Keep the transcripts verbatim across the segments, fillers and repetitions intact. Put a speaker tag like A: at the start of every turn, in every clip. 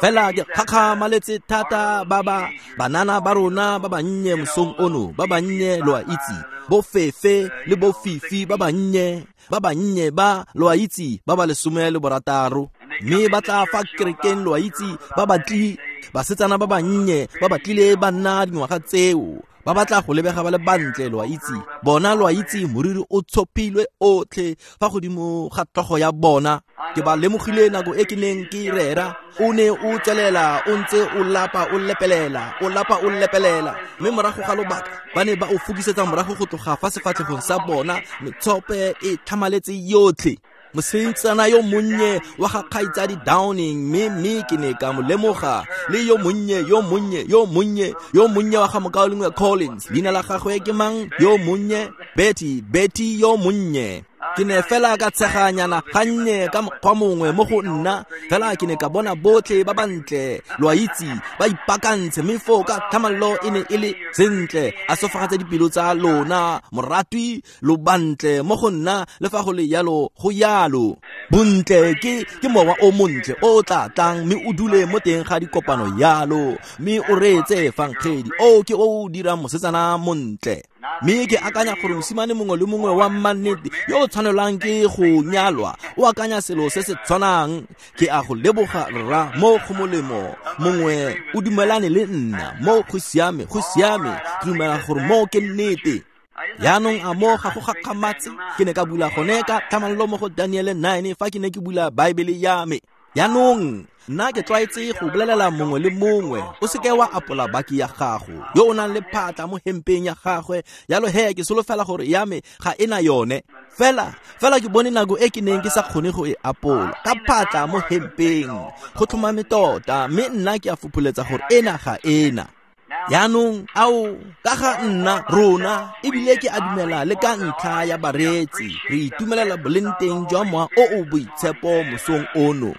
A: Fela ke gakgamaletse thata ba ba banana ba rona ba bannye mosong ono, ba bannye lo a itse, bo Fefe le bo Fifi ba bannye, ba bannye ba lo a itse, ba ba lesome le borataro. Mme ba tla fa kerekeng lo a itse, ba batli basetsana ba bannye ba batlile ba nna dingwaga tseo, ba batla go lebega ba le bantle lo a itse. Bona lo a itse moriri o tshopilwe otlhe fa godimo ga tlhogo ya bona. Ke ba lemogile nako e ke neng ke rera, o ne o tswelela o ntse o lapa o lepelela, o lapa o lepelela, mme morago ga lobaka ba ne ba o fokisetsa morago go tloga fa sefatlhegong sa bona, metshope e tlhamaletse yotlhe. Mosetsana yo monnye wa ga kgaitsadi Downing, mme mme ke ne ka mo lemoga, le yo monnye yo monnye yo monnye yo monnye wa ga mokaulengwe Collins, leina la gagwe ke mang? Yo monnye Betty, Betty yo monnye. Ke ne fela ka tsheganyana gannye ka mokgwa mongwe mo go nna, fela ke ne ka bona botlhe ba bantle lo a itse ba ipaakantse, mme foo ka tlhamallo e ne e le sentle. A sofagatse dipelo tsa lona moratwi, lo bantle mo go nna, le fa go le yalo go yalo. Bontle ke ke mowa o montle o tla tlang mme o dule mo teng ga dikopano yalo, mme o reetse efangedi o ke o o dirang mosetsana montle. Mme ke akanya gore mosimane mongwe le mongwe wa mannete yo o tshwanelwang ke go nyalwa o akanya selo se se tshwanang. Ke a go leboga rra mo go molemo, mongwe o dumelane le nna mo go siame, go siame, ke dumela gore mo ke nnete. Yaanong a mo ga go gakgamatse, ke ne ka bula gone ka tlhamallo mo go Daniele nine fa ke ne ke bula Baebele ya me. Yaanong nna ke tlwaetse go bolelela mongwe le mongwe, o seke wa apola baki ya gago yo o nang le phatla mo hempeng ya gagwe. Yalo he ke solofela gore ya me ga ena yone, fela fela ke bone nako e ke neng ke sa kgone go e apola ka phatla mo hempeng, go tlhomame tota, mme nna ke a fopholetsa gore ena ga ena. Yaanong ao ka ga nna rona, ebile ke a dumela le ka ntlha ya bareetsi, re itumelela boleng teng jwa mowa o o boitshepo mosong ono.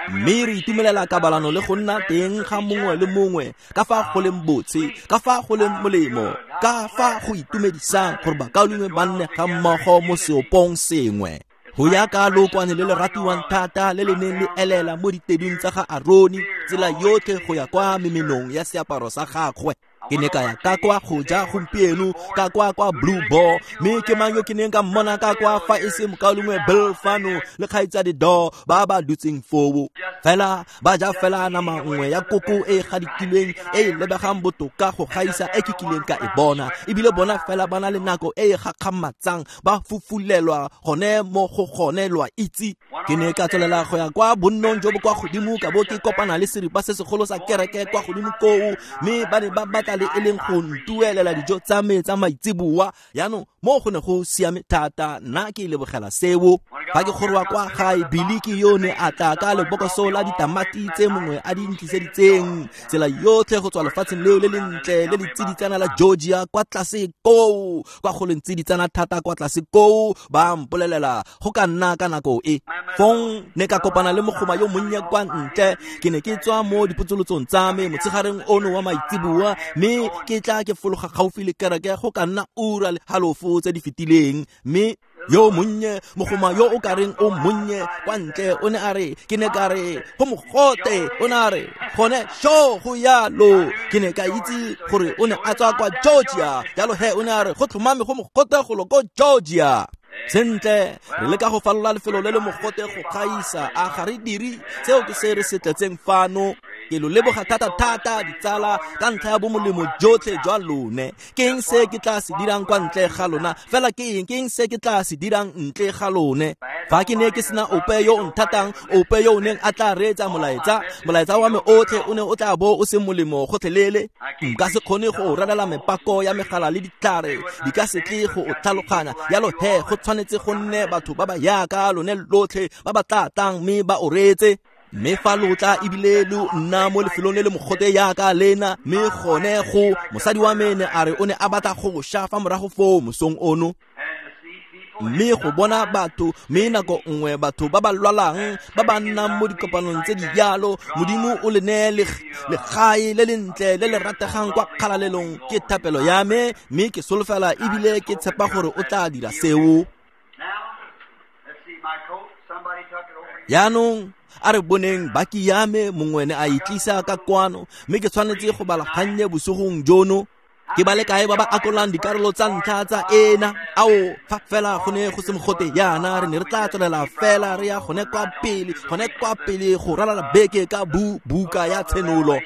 A: Mme re itumelela kabalano le go nna teng ga mongwe le mongwe, ka fa go leng botse, ka fa go leng molemo, ka fa go itumedisang gore bakaulengwe ba nne ga mmogo mo seopong sengwe. Go ya ka lookwane le le ratiwang thata le le neng le elela mo ditedung tsa ga Arone tsela yotlhe go ya kwa memenong ya seaparo sa gagwe. Ke ne ka ya ka kwa go ja gompieno ka kwa kwa Blue Boar, mme ke mang yo ke neng ka mmona ka kwa fa e se mokaulengwe Bill fano le kgaitsadi Dor ba ba dutseng foo. Fela ba ja fela nama nngwe ya koko e e gadikilweng e e lebegang botoka go gaisa e ke kileng ka e bona, ebile bona fela ba na le nako e e gakgamatsang, ba fufulelwa gone mo go gone lo a itse. Ke ne ka tswelela go ya kwa bonnong jo bo kwa godimo, ka bo ke kopana le seripa se segolo sa kereke kwa godimo koo, mme ba ne ba batla le e leng go ntuelela dijo tsa me tsa maitseboa. Yaanong mo go ne go siame thata, nna ke lebogela seo. Fa ke goroga kwa gae, Billy ke yo ne a tla ka lebokoso la ditamati tse mongwe a di ntliseditseng tsela yotlhe go tswa lefatsheng leo le lentle le le tsiditsana la Georgia kwa tlase koo, kwa go leng tsiditsana thata kwa tlase koo, ba mpolelela go ka nna ka nako e. Fong ne ka kopana le mogoma yo monnye kwa ntle, ke ne ke tswa mo dipotsolotsong tsa me motshegareng ono wa maitseboa, mme ke tla ke fologa gaufi le kereke go ka nna ura le halofo tse di fetileng, mme yo monnye mogoma yo o kareng o monnye kwa ntle o ne a re, ke ne ka re go mogote, o ne a re gone sho go yalo. Ke ne ka itse gore o ne a tswa kwa Georgia, jalo he o ne a re go tlhomame go mogote golo ko Georgia. Sentle, re leka go falola lefelo le le mogote go gaisa, a ga re dire seo ke se re se tletseng fano. Ke lo leboga thata-thata ditsala ka ntlha ya bomolemo jotlhe jwa lone. Ke eng se ke tla se dirang kwa ntle ga lona? Fela ke eng, ke eng se ke tla se dirang ntle ga lone? Fa ke ne ke sena ope yo o nthatang, ope yo o neng a tla reetsa molaetsa, molaetsa wa me otlhe o ne o tla bo o se molemo gotlhelele. Nka se kgone go ralala mepako ya megala le ditlhare, di ka se tle go o tlhaloganya. Yalo he, go tshwanetse go nne batho ba ba yaka lone lotlhe ba ba tla tlang mme ba o reetse. Mme fa lo tla ebile lo nna mo lefelong le le mogote yaka lena, mme gone go mosadi wa me ne a re o ne a batla go sha fa morago foo mosong ono. Mme go bona batho, mme nako nngwe batho ba ba lwalang, ba ba nnang mo dikopanong tse di jalo, Modimo o le neye legae le lentle le le rategang kwa kgalalelong, ke thapelo ya me, mme ke solofela ebile ke tshepa gore o tla dira seo. Yaanong A re boneng baki ya me mongwe ne a e tlisa ka kwano, mme ke tshwanetse go bala gannye bosigong jono. Ke ba le kae ba ba akolang dikarolo tsa ntlha tsa ena? Ao, fa fela go ne go se mogote yana, re ne re tla tswelela fela re ya gone kwa pele, gone kwa pele go ralala beke ka bu buka ya Tshenolo.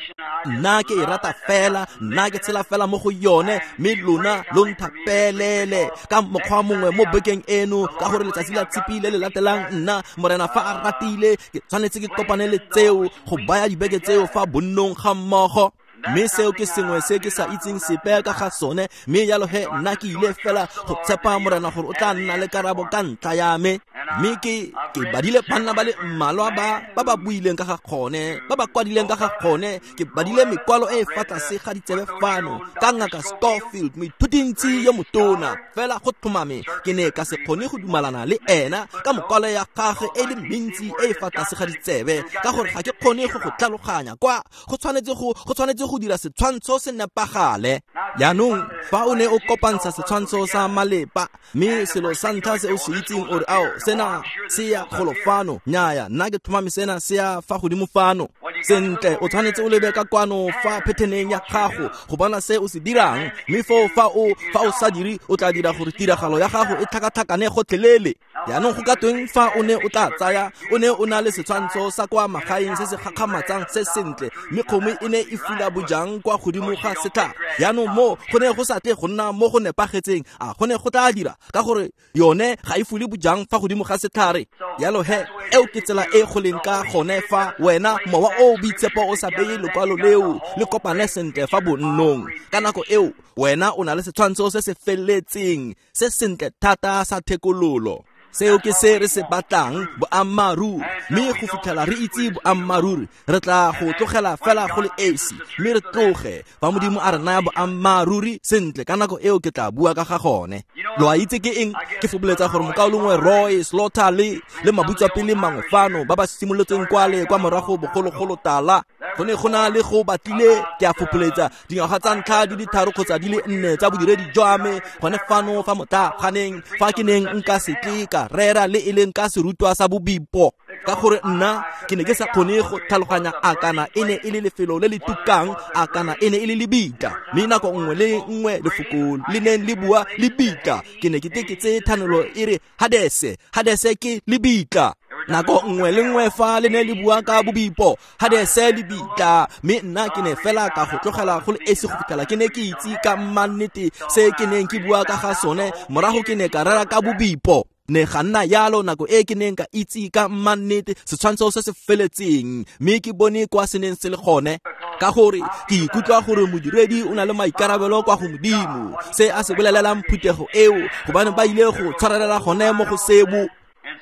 A: Nna ke e rata fela, nna ke tshela fela mo go yone, mme lona lo nthapelele ka mokgwa mongwe mo bekeng eno, ka gore letsatsi la Tshipi le le latelang nna Morena fa a ratile ke tshwanetse ke kopane le tseo go baya dibeke tseo fa bonnong ga mmogo. Mme seo ke sengwe se ke sa itseng sepe ka ga sone, mme jalo he nna ke ile fela go tshepa Morena gore o tla nna le karabo ka ntlha ya me. Mme ke ke badile banna ba le mmalwa ba ba ba buileng ka ga gone, ba ba kwadileng ka ga gone. Ke badile mekwalo e e fa tlase ga ditsebe fano ka Ngaka Scofield, moithutintsi yo motona. Fela go tlhomame ke ne ka se kgone go dumalana le ena ka mokwalo ya gagwe e le mentsi e e fa tlase ga ditsebe, ka gore ga ke kgone go go tlhaloganya kwa go tshwanetse go go tshwanetse go dira setshwantsho se nepagale. Jaanong fa o ne o kopantsha setshwantsho sa malepa, mme selo sa ntlha se o se itseng o re, ao, sena se ya golo fano, nnyaya, nna ke tlhomame sena se ya fa godimo fano. Sentle, o tshwanetse o lebe ka kwano fa phetheneng ya gago go bona se o se dirang, mme foo fa o fa o sa dire o tla dira gore tiragalo ya gago e tlhakatlhakane gotlhelele. Jaanong go ka tweng fa o ne o tla tsaya, o ne o na le setshwantsho sa kwa magaeng se se gakgamatsang se sentle, mme kgomo e ne e fula bojang kwa godimo ga setlhare. Jaanong mo go ne go sa tle go nna mo go nepagetseng, a go ne go tla dira, ka gore yone ga e fule bojang fa godimo ga setlhare. Jalo he, eo ke tsela e go leng ka gone fa wena mowa o o boitshepo o sa beye lekwalo leo le kopane sentle fa bonnong. Ka nako eo wena o na le setshwantsho se se feletseng se sentle thata sa thekololo. Seo ke se re se batlang, boammaaruri. Mme go fitlhela re itse boammaaruri, re tla go tlogela fela go le esi, mme re tloge. Fa Modimo a re naya boammaaruri sentle, ka nako eo ke tla bua ka ga gone. Lo a itse ke eng? Ke fopholetsa gore mokaulengwe Roy Slaughter le le mabutswapele mangwe fano ba ba simolotseng kwale kwa morago bogologolo tala, go ne go na le go batlile, ke a fopholetsa, dingwaga tsa ntlha di le tharo kgotsa di le nne tsa bodiredi jwa me gone fano fa motlaganeng, fa ke neng nka se tle ka rera le e leng ka serutwa sa bobipo, ka gore nna ke ne ke sa kgone go tlhaloganya a kana e ne e le lefelo le le tukang, a kana e ne e le lebitla. Mme nako nngwe le nngwe lefoko le neng le bua lebitla, ke ne ke tle ke tseye thanolo e re Hadese, Hadese ke lebitla. Nako nngwe le nngwe fa le ne le bua ka bobipo, Hadese lebitla. Mme nna ke ne fela ka go tlogela go le esi go fitlhela ke ne ke itse ka mannete se ke neng ke bua ka ga sone. Morago ke ne ka rera ka bobipo. Ne ga nna yalo nako e ke neng ka itse ka mannete setshwantsho se se feletseng, mme ke bone kwa se neng se le gone. Ka gore ke ikutlwa gore modiredi o na le maikarabelo kwa go Modimo, se a se bolelelang phuthego eo, gobane ba ile go tshwarelela gone mo go sebo.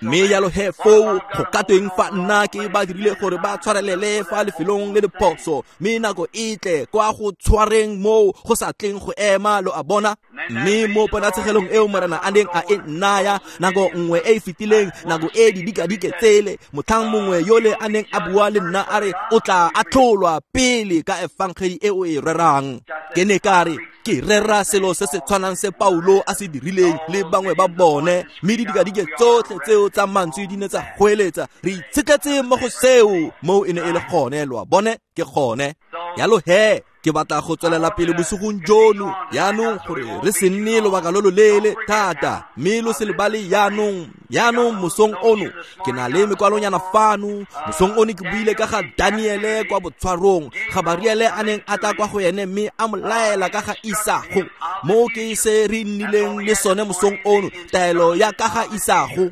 A: Mme jalo he foo go ka tweng fa nna ke ba dirile gore ba tshwarelele fa lefelong le le phoso, mme nako e tle kwa go tshwareng moo go sa tleng go ema, lo a bona. Mme mo ponatshegelong eo Morena a neng a e nnaya nako nngwe e e fetileng, nako e didikadike tsele, motlhang mongwe yole a neng a bua le nna a re o tla atlholwa pele ka efangedi e o e rerang. Ke ne ka re ke rera selo se se tshwanang se Paulo a se dirileng le bangwe ba bone, mme didikadike tsotlhe tseo tsa mantswe di ne tsa goeletsa, re itshetletse mo go seo. Moo e ne e le gone, lo a bone, ke gone. Jalo he, ke batla go tswelela pele bosigong jono jaanong gore re se nne lobaka lo loleele thata, mme lo se lebale jaanong. Jaanong mosong ono ke na le mekwalonyana fano. Mosong ono ke buile ka ga Daniele kwa botshwarong, Gabariele a neng a tla kwa go ene mme a mo laela ka ga Isago. Mo ke se re nnileng le sone mosong ono, taelo ya ka ga Isago.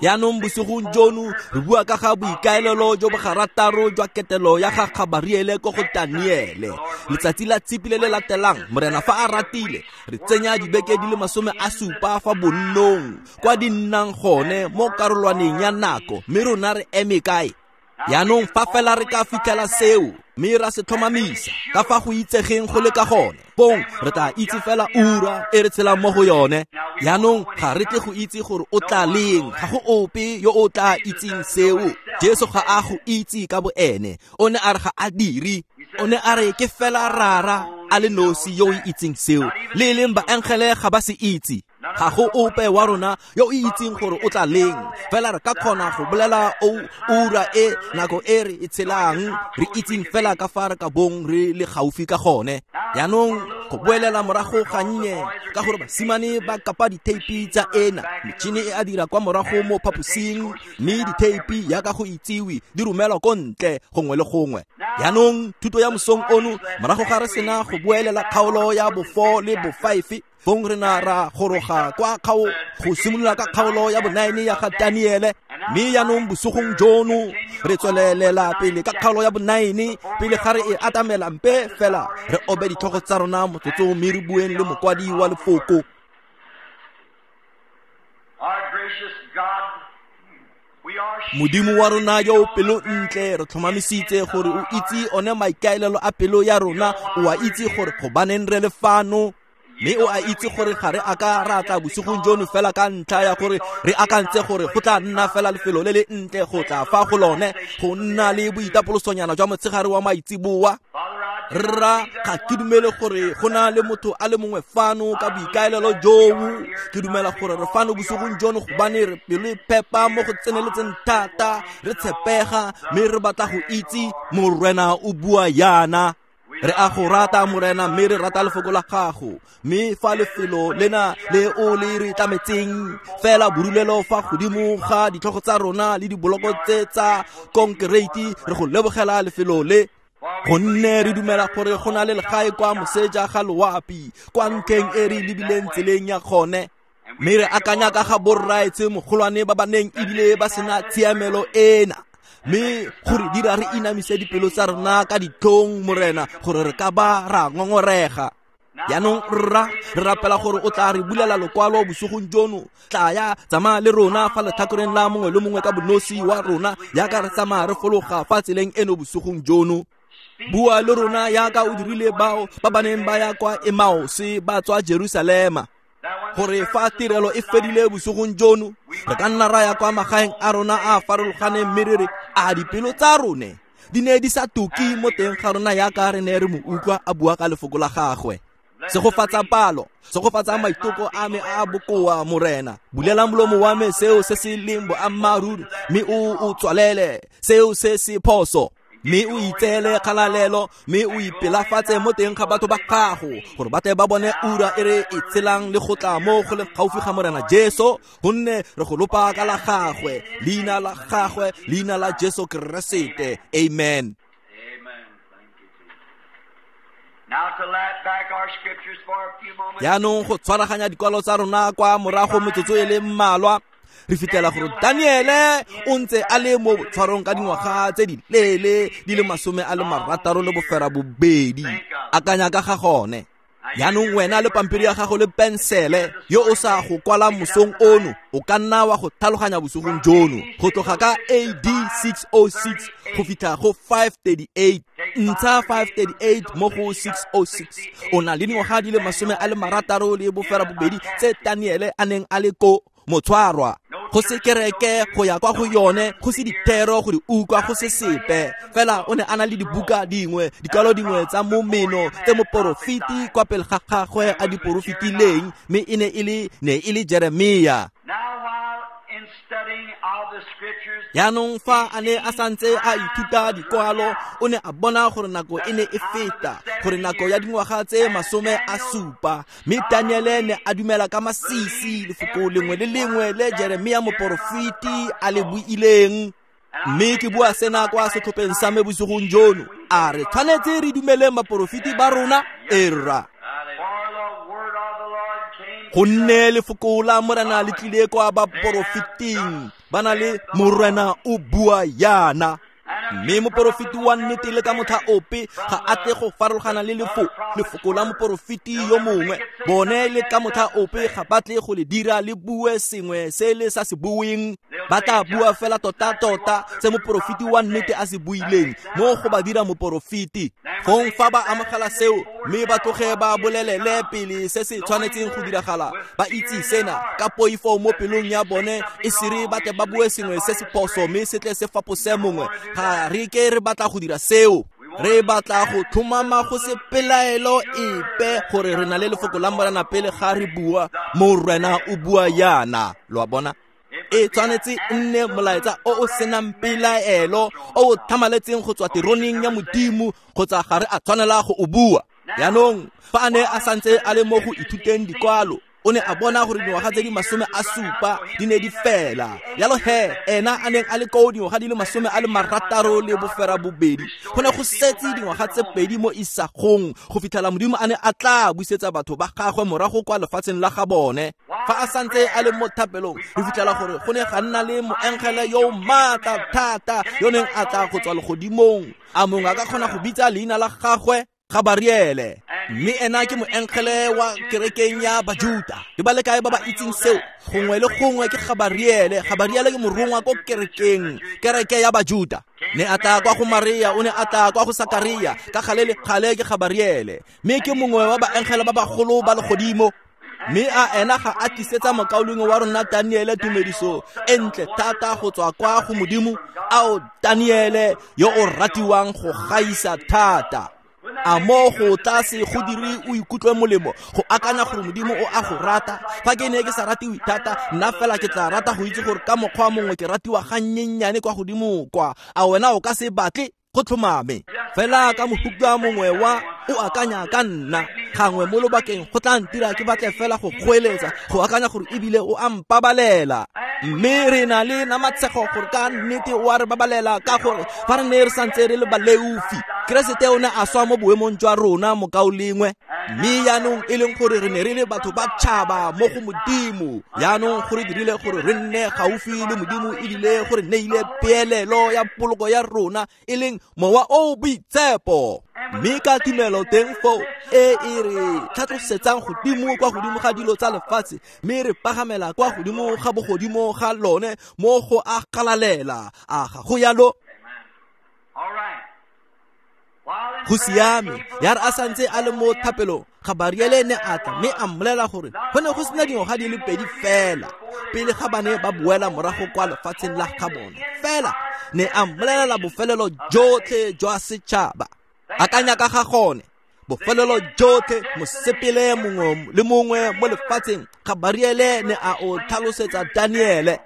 A: Jaanong bosigong jono re bua ka ga boikaelelo jo bo garataro jwa ketelo ya ga Gabariele ko go Daniele. Letsatsi la Tshipi le le latelang, Morena fa a ratile, re tsenya dibeke di le masome a supa fa bonnong kwa di nnang gone mo karolwaneng ya nako, mme rona re eme kae? Jaanong fa fela re ka fitlhela seo, mme ra se tlhomamisa ka fa go itsegeng go le ka gone, fong re tla itse fela ura e re tshelang mo go yone. Jaanong ga re tle go itse gore o tla leng, ga go ope yo o tla itseng seo. Jesu ga a go itse ka boene, o ne a re ga a dire, o ne a re ke fela Rara a le nosi yo o itseng seo, le e leng baengele ga ba se itse. Ga go ope wa rona yo o itseng gore o tla leng, fela re ka kgona go bolela o ura e nako e re e tshelang, re itseng fela ka fa re ka bong re le gaufi ka gone. Jaanong go boelela morago gannye, ka gore basimane ba kapa ditheipi tsa ena, metšhini e a dira kwa morago mo phaposing, mme ditheipi yaka go itsiwe di romelwa ko ntle gongwe le gongwe. Jaanong thuto ya mosong ono, morago ga re sena go boelela kgaolo ya bo four le bo five, fong re na ra goroga kwa kgao go simolola ka kgaolo ya bo nine ya ga Daniele. Mme jaanong bosigong jono re tswelelela pele ka kgaolo ya bo nine, pele ga re e atamela mpe fela re obe ditlhogo tsa rona motsotso mme re bueng le mokwadi wa lefoko. Modimo wa rona yo o pelo ntle, re tlhomamisitse gore o itse one maikaelelo a pelo ya rona, o a itse gore gobaneng re le fano, mme o a itse gore ga re a ka ra tla bosigong jono fela ka ntlha ya gore re akantse gore go tla nna fela lefelo le le ntle go tla fa go lone go nna le boitapolosonyana jwa motshegare wa maitseboa. Rra, ga ke dumele gore go na le motho a le mongwe fano ka boikaelelo joo. Ke dumela gore re fano bosigong jono gobane re pelo e phepa mo go tseneletseng thata, re tshepega, mme re batla go itse Morena o bua yana. Re a go rata Morena, mme re rata lefoko la gago, mme fa lefelo lena le o le re tlametseng fela borulelo fa godimo ga ditlhogo tsa rona le diboloko tse tsa konkereiti, re go lebogela lefelo le, gonne re dumela gore go na le legae kwa moseja ga loapi, kwa ntlheng e re lebileng tseleng ya gone. Mme re akanya ka ga borraetshe mogolwane ba ba neng ebile ba sena tshiamelo ena, mme gore dira re inamise dipelo tsa rona ka ditlhong Morena, gore re ka ba ra ngongorega. Jaanong rra, re rapela gore o tla re bulela lokwalo bosigong jono. Tla ya tsamaya le rona fa letlhakoreng la mongwe le mongwe ka bonosi wa rona, yaka re tsamaya re fologa fa tseleng eno bosigong jono. Bua le rona yaka o dirile bao ba ba neng ba ya kwa Emmaus ba tswa Jerusalema, gore fa tirelo e fedile bosigong jono re ka nna ra ya kwa magaeng a rona a farologaneng, mme re re a dipelo tsa rone di ne di sa tuki mo teng ga rona yaka re ne re mo utlwa a bua ka lefoko la gagwe. Segofatsa palo, segofatsa maitoko a me a bokoa Morena. Bulela molomo wa me seo se se leng boammaaruri, mme o o tswalele seo se se phoso, mme o itseele kgalalelo, mme o ipelafatse mo teng ga batho ba gago, gore ba tle ba bone ura e re e tshelang le go tla mo go leng gaufi ga Morena Jesu, gonne re go lopa ka la gagwe, leina la gagwe, leina la Jesu Keresete. Amen. Jaanong go tshwaraganya dikwalo tsa rona kwa morago metsotso e le mmalwa, re fitlhela gore Daniele o ntse a le mo tshwarong ka dingwaga tse di leele di le masome a le marataro le bofera bobedi. Akanya ka ga gone. Jaanong wena le pampiri ya gago le pensele yo o sa go kwala mosong ono, o ka nna wa go tlhaloganya bosigong jono, go tloga ka A D six oh six go fitlha go five thirty-eight. Ntsha five thirty-eight mo go six oh six. O na le dingwaga di le masome a le marataro le bofera bobedi tse Daniele a neng a le ko motshwarwa. Go se kereke go ya kwa go yone, go se dithero go di utlwa, go se sepe. Fela o ne a na le dibuka dingwe, dikwalo dingwe tsa momeno tse moporofeti kwa pele ga gagwe a di porofetileng, mme e ne e le ne e le Jeremia. Jaanong fa a ne a santse a ithuta dikwalo, o ne a bona gore nako e ne e feta, gore nako ya dingwaga tse masome a supa. Mme Daniele ne a dumela ka masisi lefoko lengwe le lengwe le Jeremia moporofeti a le buileng. Mme ke bua sena kwa setlhopheng sa me bosigong jono, a re tshwanetse re dumeleng baporofeti ba rona? Ee rra. Gonne lefoko la Morena le tlile kwa baporofeting, ba na le Morena o bua yana. Mme moporofeti wa nnete le ka motlha ope ga a tle go farologana le lefoko lefoko la moporofeti yo mongwe. Bone le ka motlha ope ga ba tle go le dira le bue sengwe se le sa se bueng. Ba tla bua fela tota-tota se moporofeti wa nnete a se buileng, mo go ba dira moporofeti. Fong fa ba amogela seo, mme ba tloge ba bolelele pele se se tshwanetseng go diragala, ba itse sena ka poifo mo pelong ya bone, e sere ba tle ba bue sengwe se se phoso mme se tle se fapose mongwe. Ga re ke re batla go dira seo. Re batla go tlhomama go se pelaelo epe gore re na le lefoko la Morena pele ga re bua, Morena o bua yana. Lo a bona? E tshwanetse nne molaetsa o o senang pelaelo, o o tlhamaletseng go tswa teroneng ya Modimo, kgotsa ga re a tshwanela go o bua. Jaanong fa a ne a santse a le mo go ithuteng dikwalo, o ne a bona gore dingwaga tse di masome a supa di ne di fela. Jalo he ena a neng a le koo dingwaga di le masome a le marataro le bofera bobedi, go ne go setse dingwaga tse pedi mo isagong go fitlhela Modimo a ne a tla busetsa batho ba gagwe morago kwa lefatsheng la ga bone. Fa a santse a le mo thapelong, re fitlhela gore go ne ga nna le moengele yo o maatla thata yo neng a tla go tswa legodimong. A mongwe a ka kgona go bitsa leina la gagwe? Gabariele. Mme ena ke moengele wa kerekeng ya Bajuta. Ke ba le kae ba ba itseng seo? Gongwe le gongwe ke Gabariele. Gabariele ke morongwa ko kerekeng, kereke ya Bajuta. Ne a tla kwa go Maria, o ne a tla kwa go Sakaria, ka gale le gale ke Gabariele. Mme ke mongwe wa baengele ba bagolo ba legodimo. Mme a ena ga a tlisetsa mokaulengwe wa rona Daniele tumediso e ntle thata go tswa kwa go Modimo. Ao Daniele yo o ratiwang go gaisa thata. A mo go tlase go dire o ikutlwe molemo go akanya gore Modimo o a go rata. Fa ke ne ke sa ratiwe thata, nna fela ke tla rata go itse gore ka mokgwa mongwe ke ratiwa gannyenyane kwa godimo kwa. A wena o ka se batle go tlhomame fela ka mohuta mongwe wa o akanya ka nna gangwe mo lobakeng go tla ntira ke batle fela go goeletsa go akanya gore ebile o a mpabalela. Mme re na le namatshego gore ka nnete o a re babalela, ka gore fa re ne re santse re le baleofi, Keresete o ne a swa mo boemong jwa rona mokaulengwe. Mme jaanong e leng gore re ne re le batho ba tšhaba mo go Modimo, jaanong gore dirile gore re nne gaufi le Modimo ebile gore neile peelelo ya poloko ya rona e leng Mowa o o Boitshepo. Mme ka tumelo teng foo e e re tlhatlosetsang godimo kwa godimo ga dilo tsa lefatshe, mme re pagamela kwa godimo ga bogodimo ga lone mo go a galalela. A ga go yalo? Go siame. Ya re a santse a le mo thapelong, Gabariele ne a tla mme a mmolela gore go ne go sena dingwaga di le pedi fela pele ga ba ne ba boela morago kwa lefatsheng la ga bone. Fela ne a mmolelela bofelelo jotlhe jwa setšhaba. Akanya ka ga gone, bofelelo jotlhe, mosepele mongwe le mongwe mo lefatsheng. Gabariele ne a o tlhalosetsa Daniele.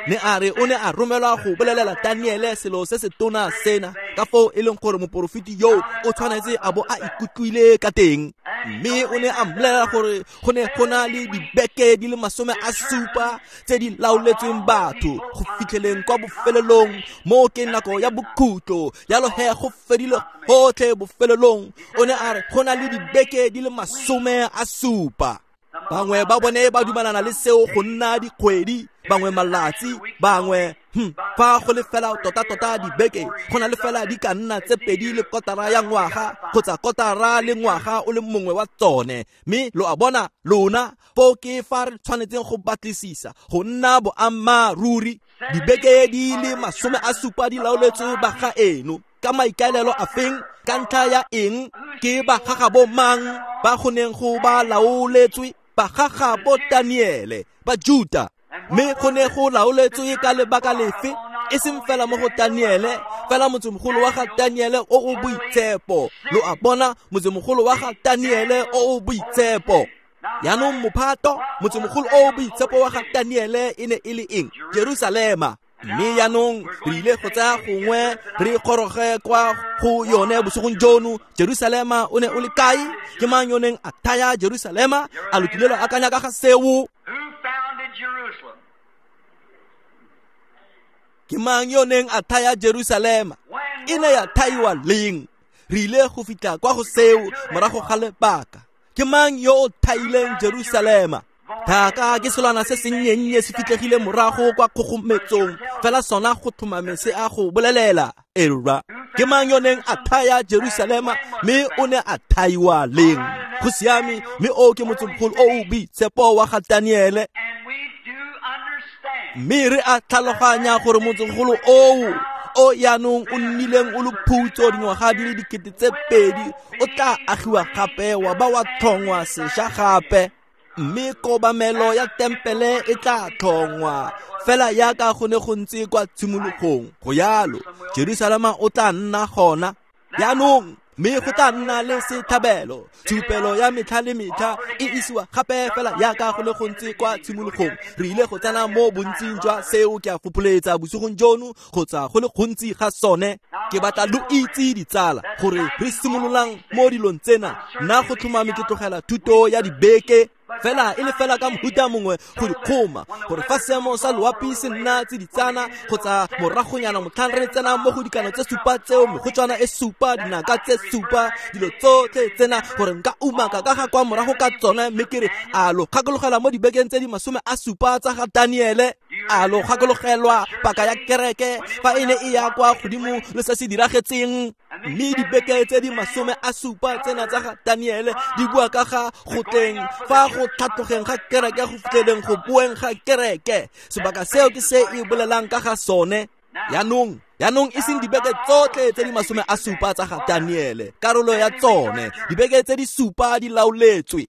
A: Ne a re o ne a romelwa go bolelela Daniele selo se se tona sena, ka foo e leng gore moporofeti yo o tshwanetse a bo a ikutlwile ka teng. Mme o ne a mmolelela gore go ne go na le dibeke di le masome a supa tse di laoletsweng batho go fitlheleng kwa bofelelong, mo ke nako ya bokhutlo. Jalo he go fedile gotlhe bofelelong. O ne a re go na le dibeke di le masome a supa. Bangwe ba bone ba dumalana le seo go nna dikgwedi, bangwe malatsi, bangwe hm fa go le fela tota-tota dibeke, go na le fela di ka nna tse pedi le kotara ya ngwaga kgotsa kotara le ngwaga o le mongwe wa tsone. Mme lo a bona lona foo ke fa re tshwanetseng go batlisisa go nna boammaaruri. Dibeke di le masome a supa di laoletswe ba ga eno ka maikaelelo a feng, ka ntlha ya eng, ke ba gagabo mang ba go neng go ba laoletswe? Ba gagabo Daniele ba Juta. Mme go ne go laoletswe ka lebaka lefe? E seng fela mo go Daniele, fela motsemogolo wa ga Daniele o o boitshepo. Lo a bona, motsemogolo wa ga Daniele o o boitshepo. Jaanong mophato, motsemogolo o o boitshepo wa ga Daniele e ne e le eng? Jerusalema. Mme jaanong re ile go tsaya gongwe re goroge kwa go yone bosigong jono. Jerusalema o ne o le kae? Ke mang yo neng a thaya Jerusalema? A lo kile lwa akanya ka ga seo? Ke mang yo neng a thaya Jerusalema? E ne ya thaiwa leng? Re ile go fitlha kwa go seo morago ga lebaka. Ke mang yo o thaileng Jerusalema? Thaka ke selwana se sennye se fitlhegile morago kwa kgogometsong, fela sona go tlhomame se a go bolelela. Erra, ke mang yo neng a thaya Jerusalema, mme o ne a thaiwa leng? Go siame, mme o ke motsemogolo o o boitshepo wa ga Daniele. Mme re a tlhaloganya gore motsemogolo oo o jaanong o nnileng o le phutso dingwaga di le dikete tse pedi o tla agiwa gape wa ba wa tlhongwa sešwa gape. Mme kobamelo ya tempele e tla tlhongwa fela yaka go ne go ntse kwa tshimologong. Go yalo, Jerusalema o tla nna gona. Jaanong mme go tla nna le setlhabelo, tshupelo ya metlha le metlha e isiwa gape fela yaka go le gontsi kwa tshimologong. Re ile go tsena mo bontsing jwa seo ke a fopholetsa bosigong jono kgotsa go le gontsi ga sone. Ke batla lo itse ditsala gore re simololang mo dilong tsena. Nna go tlhomame ke tlogela thuto ya dibeke fela e le fela ka mohuta mongwe go di kgoma, gore fa seemo sa loapi se nna tsiditsana kgotsa moragonyana motlhang re tsena mo go dikano tse supa tseo, megotswana e supa, dinaka tse supa, dilo tsotlhe tsena, gore nka umaka ka ga kwa morago ka tsone. Mme ke re a lo gakologela mo dibekeng tse di masome a supa tsa ga Daniele, a lo gakologelwa paka ya kereke fa e ne e ya kwa godimo le se se diragetseng. Mme dibeke tse di masome a supa tsena tsa ga Daniele di bua ka ga go tleng fa go tlhatlogeng ga kereke go fitlheleng go boeng ga kereke. Sebaka seo ke se e bolelang ka ga sone. Jaanong jaanong e seng dibeke tsotlhe tse di masome a supa tsa ga Daniele, karolo ya tsone dibeke tse di supa di laoletswe.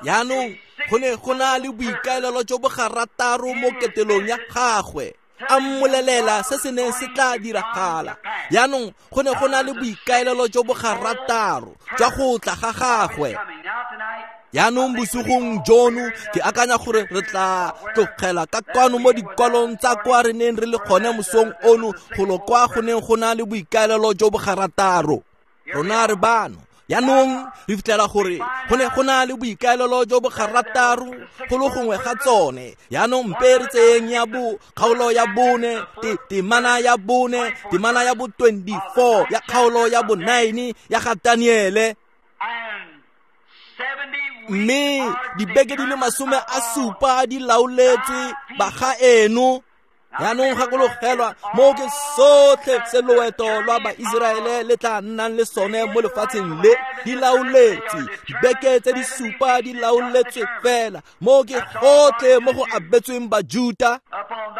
A: Jaanong go ne go na le boikaelelo jo bo garataro mo ketelong ya gagwe, a mmolelela se se neng se tla diragala. Jaanong go ne go na le boikaelelo jo bo garataro jwa go tla ga gagwe. Jaanong bosigong jono ke akanya gore re tla tlogela ka kwano mo dikwalong tsa kwa re neng re le gone mosong ono, golo kwa go neng go na le boikaelelo jo bo garataro. Rona re bano. Jaanong re fitlhela gore go ne go na le boikaelelo jo bo garataro go le gongwe ga tsone. Jaanong mpe re tseyeng ya bo kgaolo ya bone, temana ya bone, temana ya bo twenty-four ya kgaolo ya bo nine ya ga Daniele. Mme dibeke di le masome a supa di laoletswe bagaeno. Jaanong gakologelwa mo ke sotlhe se loeto lwa Baiseraele le tla nnang le sone mo lefatsheng le, di laoletswe. Dibeke tse di supa di laoletswe fela mo ke gotlhe mo go abetsweng Bajuta,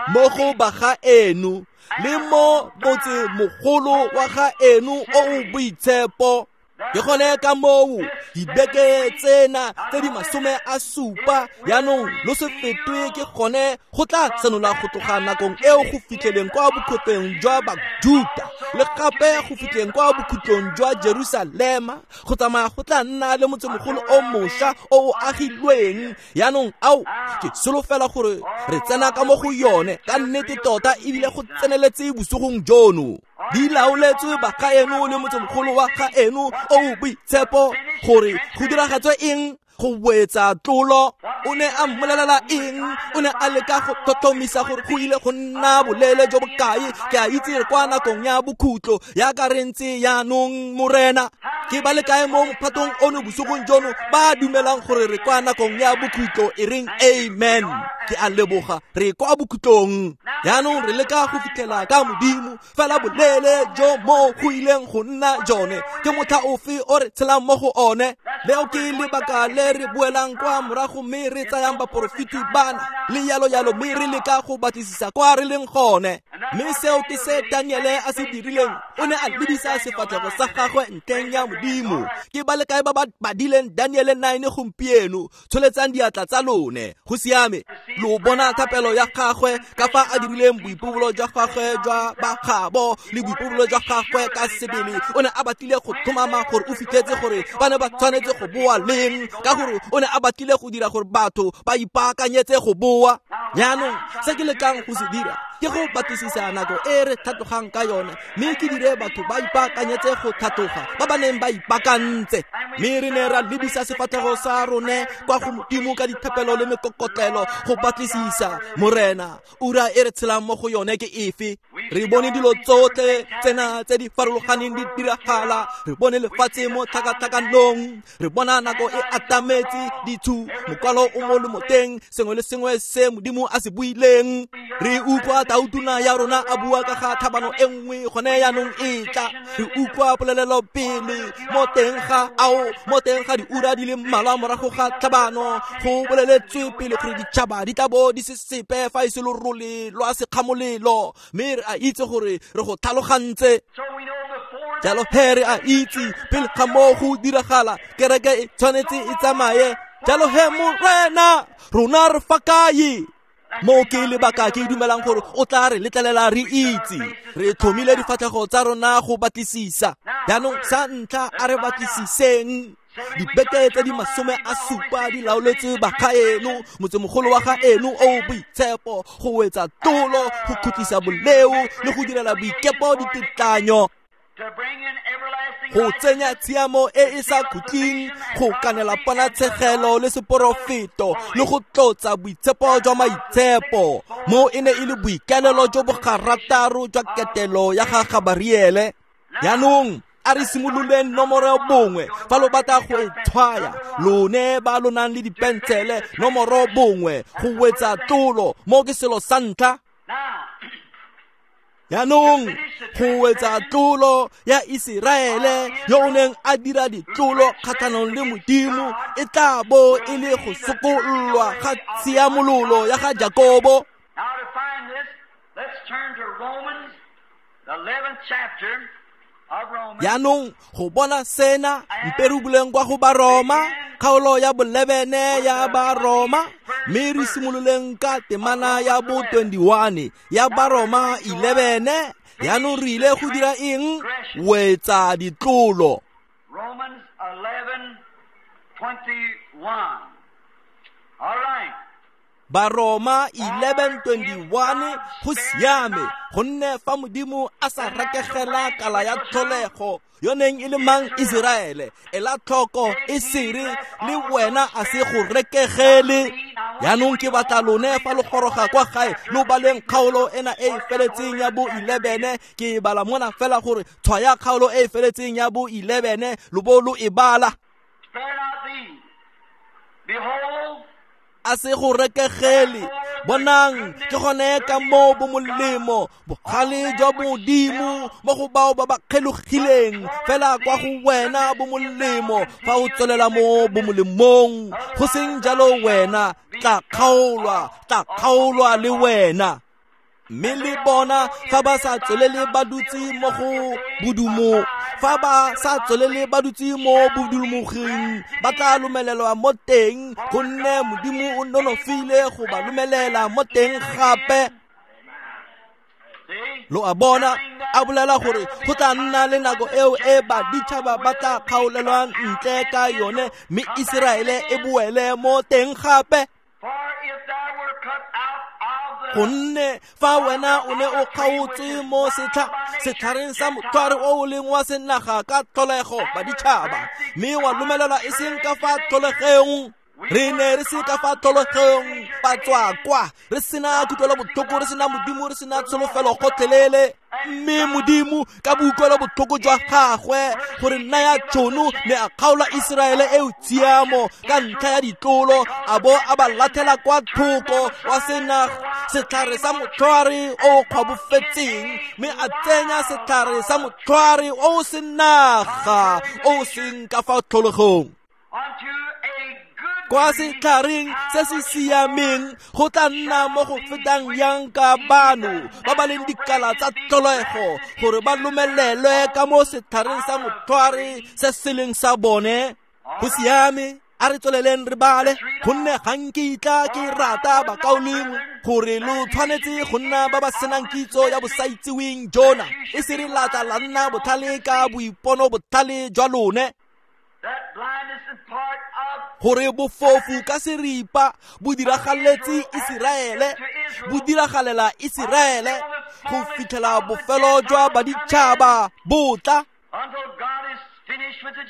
A: mo go bagaeno le mo motsemogolo wa gaeno o o boitshepo. Ke gone ka moo dibeke tsena tse di masome a supa jaanong lo se fetwe ke gone go tla senola go tloga nakong eo go fitlheleng kwa bokhutlong jwa Bajuta le gape go fitlheleng kwa bokhutlong jwa Jerusalema, go tsamaya go tla nna le motsemogolo o mošwa o o agilweng. Jaanong ao ke solofela gore re tsena ka mo go yone ka nnete tota ebile go tseneletse bosigong jono. Di laoletswe bagaeno le motsemogolo wa gaeno o o boitshepo gore go diragatswe eng? Go boetsa tlolo. O ne a mmolelela eng? O ne a leka go tlhotlhomisa gore go ile go nna boleele jo bokae. Ke a itse re kwa nakong ya bokhutlo yaka re ntse jaanong, Morena. Ke ba le kae mo mophatong ono bosigong jono ba dumelang gore re kwa nakong ya bokhutlo? E reng amen. Ke a leboga, re kwa bokhutlong. Jaanong re leka go fitlhela ka Modimo fela boleele jo mo go ileng go nna jone ke motlha ofe o re tshelang mo go one. Leo ke lebaka le re boelang kwa morago mme re tsayang baporofeti bana le yalo yalo, mme re leka go batlisisa kwa re leng gone. Mme seo ke se Daniele a se dirileng. O ne a lebisa sefatlhego sa gagwe ntleng ya Modimo. Ke ba le kae ba ba badileng Daniele nine gompieno? Tsholetsang diatla tsa lone. Go siame. Lo bona thapelo ya gagwe ka fa a dirileng boipobolo jwa gagwe jwa bagabo le boipobolo jwa gagwe ka sebele. O ne a batlile go tlhomama gore o fitlhetse gore ba ne ba tshwanetse go boa leng, ka gore o ne a batlile go dira gore batho ba ipaakanyetse go boa. Jaanong se ke lekang go se dira ke go batlisisa nako e re tlhatlogang ka yone, mme ke dire batho ba ipaakanyetse go tlhatloga ba ba neng ba ipaakantse. Mme re ne ra lebisa sefatlhego sa rone kwa go Modimo ka dithapelo le mekokotlelo go batlisisa, Morena, ura e re tshelang mo go yone ke efe? Re bone dilo tsotlhe tsena tse di farologaneng di diragala. Re bone lefatshe mo tlhakatlhakanong, re bona nako e atametse, dithu mokwalo o mo lomoteng, sengwe le sengwe se Modimo a se buileng. Re utlwa tautona ya rona a bua ka ga tlhabano e nngwe gone jaanong e tla. Re utlwa polelelo pele mo teng ga ao, mo teng ga diura di le mmalwa morago ga tlhabano go boleletswe pele gore ditšhaba di tla bo di se sepe fa e se lorole lwa sekgamolelo. Mme re a itse gore re go tlhalogantse. Jalo he re a itse pele ga moo go diragala kereke e tshwanetse e tsamaye. Jalo he Morena, rona re fa kae? Mo ke lebaka ke dumelang gore o tla re letlelela re itse. Re tlhomile difatlhego tsa rona go batlisisa. Jaanong sa ntlha a re batlisiseng. Dibeke tse di masome a supa di laoletswe bagaeno, motsemogolo wa gaeno o o boitshepo, go wetsa tolo, go khutlisa boleo le go direla boikepo ditetlanyo, go tsenya tshiamo e e sa khutleng, go kanela ponatshegelo le seporofeto le go tlotsa boitshepo jwa maitshepo. Mo e ne e le boikaelelo jo bo garataro jwa ketelo ya ga Gabariele. Jaanong a re simololeng nomoro bongwe fa lo batla go e tshwaya, lone ba lo nang le dipensele, nomoro bongwe, go wetsa tlolo. Mo ke selo sa ntlha. Jaanong go wetsa tlolo ya Iseraele yo o neng a dira ditlolo kgatlhanong le Modimo e tla bo e le go sokollwa ga tshiamololo ya ga Jakobo.
B: Now to find this, let's turn to Romans, the eleventh chapter.
A: Jaanong go bona sena, mpe re buleng kwa go Baroma, kgaolo ya bolebene ya Baroma, mme re simololeng ka temana ya bo twenty-one ya Baroma eleven. Jaanong re ile go dira eng? Wetsa ditlolo.
B: Romans eleven twenty-one. All right.
A: Baroma eleven twenty-one. Go siame, gonne fa Modimo a sa rekegela kala ya tlholego yo neng e le mang Iseraele, ela tlhoko e sere le wena a se go rekegele. Jaanong ke batla lone fa lo goroga kwa gae lo baleng kgaolo ena e e feletseng ya bo eleven. Ke e bala mona fela gore tshwaya kgaolo e e feletseng ya bo eleven lo bo lo e bala. A se go rekegele. Bonang, ke gone ka moo bo molemo bogale jwa Modimo mo go bao ba ba kgelogileng, fela kwa go wena bo molemo fa o tswelela mo bo molemong. Go seng jalo wena tla kgaolwa, tla kgaolwa le wena. Mme le bona fa ba sa tswelele ba dutse mo go bodumo, fa ba sa tswelele ba dutse mo bodumogeng, ba tla lomelelwa mo teng, gonne Modimo o nonofile go ba lomelela mo teng gape. Lo a bona, a bolela gore go tla nna le nako eo e baditšhaba ba tla kgaolelwang ntle ka yone, mme Iseraele e boele mo teng gape. Gonne fa wena o ne o kgaotswe mo setlha setlhareng sa motlhware o o leng wa senaga ka tlholego baditšhaba, mme wa lomelelwa e seng ka fa tlholegeng. Re ne re se ka fa tlholegeng, ba tswa kwa, re sena kutlwelobotlhoko, re sena Modimo, re sena tsholofelo gotlhelele. Mme Modimo ka boikutlwelobotlhoko jwa gagwe gore naya tšhono ne a kgaola Iseraele eo tshiamo ka ntlha ya ditlolo, a bo a ba latlhela kwa thoko wa sena setlhare sa motlhware o o kgwabofetseng, mme a tsenya setlhare sa motlhware o o senaga o o seng ka fa tlholegong. Kwa setlhareng se se siameng go tla nna mo go fetang yang ka bano ba ba leng dikala tsa tlholego gore ba lomelelwe ka mo setlhareng sa motlhware se se leng sa bone. Go siame, a re tsweleleng re bale, gonne ga nkitla ke rata bakaulengwe gore lo tshwanetse go nna ba ba senang kitso ya bosaitseweng jona, e se re latla la nna botlhale ka boipono botlhale jwa lone. Gore bofofu ka seripa bo diragaletse Iseraele, bo diragalela Iseraele go fitlhela bofelo jwa baditšhaba bo tla,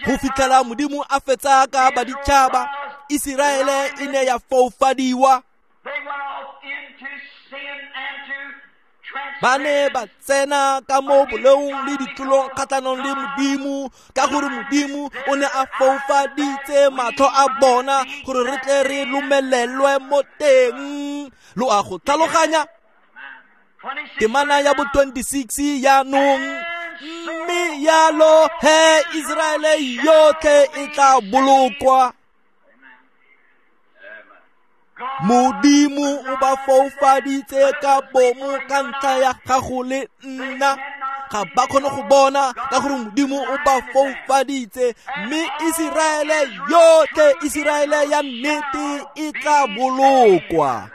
A: go fitlhela Modimo a fetsa ka baditšhaba. Iseraele e ne ya foufadiwa. Ba ne ba tsena ka mo boleong le ditlolong kgatlhanong le Modimo, ka gore Modimo o ne a foufaditse matlho a bona gore re tle re lomelelwe mo teng. Lo a go tlhaloganya? Temana ya bo twenty-six jaanong. Mme yalo he Iseraele yotlhe e tla bolokwa. Modimo o ba foufaditse ka bomo ka ntlha ya gago le nna. Ga ba kgone go bona ka gore Modimo o ba foufaditse, mme Iseraele yotlhe, Iseraele ya nnete e tla bolokwa.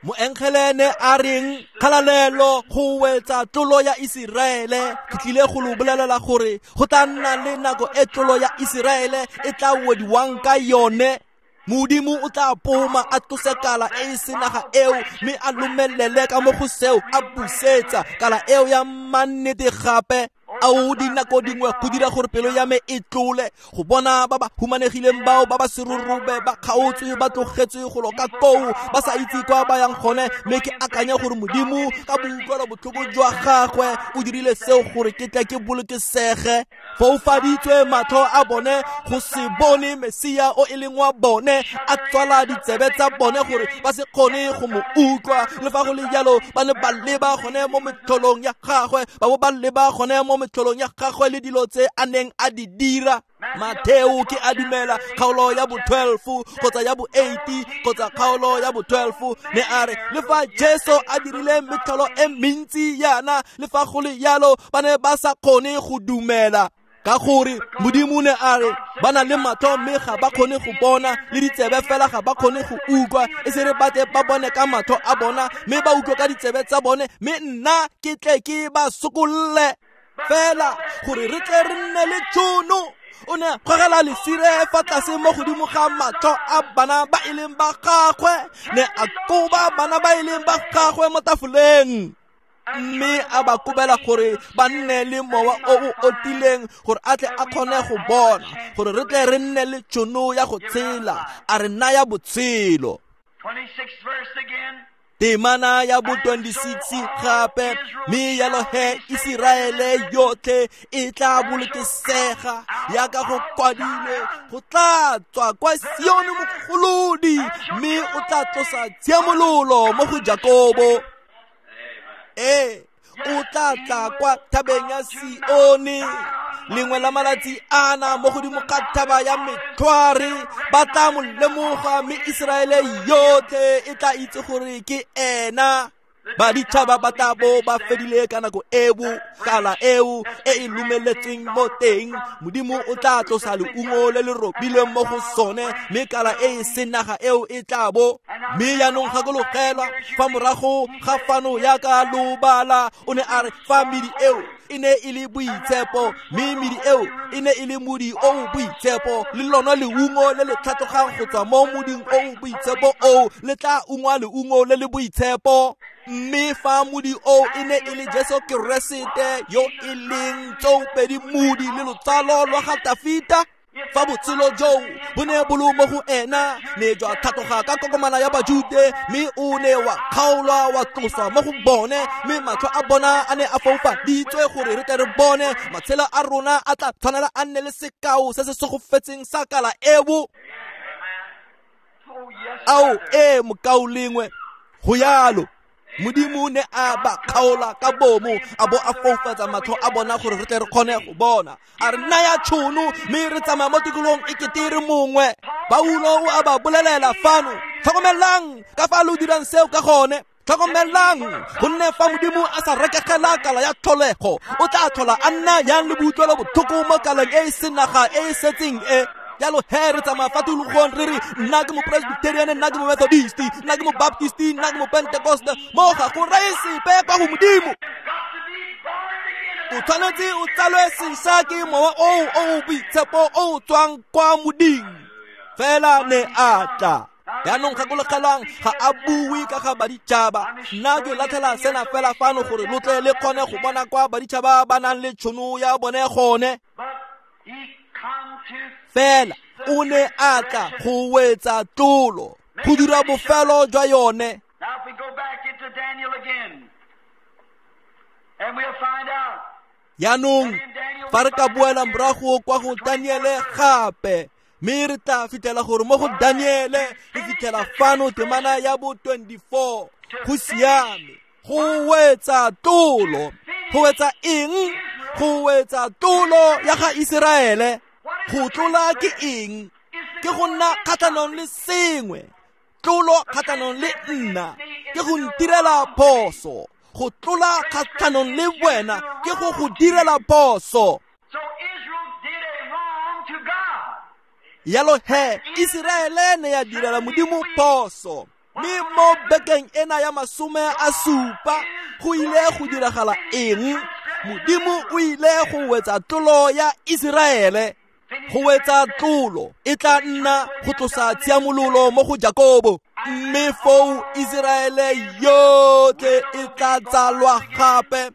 A: Moengele ne a reng kgalalelo go wetsa tlolo ya Iseraele. Ke tlile go lo bolelela gore go tla nna le nako e tlolo ya Iseraele e tla wediwang ka yone. Modimo o tla poma a tlose kala e e senaga eo, mme a lomelele ka mo go seo a busetsa kala eo ya mannete gape. Ao dinako dingwe go dira gore pelo ya me e tlole go bona ba ba humanegileng bao ba ba serurube ba kgaotswe ba tlogetswe go loka koo ba sa itse kwa ba yang gone, mme ke akanya gore Modimo ka boutlwelo botlhoko jwa gagwe o dirile seo gore ke tle ke bolokesege. Foufaditswe matlho a bone go se bone Mesia o e leng wa bone, a tswala ditsebe tsa bone gore ba se kgone go mo utlwa. Le fa go le jalo ba ne ba leba gone mo metlholong ya gagwe, ba bo ba leba gone mo metlholong ya gagwe le dilo tse a neng a di dira. Mateo ke a dumela kgaolo ya bo twelve kgotsa ya bo eight kgotsa kgaolo ya bo twelve ne a re le fa Jesu a dirile metlholo e mentsi yana, le fa go le jalo ba ne ba sa kgone go dumela. Ka gore Modimo ne a re ba na le matlho mme ga ba kgone go bona, le ditsebe fela ga ba kgone go utlwa, e se re ba tle ba bone ka matlho a bona mme ba utlwe ka ditsebe tsa bone, mme nna ke tle ke ba sokolle fela gore re tle re nne le tšhono. O ne a gogela lesire fa tlase mo godimo ga matlho a bana ba e leng ba gagwe, ne a koba bana ba e leng ba gagwe mo tafoleng, mme a ba kobela gore ba nne le mowa o o otileng gore a tle a kgone go bona, gore re tle re nne le tšhono ya go tshela, a re naya botshelo. Temana ya bo twenty-six gape, mme yalo he Iseraele yotlhe e tla bolokesega yaka go kwadilwe, go tla tswa kwa Sione mogolodi, mme o tla tlosa tshiamololo mo go Jakobo. Ee, o tla tla kwa thabeng ya Sione lengwe la malatsi ana mo godimo ga thaba ya metlhware, ba tla mo lemoga, mme Iseraele yotlhe e tla itse gore ke ena. Baditšhaba ba tla bo ba fedile ka nako eo, kala eo e e lumeletsweng mo teng. Modimo o tla tlosa leungo le le robilweng mo go sone, mme kala e e senaga eo e tla bo. Mme jaanong gakologelwa fa morago ga fano yaka lobala, o ne a re fa medi eo e ne e le boitshepo, mme medi eo e ne e le modi o o boitshepo, le lona leungo le le tlhatlogang go tswa mo moding o o boitshepo oo le tla ungwa leungo le le boitshepo. Mme fa modi o e ne e le Jesu Keresete yo e leng tsoopedi modi le lotsalo lwa ga Tafita, fa botshelo joo bo ne bo le mo go ena, ne jwa tlhatloga ka kokomana ya Bajude, mme o ne wa kgaolwa wa tloswa mo go bone, mme matlho a bona a ne a foufaditswe gore re tle re bone. Matshelo a rona a tla tshwanela a nne le sekao se se segofetseng sa kala eo. Ao ee mokaulengwe, go yalo. Modimo ne a ba kgaola ka bomo, a bo a foufatsa matlho a bona gore re tle re kgone go bona. A re naya tšhono mme re tsamaya mo tikologong e kete re mongwe. Paulo o a ba bolelela fano, tlhokomelang ka fa lo dirang seo ka gone. Tlhokomelang, gonne fa Modimo a sa rekegela kala ya tlholego, o tla tlhola a nna yang le boutlwelo botlhoko mo kaleng e e senaga e e setseng e. Jalo he re tsamaya fa tikologong re re nna ke mo-Presbyterian, nna ke mo-Methodist, nna ke mo-Baptist, nna ke mo-Pentecost, mo ga go reye sepe kwa go Modimo. O tshwanetse o tsalwe sešwa ke mowa oo o o boitshepo o o tswang kwa moding. Fela ne a tla. Jaanong gakologelwang, ga a bue ka ga baditšhaba. Nna ke latlhela sena fela fano gore lo tle le kgone go bona kwa baditšhaba ba nang le tšhono ya bone gone. Fela o ne a tla go wetsa tlolo, go dira bofelo jwa yone. Jaanong fa re ka boela morago kwa go Daniele gape, mme re tla fitlhela gore mo go Daniele re fitlhela fano temana ya bo twenty-four. Go siame, go wetsa tlolo. Go wetsa eng? Go wetsa tlolo ya ga Iseraele. Go tlola ke eng? Ke go nna kgatlhanong le sengwe. Tlolo kgatlhanong le nna ke go ntirela phoso. Go tlola kgatlhanong le wena ke go go direla phoso. Yalo he, Iseraele ne ya direla Modimo phoso. Mme mo bekeng ena ya masome a supa go ile go diragala eng? Modimo o ile go wetsa tlolo ya Iseraele. Go wetsa tlolo e tla nna go tlosa tshiamololo mo go Jakobo. Mme foo Iseraele yotlhe e tla tsalwa gape.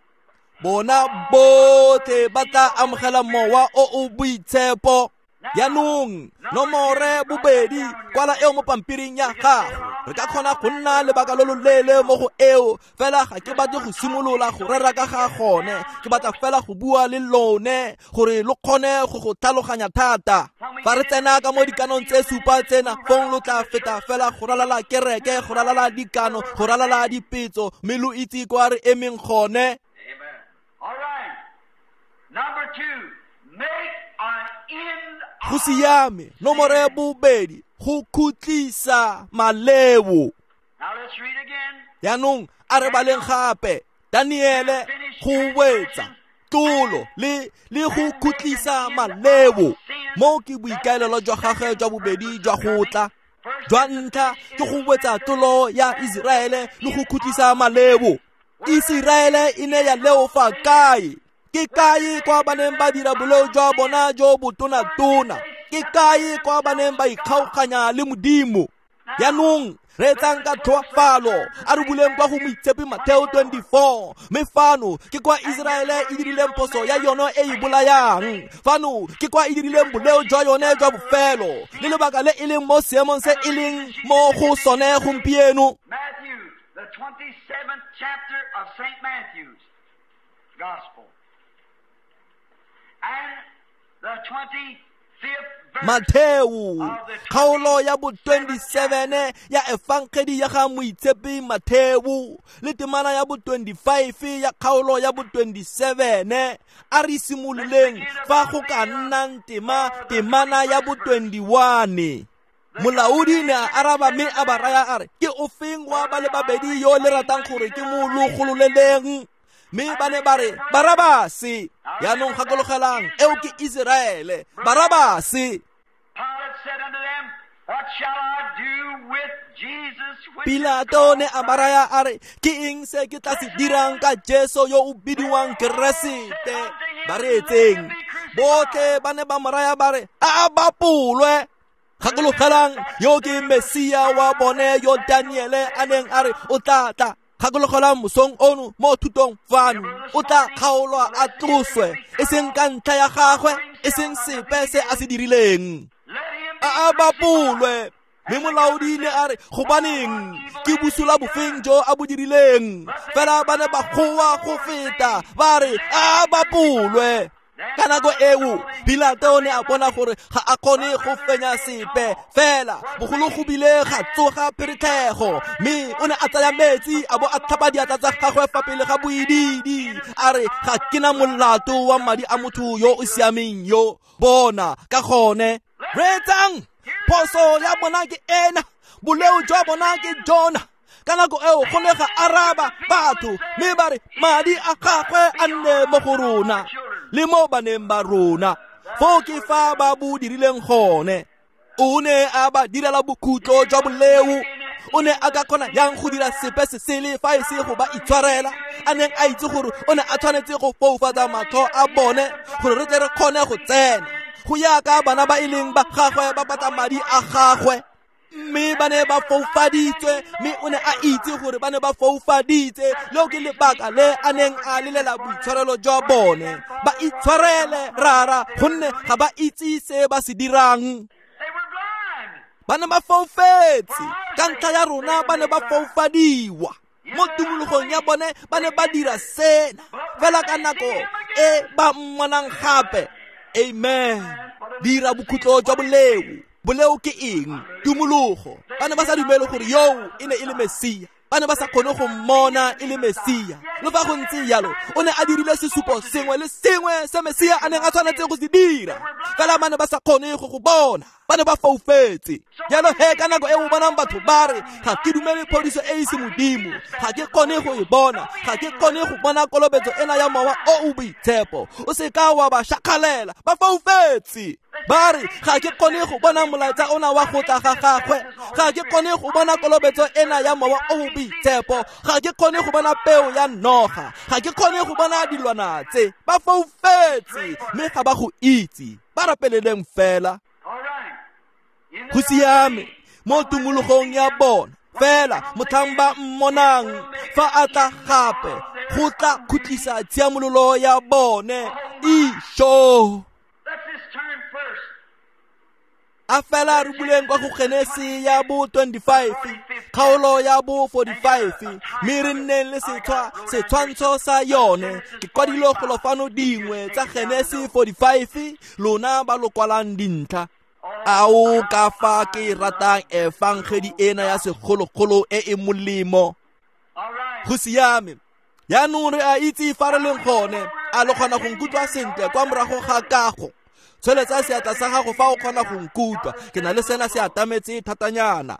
A: Bona botlhe ba tla amogela mowa o o boitshepo. Jaanong nomore bobedi kwala eo mo pampiring ya gago. Re ka kgona go nna lebaka lo loleele mo go eo, fela ga ke batle go simolola go rera ka ga gone. Ke batla fela go bua le lone gore lo kgone go go tlhaloganya thata. Fa re tsena ka mo dikanong tse supa tsena, fong lo tla feta fela go ralala kereke, go ralala dikano, go ralala dipetso, mme lo itse kwa re emeng gone. Go siame. Nomore bobedi, go khutlisa maleo. Jaanong a re baleng gape Daniele, go wetsa tlolo le le go khutlisa maleo. Mo ke boikaelelo jwa gagwe jwa bobedi jwa go tla. Jwa ntlha ke go wetsa tlolo ya Iseraele le go khutlisa maleo. Iseraele e ne ya leofa kae? Ke kae kwa ba neng ba dira boleo jwa bona jo botona-tona? Ke kae kwa ba neng ba ikgaoganya le Modimo? Jaanong reetsang ka tlhoafalo, a re buleng kwa go Moitshepi Mateo twenty-four. Mme fano ke kwa Iseraele e dirileng phoso ya yone e e bolayang. Fano ke kwa e dirileng boleo jwa yone jwa bofelo, le lebaka le e leng mo seemong se e leng mo go sone gompieno.
B: Matthew, the twenty-seventh chapter of Saint Matthew's Gospel. And the twenty-fifth verse.
A: Mateo, kgaolo ya bo twenty-seven ya Efangedi ya ga Moitshepi Mateo, le temana ya bo twenty-five ya kgaolo ya bo twenty-seven. A re simololeng fa go ka nnang tema temana ya bo twenty-one. Molaodi ne a araba mme a ba raya a re, ke ofeng wa ba le babedi yo le ratang gore ke mo lo gololeleng? Mme ba ne ba re, Barabase. Jaanong gakologelang, eo ke Iseraele. Barabase. Pilato ne a ba raya a re, ke eng se ke tla se dirang ka Jesu yo o bidiwang Keresete? Ba reetseng. Botlhe ba ne ba mo raya ba re, a a bapolwe. Gakologelang, yo ke Mesia wa bone yo Daniele a neng a re o tla tla. Gakologelang mosong ono mo thutong fano, o tla kgaolwa a tloswe, e seng ka ntlha ya gagwe, e seng sepe se a se dirileng. A a bapolwe. Mme molaodi ne a re, gobaneng ke bosula bofeng jo a bo dirileng? Fela ba ne ba goa go feta ba re, a a bapolwe. Ka nako eo Pilato ne a bona gore ga a kgone go fenya sepe, fela bogolo go bile ga tsoga pheretlhego. Mme o ne a tsaya metsi a bo a tlhapa diatla tsa gagwe fa pele ga boidiidi, a re, ga ke na molato wa madi a motho yo o siameng yo. Bona ka gone. Reetsang, phoso ya bona ke ena, boleo jwa bona ke jona. Ka nako eo go ne ga araba batho mme ba re, madi a gagwe a nne mo go rona le mo baneng ba rona. Foo ke fa ba bo dirileng gone. O ne a ba direla bokhutlo jwa boleo. O ne a ka kgona yang go dira sepe se sele fa e se go ba itshwarela, a neng a itse gore o ne a tshwanetse go foufatsa matlho a bone gore re tle re kgone go tsena. Go ya ka bana ba e leng ba gagwe ba batla madi a gagwe. Mme ba ne ba foufaditswe, mme o ne a itse gore ba ne ba foufaditse. Leo ke lebaka le a neng a lelela boitshwarelo jwa bone. Ba itshwarele, rara, gonne ga ba itse se ba se dirang. Ba ne ba foufetse ka ntlha ya rona, ba ne ba foufadiwa. Mo tumologong ya bone ba ne ba dira sena, fela ka nako e ba mmonang gape. Amen. Dira bokhutlo jwa boleo. Boleo ke eng? Tumologo. Ba ne ba sa dumele gore yo e ne e le Mesia. Ba ne ba sa kgone go mmona e le Mesia. Le fa go ntse jalo, o ne a dirile sesupo sengwe le sengwe se Mesia a neng a tshwanetse go se dira. Fela ba ne ba sa kgone go go bona. Ba ne ba foufetse. Jalo he ka nako e o bonang batho ba re ga ke dumele phodiso e e se modimo, ga ke kgone go e bona, ga ke kgone go bona kolobetso ena ya mowa o o boitshepo, o se ka wa ba shakgalela, ba foufetse. Ba re ga ke kgone go bona molaetsa ona wa go tla ga gagwe, ga ke kgone go bona kolobetso ena ya mowa o o boitshepo, ga ke kgone go bona peo ya noga, ga ke kgone go bona dilwana tse. Ba foufetse mme ga ba go itse. Ba rapeleleng fela. Go siame mo tumologong ya bona fela motlhang ba mmonang fa a tla gape go tla khutlisa tshiamololo ya bone. Isho. A fela re buleng kwa go Genesi ya bo twenty-five, kgaolo ya bo forty-five, mme re nneng le setshwa setshwantsho sa yone. Ke kwadile golo fano dingwe tsa Genesi forty-five, lona ba lo kwalang dintlha. Ao ka fa ke ratang efangedi ena ya segologolo e e molemo. Go siame. Jaanong re a itse fa re leng gone. A lo kgona go nkutlwa sentle kwa morago ga kago? Tsholetsa seatla sa gago fa o kgona go nkutlwa. Ke na le sena se atametse thatanyana.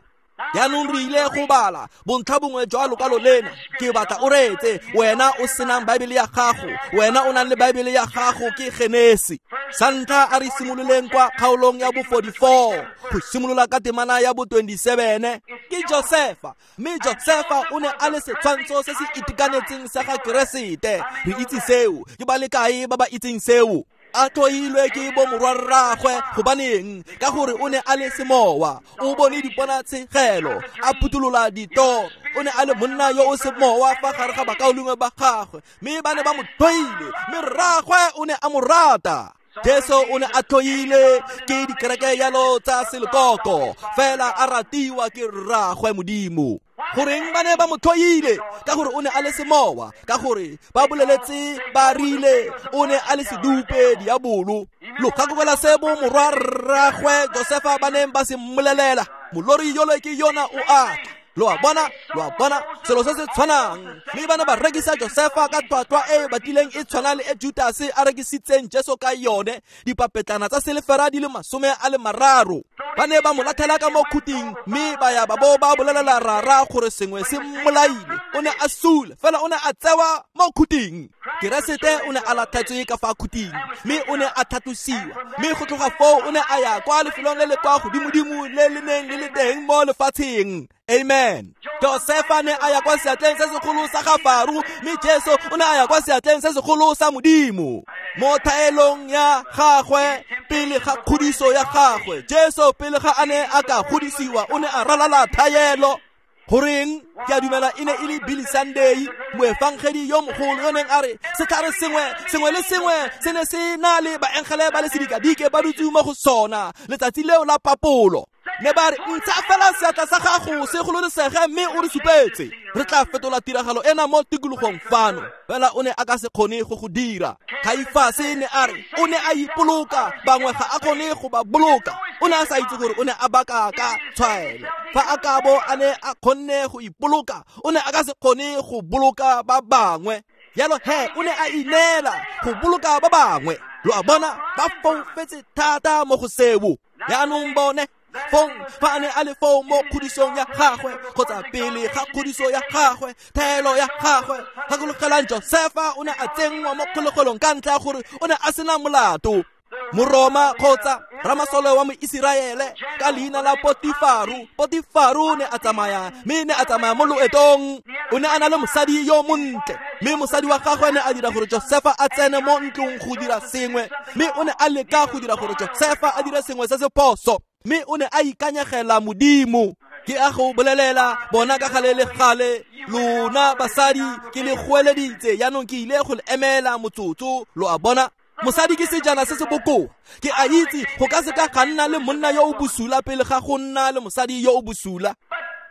A: Jaanong re ile go bala bontlha bongwe jwa lokwalo lena. Ke batla o reetse, wena o senang Baebele ya gago, wena o nang le Baebele ya gago, ke Genesi. Sa ntlha a re simololeng kwa kgaolong ya bo forty-four, go simolola ka temana ya bo twenty-seven. Ke Josefa, mme Josefa o ne a le setshwantsho se se itekanetseng sa ga Keresete. Re itse seo, ke ba le kae ba ba itseng seo? A tlhoilwe ke bo morwarraagwe, gobaneng? Ka gore o ne a le semowa, o bone diponatshegelo, a phuthulola ditoro. O ne a le monna yo o semowa fa gare ga bakaulengwe ba gagwe, mme ba ne ba mo tlhoile, mme rraagwe o ne a mo rata. Jesu o ne a tlhoile ke dikereke yalo tsa selekoko, fela a ratiwa ke rraagwe Modimo. Goreng ba ne ba mo tlhoile? Ka gore o ne a le semowa, ka gore ba boleletse ba rile o ne a le sedupe diabolo. Lo gakologelwa se bo morwarraagwe Josefa ba neng ba se mmolelela, molori yole ke yona o a tla. Lo a bona, lo a bona, selo se se tshwanang. Mme ba ne ba rekisa Josefa ka tlhwatlhwa e e batlileng e tshwana le e Judase a rekisitseng Jesu ka yone, dipapetlana tsa silefera di le masome a le mararo. Ba ne ba mo latlhela ka mo khuting, mme ba ya ba bo ba bolelela rara gore sengwe se mmolaile. O ne a sule, fela o ne a tsewa mo khuting. Keresete o ne a latlhetswe ka fa khuting, mme o ne a tlhatlosiwa. Mme go tloga foo o ne a ya kwa lefelong le le kwa godimodimo le le neng le le teng mo lefatsheng. Amen. Josefa ne a ya kwa seatleng se segolo sa ga Faro, mme Jesu o ne a ya kwa seatleng se segolo sa Modimo. Mo thaelong ya gagwe pele ga kgodiso ya gagwe, Jesu pele ga a ne a ka godisiwa o ne a ralala thaelo. Goreng? Ke a dumela e ne e le Billy Sunday, moefangedi yo mogolo yo neng a re setlhare sengwe sengwe le sengwe se ne se na le baengele ba le sedikadike ba dutse mo go sona letsatsi leo la papolo. Ne ba re ntsha fela seatla sa gago se gololesege mme o re supetse, re tla fetola tiragalo ena mo tikologong fano. Fela o ne a ka se kgone go go dira. Kaifase ne a re o ne a ipoloka, bangwe ga a kgone go ba boloka. O ne a sa itse gore o ne a baka ka tshwaelo. Fa a ka bo a ne a kgonne go ipoloka, o ne a ka se kgone go boloka ba bangwe. Jalo he o ne a ineela go boloka ba bangwe. Lo a bona, ba foufetse thata mo go seo. Jaanong bone fong fa a ne a le foo mo kgodisong ya gagwe, kgotsa pele ga kgodiso ya gagwe, thaelo ya gagwe. Gakologelang Josefa o ne a tsenngwa mo kgolegelong ka ntlha ya gore o ne a sena molato. Moroma kgotsa ramasole wa Moiseraele ka leina la Potifaru. Potifaru ne a tsamaya, mme ne a tsamaya mo loetong. O ne a na le mosadi yo montle, mme mosadi wa gagwe ne a dira gore Josefa a tsene mo ntlong go dira sengwe, mme o ne a leka go dira gore Josefa a dire sengwe se se phoso, mme o ne a ikanyegela Modimo. Ke a go bolelela bona ka gale le gale, lona basadi ke le goeleditse, jaanong ke ile go le emela motsotso. Lo a bona, mosadi ke sejana se se bokoa. Ke a itse go ka se ka ga nna le monna yo o bosula pele ga go nna le mosadi yo o bosula.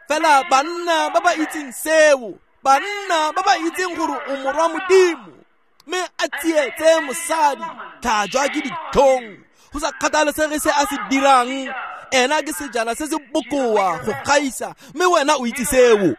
A: Fela banna ba ba itseng seo, banna ba ba itseng gore o morwa Modimo, mme a tsietse mosadi, tlhajwa ke ditlhong, go sa kgathalesege se a se dirang, ena ke sejana se se bokoa go gaisa, mme wena o itse seo.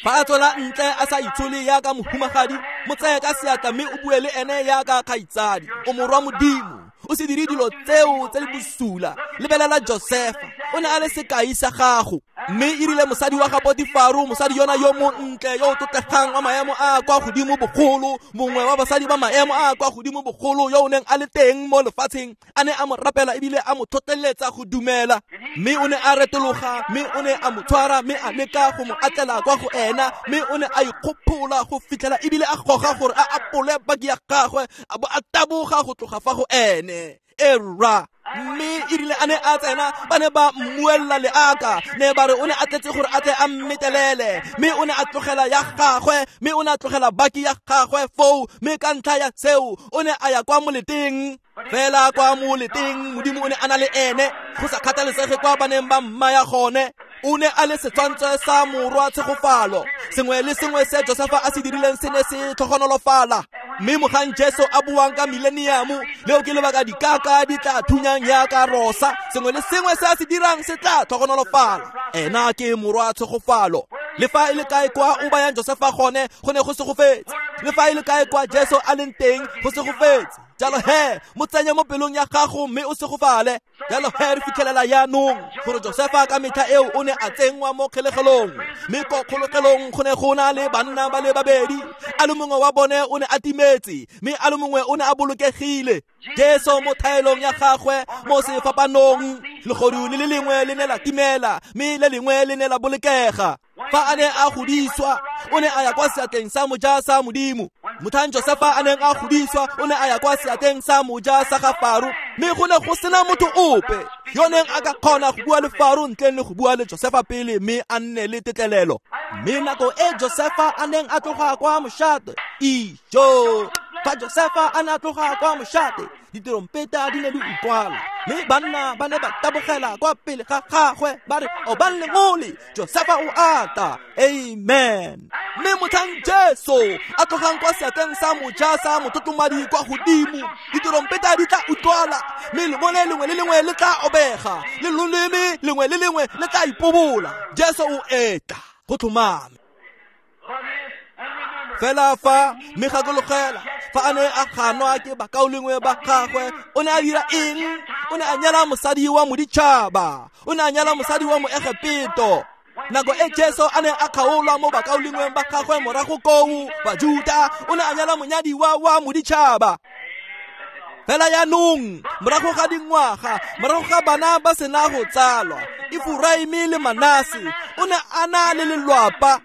A: Fa a tswela ntle a sa itshole yaka mohumagadi, mo tseye ka seatla mme o bue le ene yaka kgaitsadi. O morwa Modimo, O se dire dilo tseo tse di bosula. Lebelela Josefa, o ne a le sekai sa gago. Mme e rile mosadi wa ga Potifaro, mosadi yona yo montle yo o tlotlegang wa maemo a kwa godimo bogolo, mongwe wa basadi ba maemo a kwa godimo bogolo yo o neng a le teng mo lefatsheng, a ne a mo rapela ebile a mo tlhotlheletsa go dumela. Mme o ne a retologa, mme o ne a mo tshwara, mme a leka go mo atlela kwa go ena, mme o ne a ikgophola go fitlhela ebile a goga gore a apole baki ya gagwe, a bo a taboga go tloga fa go ene. Era mme e rile a ne a tsena, ba ne ba mmuella leaka, ne ba re o ne a tletse gore a tle a mmetelele, mme o ne a tlogela ya gagwe, mme o ne a tlogela baki ya gagwe foo, mme ka ntlha ya seo o ne a ya kwa moleteng. Fela kwa moleteng Modimo o ne a na le ene, go sa kgathalesege kwa ba neng ba mmaya gone. O ne a le setshwantsho sa morwa tshegofalo. Sengwe le sengwe se Josefa a se dirileng se ne se tlhogonolofala. Mme mogang Jesu a buang ka mileniamo, leo ke lebaka dikaka di tla thunyang yaka rosa. Sengwe le sengwe se a se dirang se tla tlhogonolofala. Ena ke morwa tshegofalo. Le fa e le kae kwa o bayang Josefa gone, go ne go segofetse. Le fa e le kae kwa Jesu a leng teng, go segofetse. Jalo he, mo tsenye mo pelong ya gago mme o segofale. Jalo he, re fitlhelela jaanong gore Josefa ka metlha eo o ne a tsenngwa mo kgolegelong. Mme ko kgolegelong go ne go na le banna ba le babedi. A le mongwe wa bone o ne a timetse, mme a le mongwe o ne a bolokegile. Jesu mo thaelong ya gagwe mo sefapanong, legodu le le lengwe le ne la timela, mme le lengwe le ne la bolokega. Fa a ne a godiswa, o ne a ya kwa seatleng sa moja sa Modimo. Motlhang Josefa a neng a godiswa, o ne a ya kwa seatleng sa moja sa ga Faro, mme go ne go sena motho ope yo neng a ka kgona go bua le Faro ntleng le go bua le Josefa pele, mme a nne le tetlelelo. Mme nako e Josefa a neng a tloga kwa mošate, ijo, fa Josefa a ne a tloga kwa mošate, diterompeta di ne di utlwala, mme banna ba ne ba tabogela kwa pele ga gagwe ba re, obang lengole, Josefa o ata. Amen. Mme motlhang Jesu a tlogang kwa seatleng sa moja sa motlotlommadi kwa godimo, diterompeta di tla utlwala, mme lengole lengwe le lengwe le tla obega, le loleme lengwe le lengwe le tla ipobola. Jesu o etla go tlhomame. Fela fa mme gakologela fa a ne a ganwa ke bakaulengwe ba gagwe, o ne a dira eng? O ne a nyala mosadi wa moditšhaba, o ne a nyala mosadi wa Moegepeto. Nako e Jesu a ne a kgaolwa mo bakaulengweng ba gagwe morago koo Bajuta, o ne a nyala monyadiwa wa moditšhaba. Fela jaanong, morago ga dingwaga, morago ga bana ba sena go tsalwa, Efuraime le Manase, o ne a na le lelwapa.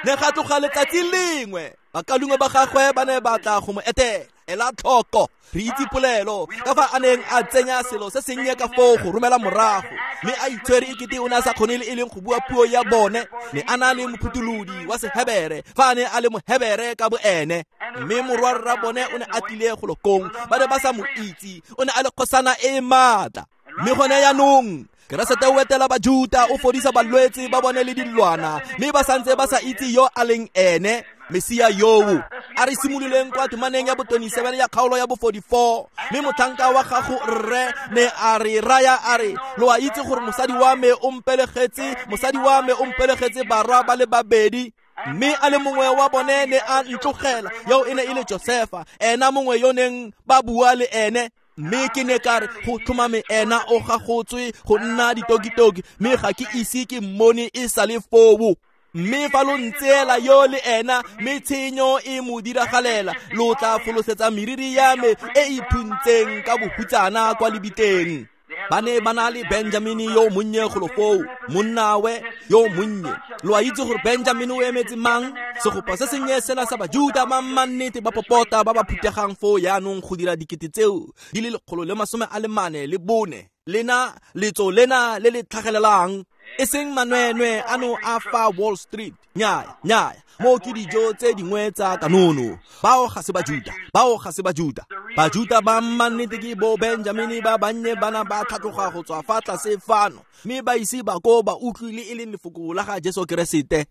A: Ne ga tloga letsatsi lengwe, bakaulengwe ba gagwe ba ne ba tla go mo etela. Ela tlhoko, re itse polelo ka fa a neng a tsenya selo se sennye ka foo go romela morago, mme a itshwere ekete o ne a sa kgone le e leng go bua puo ya bone. Ne a na le mophutholodi wa Sehebere fa a ne a le Mohebere ka boene. Mme morwarra bone o ne a tlile go lokong, ba ne ba sa mo itse, o ne a le kgosana e e maatla. Mme gone jaanong Keresete o etela Bajuta, o fodisa balwetse ba bone le dilwana, mme ba santse ba sa itse yo a leng ene, Mesia yoo. A re simololeng kwa temaneng ya bo twenty-seven ya kgaolo ya bo forty-four. Mme motlhanka wa gago rre ne a re raya a re, lo a itse gore mosadi wa me o mpelegetse, mosadi wa me o mpelegetse barwa ba le babedi, mme a le mongwe wa bone ne a ntlogela, yo e ne e le Josefa, ena mongwe yo neng ba bua le ene. Mme ke ne ka re go tlhomame ena o gagotswe go nna ditokitoki, mme ga ke ise ke mmone e sa le foo. Mme fa lo ntseela yo le ena, mme tshenyo e mo diragalela, lo tla folosetsa meriri ya me e e phuntseng ka bohutsana kwa lebitleng. Ba ne ba na le Benjamini yo monnye golo foo, monnawe yo monnye. Lo a itse gore Benjamini o emetse mang? Segopa se sennye sela sa Bajuta ba mannete ba popota ba ba phutegang foo jaanong go dira dikete tseo di le lekgolo le masome a le mane le bone. Lena letso lena le le tlhagelelang, e seng manwenwe ano a fa Wall Street. Nnyaya, nnyaya, mo ke dijo tse dingwe tsa kanono. Bao ga se Bajuta, bao ga se Bajuta. Bajuta ba mannete ke bo Benjamini ba bannye bana ba tlhatloga go tswa fa tlase fano, mme ba ise ba ko ba utlwile e leng lefoko la ga Jesu Keresete.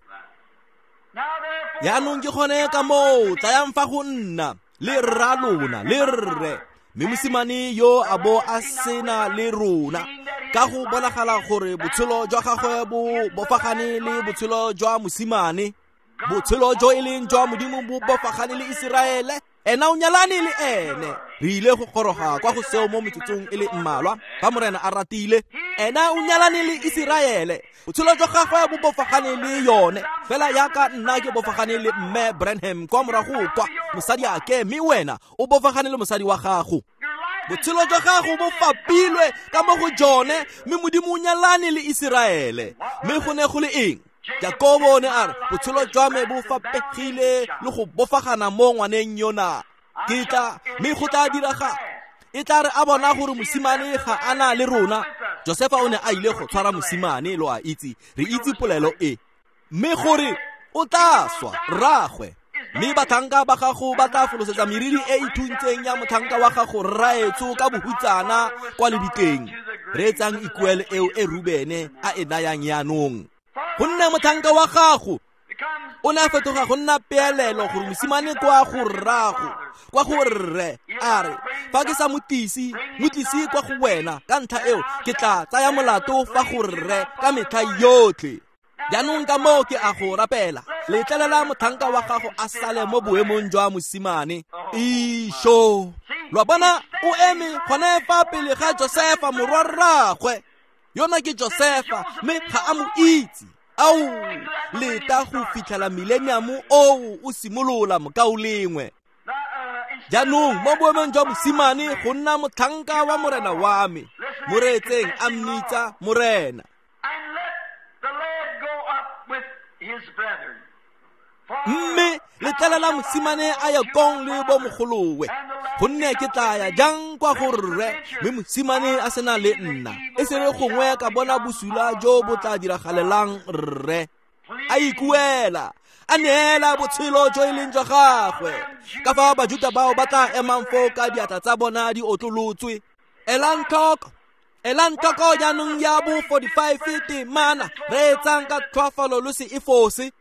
A: Jaanong ke gone ka moo, tlayang fa go nna le rra lona le rre, mme mosimane yo a bo a sena le rona, ka go bonagala gore botshelo jwa gagwe bo bofagane le botshelo jwa mosimane. Botshelo jo e leng jwa Modimo bo bofagane le Iseraele. Ena o nyalane le ene. Re ile go goroga kwa go seo mo metsotsong e le mmalwa fa Morena a ratile. Ena o nyalane le Iseraele. Botshelo jwa gagwe bo bofagane le yone. Fela yaka nna ke bofagane le mme Branham kwa morago kwa mosadi ake, mme wena o bofagane le mosadi wa gago. Botshelo jwa gago bo fapilwe ka mo go jone, mme Modimo o nyalane le Iseraele. Mme go ne go le eng? Jakobo ne a re botshelo jwa me bo fapegile le go bofagana mo ngwaneng yona. Ke tla mme go tla diraga e tla re a bona gore mosimane ga ana le rona. Josefa o ne a ile go tshwara mosimane, lo a itse, re itse polelo e, mme gore o tla swa rraagwe, mme batlhanka ba gago ba tla folosetsa meriri e e thuntseng ya motlhanka wa gago rraetsho ka bohutsana kwa lebitleng. Reetsang ikuelo eo e Rubene a e nayang yaanong. Gonne motlhanka wa gago o ne a fetoga go nna peelelo gore mosimane kwa go rrago, kwa go rre, a re fa ke sa motlise, motlise kwa go wena, ka ntlha eo ke tla tsaya molato fa go rre ka metlha yotlhe. Jaanong ka moo ke a go rapela, letlelela motlhanka wa gago a sale mo boemong jwa mosimane. Isho, lo bona o eme gone fa pele ga Josefa morwa rraagwe. Yona ke Josefa, mme ga a mo itse. Ao, leta go fitlhela millennium oo o simolola mokaulengwe. Jaanong mo boemong jwa mosimane go nna motlhanka wa morena wa me. Moreetseng a mmitsa morena. Mme letlelela mosimane a ye kong le bo mogolowe, gonne ke tla ya jang kwa go rre, mme mosimane a sena le nna, e se re gongwe ka bona bosula jo bo tla diragalelang rre. A ikuela, a neela botshelo jo e leng jwa gagwe. Ka fa Bajuta bao ba tla emang foo ka diatla tsa bona di otlolotswe. Elang tlhoko, elang tlhoko jaanong ya bo forty-five temana, reetsang ka tlhoafalo lo se e fose.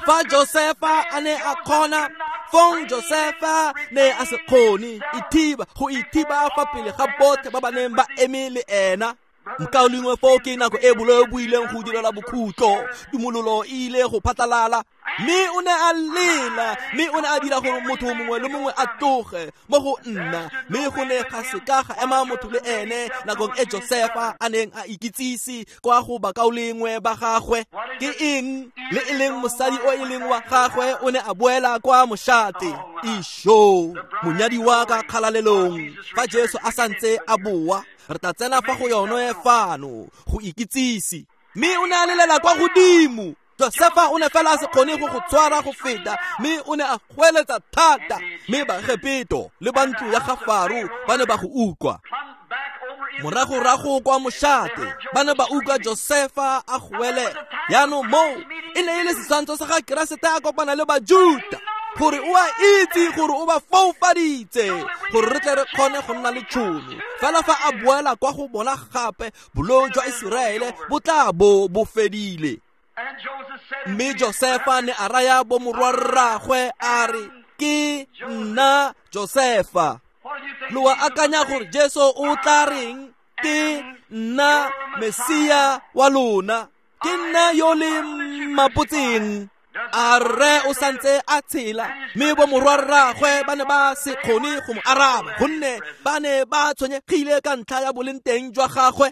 A: Fa Josefa a ne a kgona, fong Josefa ne a se kgone ithiba go ithiba fa pele ga botlhe ba ba neng ba eme le ena. Mokaulengwe foo ke nako e boleo bo ileng go direla bokhutlo, tumololo e ile go phatlalala. Mme o ne a lela, mme o ne a dira gore motho mongwe le mongwe a tloge mo go nna, mme go ne ga seka ga ema motho le ene nakong e Josefa a neng a ikitsise kwa go bakaulengwe ba gagwe. Ke eng? Le e leng mosadi o e leng wa gagwe o ne a boela kwa moshate. Isho, monyadi wa ka kgalalelong, fa Jesu a santse a boa, re tla tsena fa go yone fano go ikitsise. Mme o ne a lelela kwa godimo. Josefa o ne fela a se kgone go go tshwara go feta, mme o ne a goeletsa thata, mme Baegepeto le ba ntlo ya ga Faro ba ne ba go utlwa. Moragorago kwa moshate ba ne ba utlwa Josefa a goelela. Jaanong moo e ne e le setshwantsho sa ga Keresete a kopana le Bajuta, gore o a itse gore o ba foufaditse, gore re tle re kgone go nna le tšhono. Fela fa a boela kwa go bona gape, boleo jwa Iseraele bo tla bo bo fedile. Mme Josefa ne a raya bo morwarraagwe a re, ke nna Josefa. Lo a akanya gore Jesu o tla reng? Ke nna Mesia wa lona, ke nna yo le mapotseng. A rre o santse a tshela, mme bo morwarraagwe ba ne ba se kgone go mo araba, gonne ba ne ba tshwenyegile ka ntlha ya boleng teng jwa gagwe.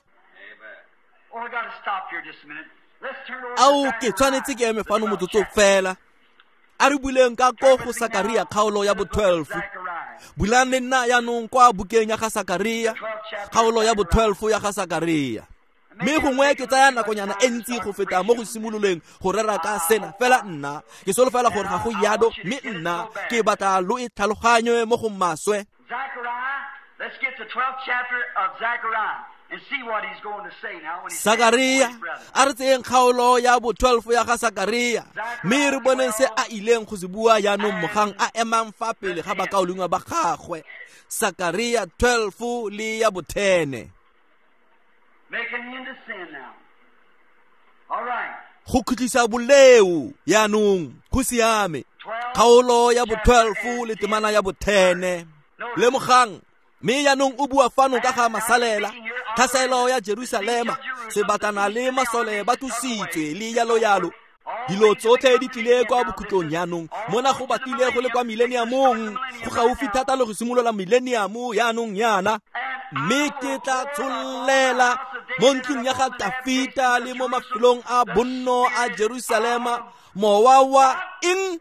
A: Ao, ke tshwanetse ke eme fano motsotso fela. A re buleng ka ko go Sakaria kgaolo ya bo twelve. Bulang le nna jaanong kwa bukeng ya ga Sakaria, kgaolo ya bo twelve ya ga Sakaria. Mme gongwe ke tsaya nakonyana e ntsi go feta mo go simololeng go rera ka sena, fela nna ke solofela gore ga go yado, mme nna ke batla lo e tlhaloganye mo go maswe. Sakaria, a re tseyeng kgaolo ya bo twelve ya ga Sakaria, mme re boneng se a ileng go se bua jaanong mogang a emang fa pele ga bakaulengwe ba gagwe. Sakaria twelve le ya bo ten. Go khutlisa boleo jaanong go siame. Kgaolo ya bo twelve le temana ya bo ten. Lemogang, mme jaanong o bua fano ka ga masalela, tlhaselo ya Jerusalema, sebatana le masole ba tlositswe le yalo yalo. Dilo tsotlhe di tlile kwa bokhutlong jaanong, mona go batlile go le kwa mileniamong, go gaufi thata le go simolola mileniamo jaanong yana. Mme ke tla tshollela mo ntlong ya ga Tafita le mo mafelong a bonno a Jerusalema mowa wa eng?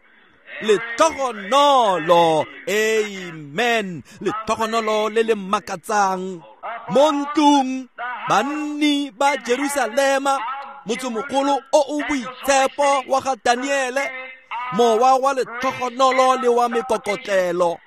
A: Letlhogonolo. Amen. Letlhogonolo le le makatsang mo ntlong banni ba Jerusalema, motsemogolo o o boitshepo wa ga Daniele, mowa wa letlhogonolo le wa mekokotlelo.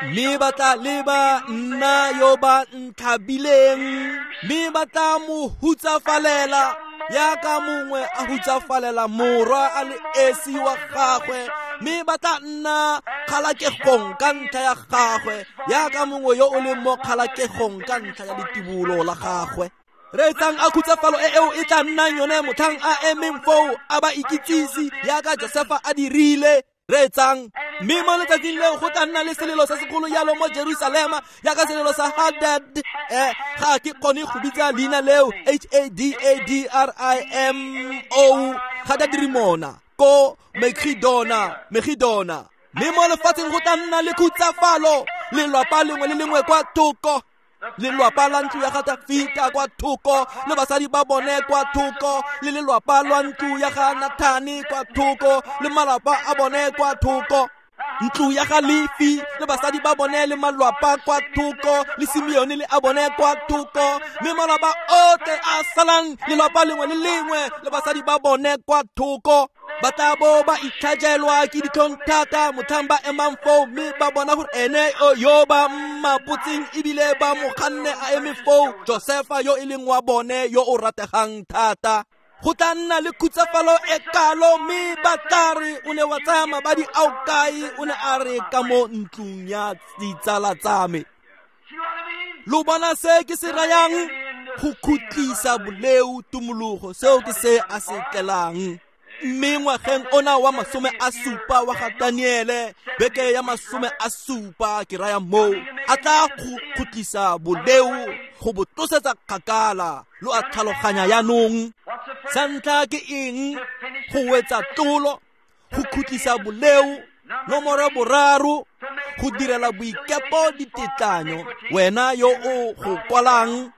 A: Mme ba tla leba nna yo ba ntlhabileng, mme ba tla mo hutsafalela yaka mongwe a hutsafalela morwa a le esi wa gagwe, mme ba tla nna kgalakegong ka ntlha ya gagwe yaka mongwe yo o leng mo kgalakegong ka ntlha ya letibulo la gagwe. Reetsang a khutsafalo e eo e tla nnang yone motlhang a emeng foo a ba ikitsise yaka Josefa a dirile. Reetsang, mme mo letsatsing leo go tla nna le selelo se segolo yalo mo Jerusalema yaka selelo sa Hadad. Eh, ga ke kgone go bitsa leina leo, H A D A D R I M O, Hadadrimona ko Megidona, Megidona. Mme mo lefatsheng go tla nna le khutsafalo, lelwapa lengwe le lengwe kwa thoko, lelwapa la ntlo ya ga Tafita kwa thoko, le basadi ba bone kwa thoko, le lelwapa lwa ntlo ya ga Nathane kwa thoko, le malapa a bone kwa thoko, ntlo ya ga Lefi le basadi ba bone le malwapa kwa thoko, le Simeone le a bone kwa thoko, mme malapa otlhe a salang lelwapa lengwe le lengwe le basadi ba bone kwa thoko. Ba tla bo ba itlhajelwa ke ditlhong thata motlhang ba emang foo, mme ba bona gore ene yo ba mmapotseng ebile ba mo kganne a eme foo, Josefa yo e leng wa bone yo o rategang thata. Go tla nna le khutsafalo e kalo, mme ba tla re o ne wa tsaya mabadi ao kae? O ne a re ka mo ntlong ya ditsala tsa me. Lo bona se ke se rayang? Go khutlisa boleo tumologo, seo ke se a se tlelang. Mme ngwageng ona wa masome a supa wa ga Daniele, beke ya masome a supa ke raya moo, a tla go khutlisa boleo go bo tlosetsa kgakala. Lo a tlhaloganya jaanong? Sa ntlha ke eng? Go wetsa tlolo, go khutlisa boleo. Nomoro boraro, go direla boikepo ditetlanyo. Wena yo o go kwalang,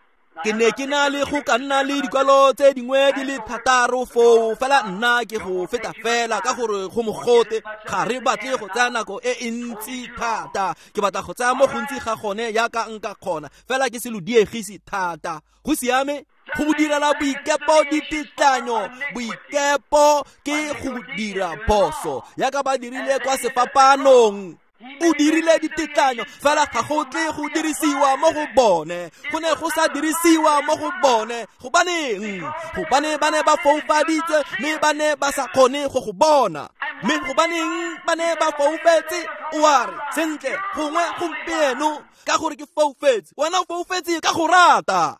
A: ke ne ke na le go ka nna le dikwalo tse dingwe di le thataro foo, fela nna ke go feta fela ka gore go mogote, ga re batle go tsaya nako e e ntsi thata. Ke batla go tsaya mo gontsi ga gone yaka nka kgona, fela ke se lo diegise thata. Go siame? Go direla boikepo ditetlanyo. Boikepo ke go dira phoso yaka ba dirile kwa sefapanong. O dirile ditetlanyo, fela ga go tle go dirisiwa mo go bone. Go ne go sa dirisiwa mo go bone. Gobaneng? Gobane ba ne ba foufaditswe, mme ba ne ba sa kgone go go bona. Mme gobaneng ba ne ba foufetse? O a re, sentle, gongwe gompieno ka gore ke foufetse. Wena o foufetse ka go rata.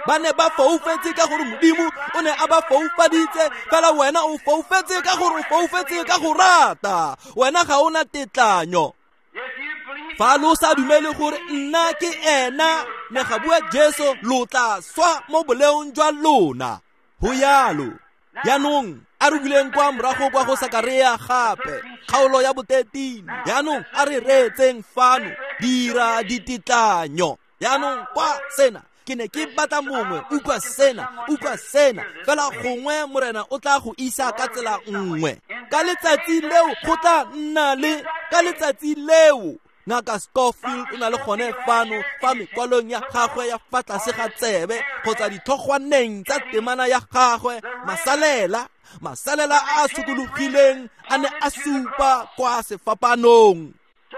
A: Ba ne ba foufetse ka gore Modimo o ne a ba foufaditse, fela wena o foufetse ka gore o foufetse ka go rata. Wena ga o na tetlanyo. Fa lo sa dumele gore nna ke ena, ne ga bua Jesu, lo tla swa mo boleong jwa lona. Ho yalo. Jaanong a re buleng kwa morago kwa go Sakaria gape, kgaolo ya botetini. Jaanong a re reetseng fano, dira ditetlanyo. Jaanong kwa sena, ke ne ke batla mongwe, utlwa sena, utlwa sena, fela gongwe Morena o tla go isa ka tsela nngwe. Ka letsatsi leo go tla nna le, ka letsatsi leo Ngaka Scofield o na le gone fano fa mekwalong ya gagwe ya fa tlase ga tsebe kgotsa ditlhogwaneng tsa temana ya gagwe, masalela, masalela a a sokologileng a ne a supa kwa sefapanong.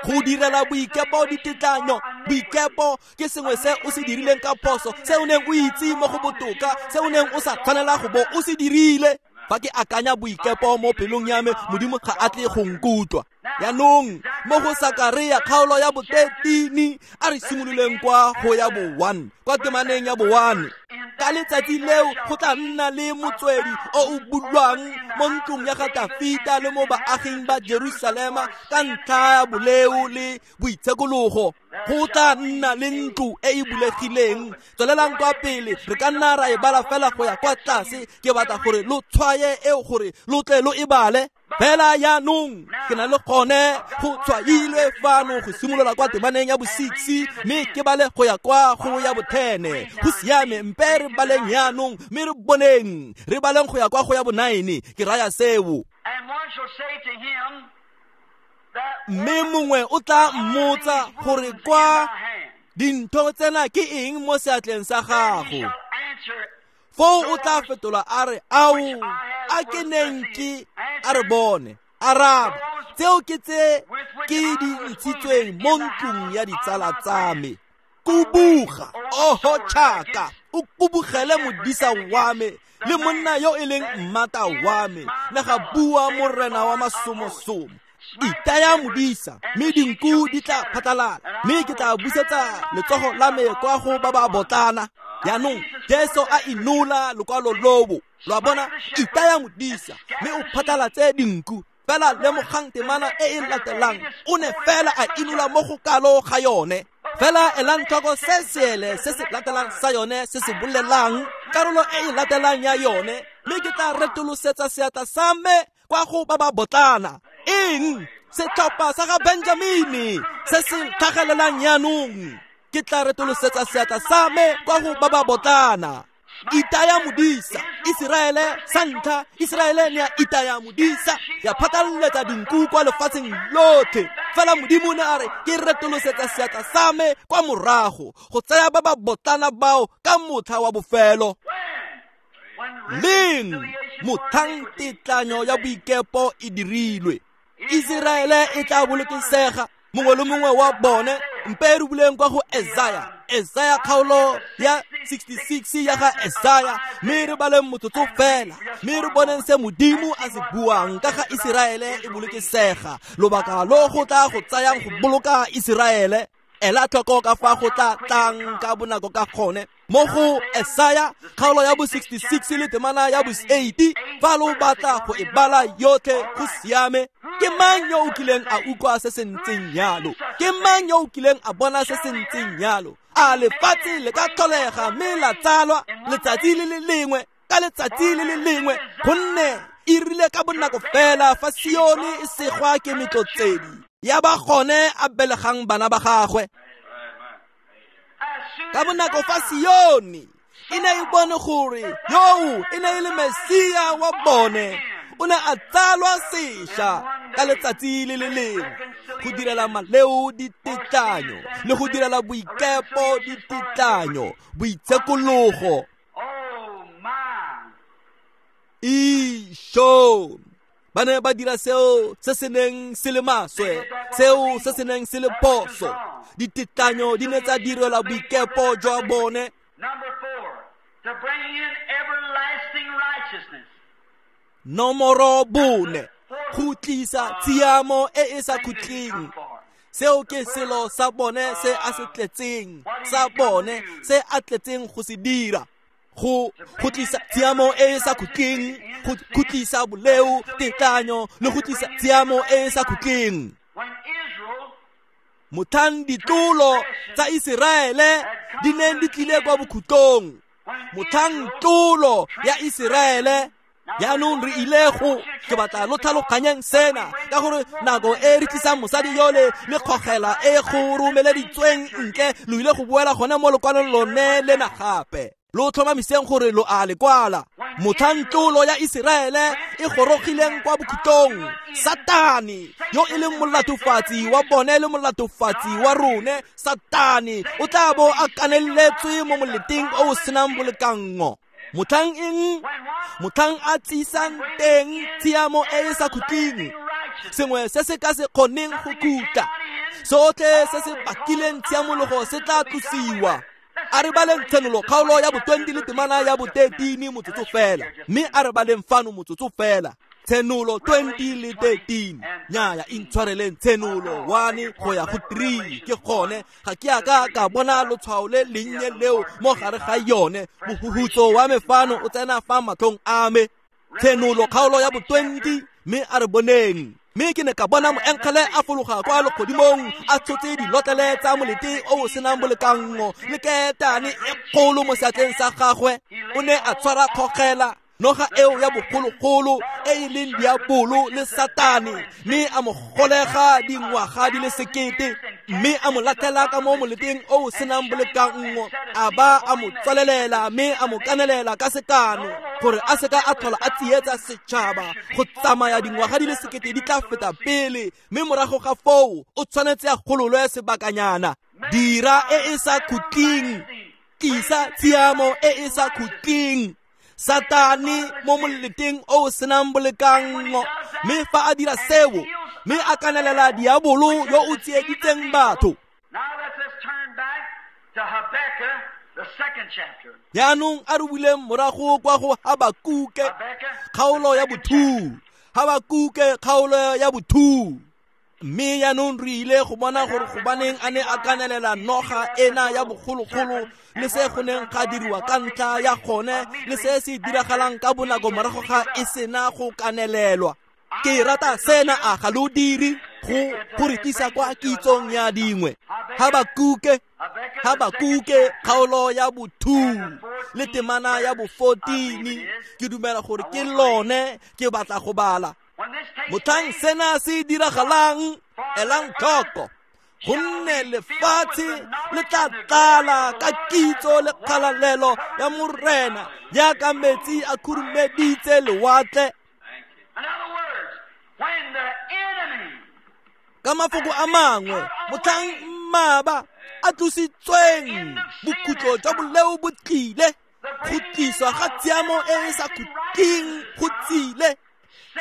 A: Go direla boikepo ditetlanyo. Boikepo ke sengwe se o se dirileng ka phoso, se o neng o itse mo go botoka, se o neng o sa tshwanela go bo o se dirile. Fa ke akanya boikepo mo pelong ya me, Modimo ga a tle go nkutlwa. Jaanong mo go Sakaria kgaolo ya botetini, a re simololeng kwa go ya bo one, kwa temaneng ya bo one. Ka letsatsi leo go tla nna le motswedi o o bulwang mo ntlong ya ga Tafita le mo baaging ba Jerusalema ka ntlha ya boleo le boitshekologo. Go tla nna le ntlo e e bulegileng. Tswelelang kwa pele, re ka nna ra e bala fela go ya kwa tlase. Ke batla gore lo tshwaye eo gore lo tle lo e bale. Fela jaanong ke na le gone go tshwailwe fano go simolola kwa temaneng ya bo six mme ke bale go ya kwa go ya bo ten. Go siame, mpe re baleng jaanong mme re boneng, re baleng go ya kwa go ya bo nine. Ke raya seo. Mme mongwe o tla mmotsa gore kwa dintho tsena ke eng mo seatleng sa gago. Foo o tla fetola a re, ao, a ke neng ke a re bone. Araba, tseo ke tse ke di ntshitsweng mo ntlong ya ditsala tsa me. Kubuga, oho tšhaka, o kubugele modisa wa me le monna yo e leng mmata wa me, le ga bua morena wa masomosomo. Itaya modisa, mme dinku di tla phatlalala, mme ke tla busetsa letsogo la me kwa go ba ba botlana. Jaanong Jesu a inola lokwalo lobo. Lo a bona, itaya modisa, mme o phatlalatse dinku. Fela lemogang temana e e latelang, o ne fela a inola mo go kalo ga yone. Fela elang tlhoko se seele se se latelang sa yone se se bolelang, karolo e e latelang ya yone, mme ke tla retolosetsa seatla sa me kwa go ba ba botlana. Eng? Setlhopha sa ga Benjamini se se tlhagelelang jaanong. Ke tla retolosetsa seatla sa me kwa go ba ba botlana. Itaya modisa, Iseraele sa ntlha, Iseraele ne ya itaya modisa, ya phatlaletsa dinku kwa lefatsheng lotlhe. Fela Modimo ne a re, ke retolosetsa seatla sa me kwa morago go tsaya ba ba botlana bao ka motlha wa bofelo. Leng motlhang tetlanyo ya boikepo e dirilwe, Iseraele e tla bolokesega, mongwe le mongwe wa bone. Mpe re buleng kwa go Esaya, Esaya kgaolo ya sixty-six ya ga Esaya, mme re baleng motsotso fela, mme re boneng se Modimo a se buang ka ga Iseraele e bolokesega, lobaka lo go tla go tsayang go boloka Iseraele. Ela tlhoko ka fa go tla tlang ka bonako ka gone. Mo go Esaya kgaolo ya bo sixty-six le temana ya bo eighty, fa lo batla go e bala yotlhe, go siame. Ke mang yo o kileng a utlwa se se ntseng jalo? Ke mang yo o kileng a bona se se ntseng jalo? A lefatshe le ka tlholega mme la tsalwa letsatsi le le lengwe ka letsatsi le le lengwe, gonne e rile ka bonako fela fa Sione e segwa ke metlotsedi ya ba gone a belegang bana ba gagwe. Ka bonako fa Sione e ne e bone gore yoo e ne e le Mesia wa bone, o ne a tsalwa sešwa ka letsatsi le le lengwe go direla maleo ditetlanyo le go direla boikepo ditetlanyo, boitshekologo. Isho, ba ne ba dira seo se se neng se le maswe, seo se se neng se le phoso. Ditetlanyo di ne tsa direlwa boikepo jwa bone. Nomoro bone, go tlisa tshiamo e e sa khutleng. Seo ke selo sa bone se a se tletseng, sa bone se a tletseng go se dira. Go go tlisa tshiamo e e sa khutleng, go khutlisa boleo, tetlanyo le go tlisa tshiamo e e sa khutleng. Motlhang ditlolo tsa Iseraele di neng di tlile kwa bokhutlong, motlhang tlolo ya Iseraele. Jaanong re ile go, ke batla lo tlhaloganyeng sena, ka gore nako e re tlisang mosadi yole le kgogela e go romeleditsweng ntle, lo ile go boela gone mo lokwalong lone lena gape. Lo tlhomamiseng gore lo a le kwala. Motlhang tlolo ya Iseraele e gorogileng kwa bokhutlong, Satane yo e leng molatofatsi wa bone le molatofatsi wa rone, Satane o tla bo a kaneletswe mo moleteng o o senang bolekanngo. Motlhang eng? Motlhang a tsisang teng tshiamo e e sa khutleng, sengwe se se ka se kgoneng go khutla, sotlhe se se bakileng tshiamologo se tla tlosiwa. A re baleng Tshenolo kgaolo ya bo twenty le temana ya bo thirteen motsotso fela, mme a re baleng fano motsotso fela. Tshenolo twenty le thirteen. Nnyaya, intshwareleng, Tshenolo one go ya go three. Ke gone ga ke a ka ka bona lotshwao le lennye leo mo gare ga yone. Mohuhutso wa me fano o tsena fa matlhong a me. Tshenolo kgaolo ya bo twenty, mme a re boneng. Mme ke ne ka bona moengele a fologa kwa legodimong a tshotse dilotlele tsa molete o o senang bolekanngo le ketane e kgolo mo seatleng sa gagwe. O ne a tshwara kgogela, noga eo ya bogologolo e e leng diabolo le Satane, mme a mo golega dingwaga di le sekete, mme a mo latlhela ka mo moleteng o o senang bolekanngo, a ba a mo tswalelela mme a mo kanelela ka sekano gore a seka a tlhola a tsietsa setšhaba go tsamaya dingwaga di le sekete di tla feta pele, mme morago ga foo o tshwanetse a gololwe sebakanyana. Dira e e sa khutleng, tlisa tshiamo e e sa khutleng. Satane mo moleteng o o senang bolekanngo, mme fa a dira seo, mme a kanelela diabolo yo o tsieditseng batho. Jaanong a re buleng morago kwa go Habakuke kgaolo ya bothu. Habakuke kgaolo ya bothu. Mme jaanong re ile go bona gore gobaneng a ne a kanelela noga ena ya bogologolo le se go neng ga diriwa ka ntlha ya gone le se se diragalang ka bonako morago ga e sena go kanelelwa. Ke rata sena, a ga lo dire go go re tlisa kwa kitsong ya dingwe. Habakuke Habakuke kgaolo ya bothu le temana ya bo fourteen, ke dumela gore ke lone ke batla go bala. Motlhang sena se diragalang, elang tlhoko, gonne lefatshe le tla tlala ka kitso le kgalalelo ya Morena jaaka metsi a khurumeditse lewatle. Ka mafoko a mangwe, motlhang mmaba a tlositsweng, bokhutlo jwa boleo bo tlile, go tliswa ga tshiamo e e sa khutleng go tsile.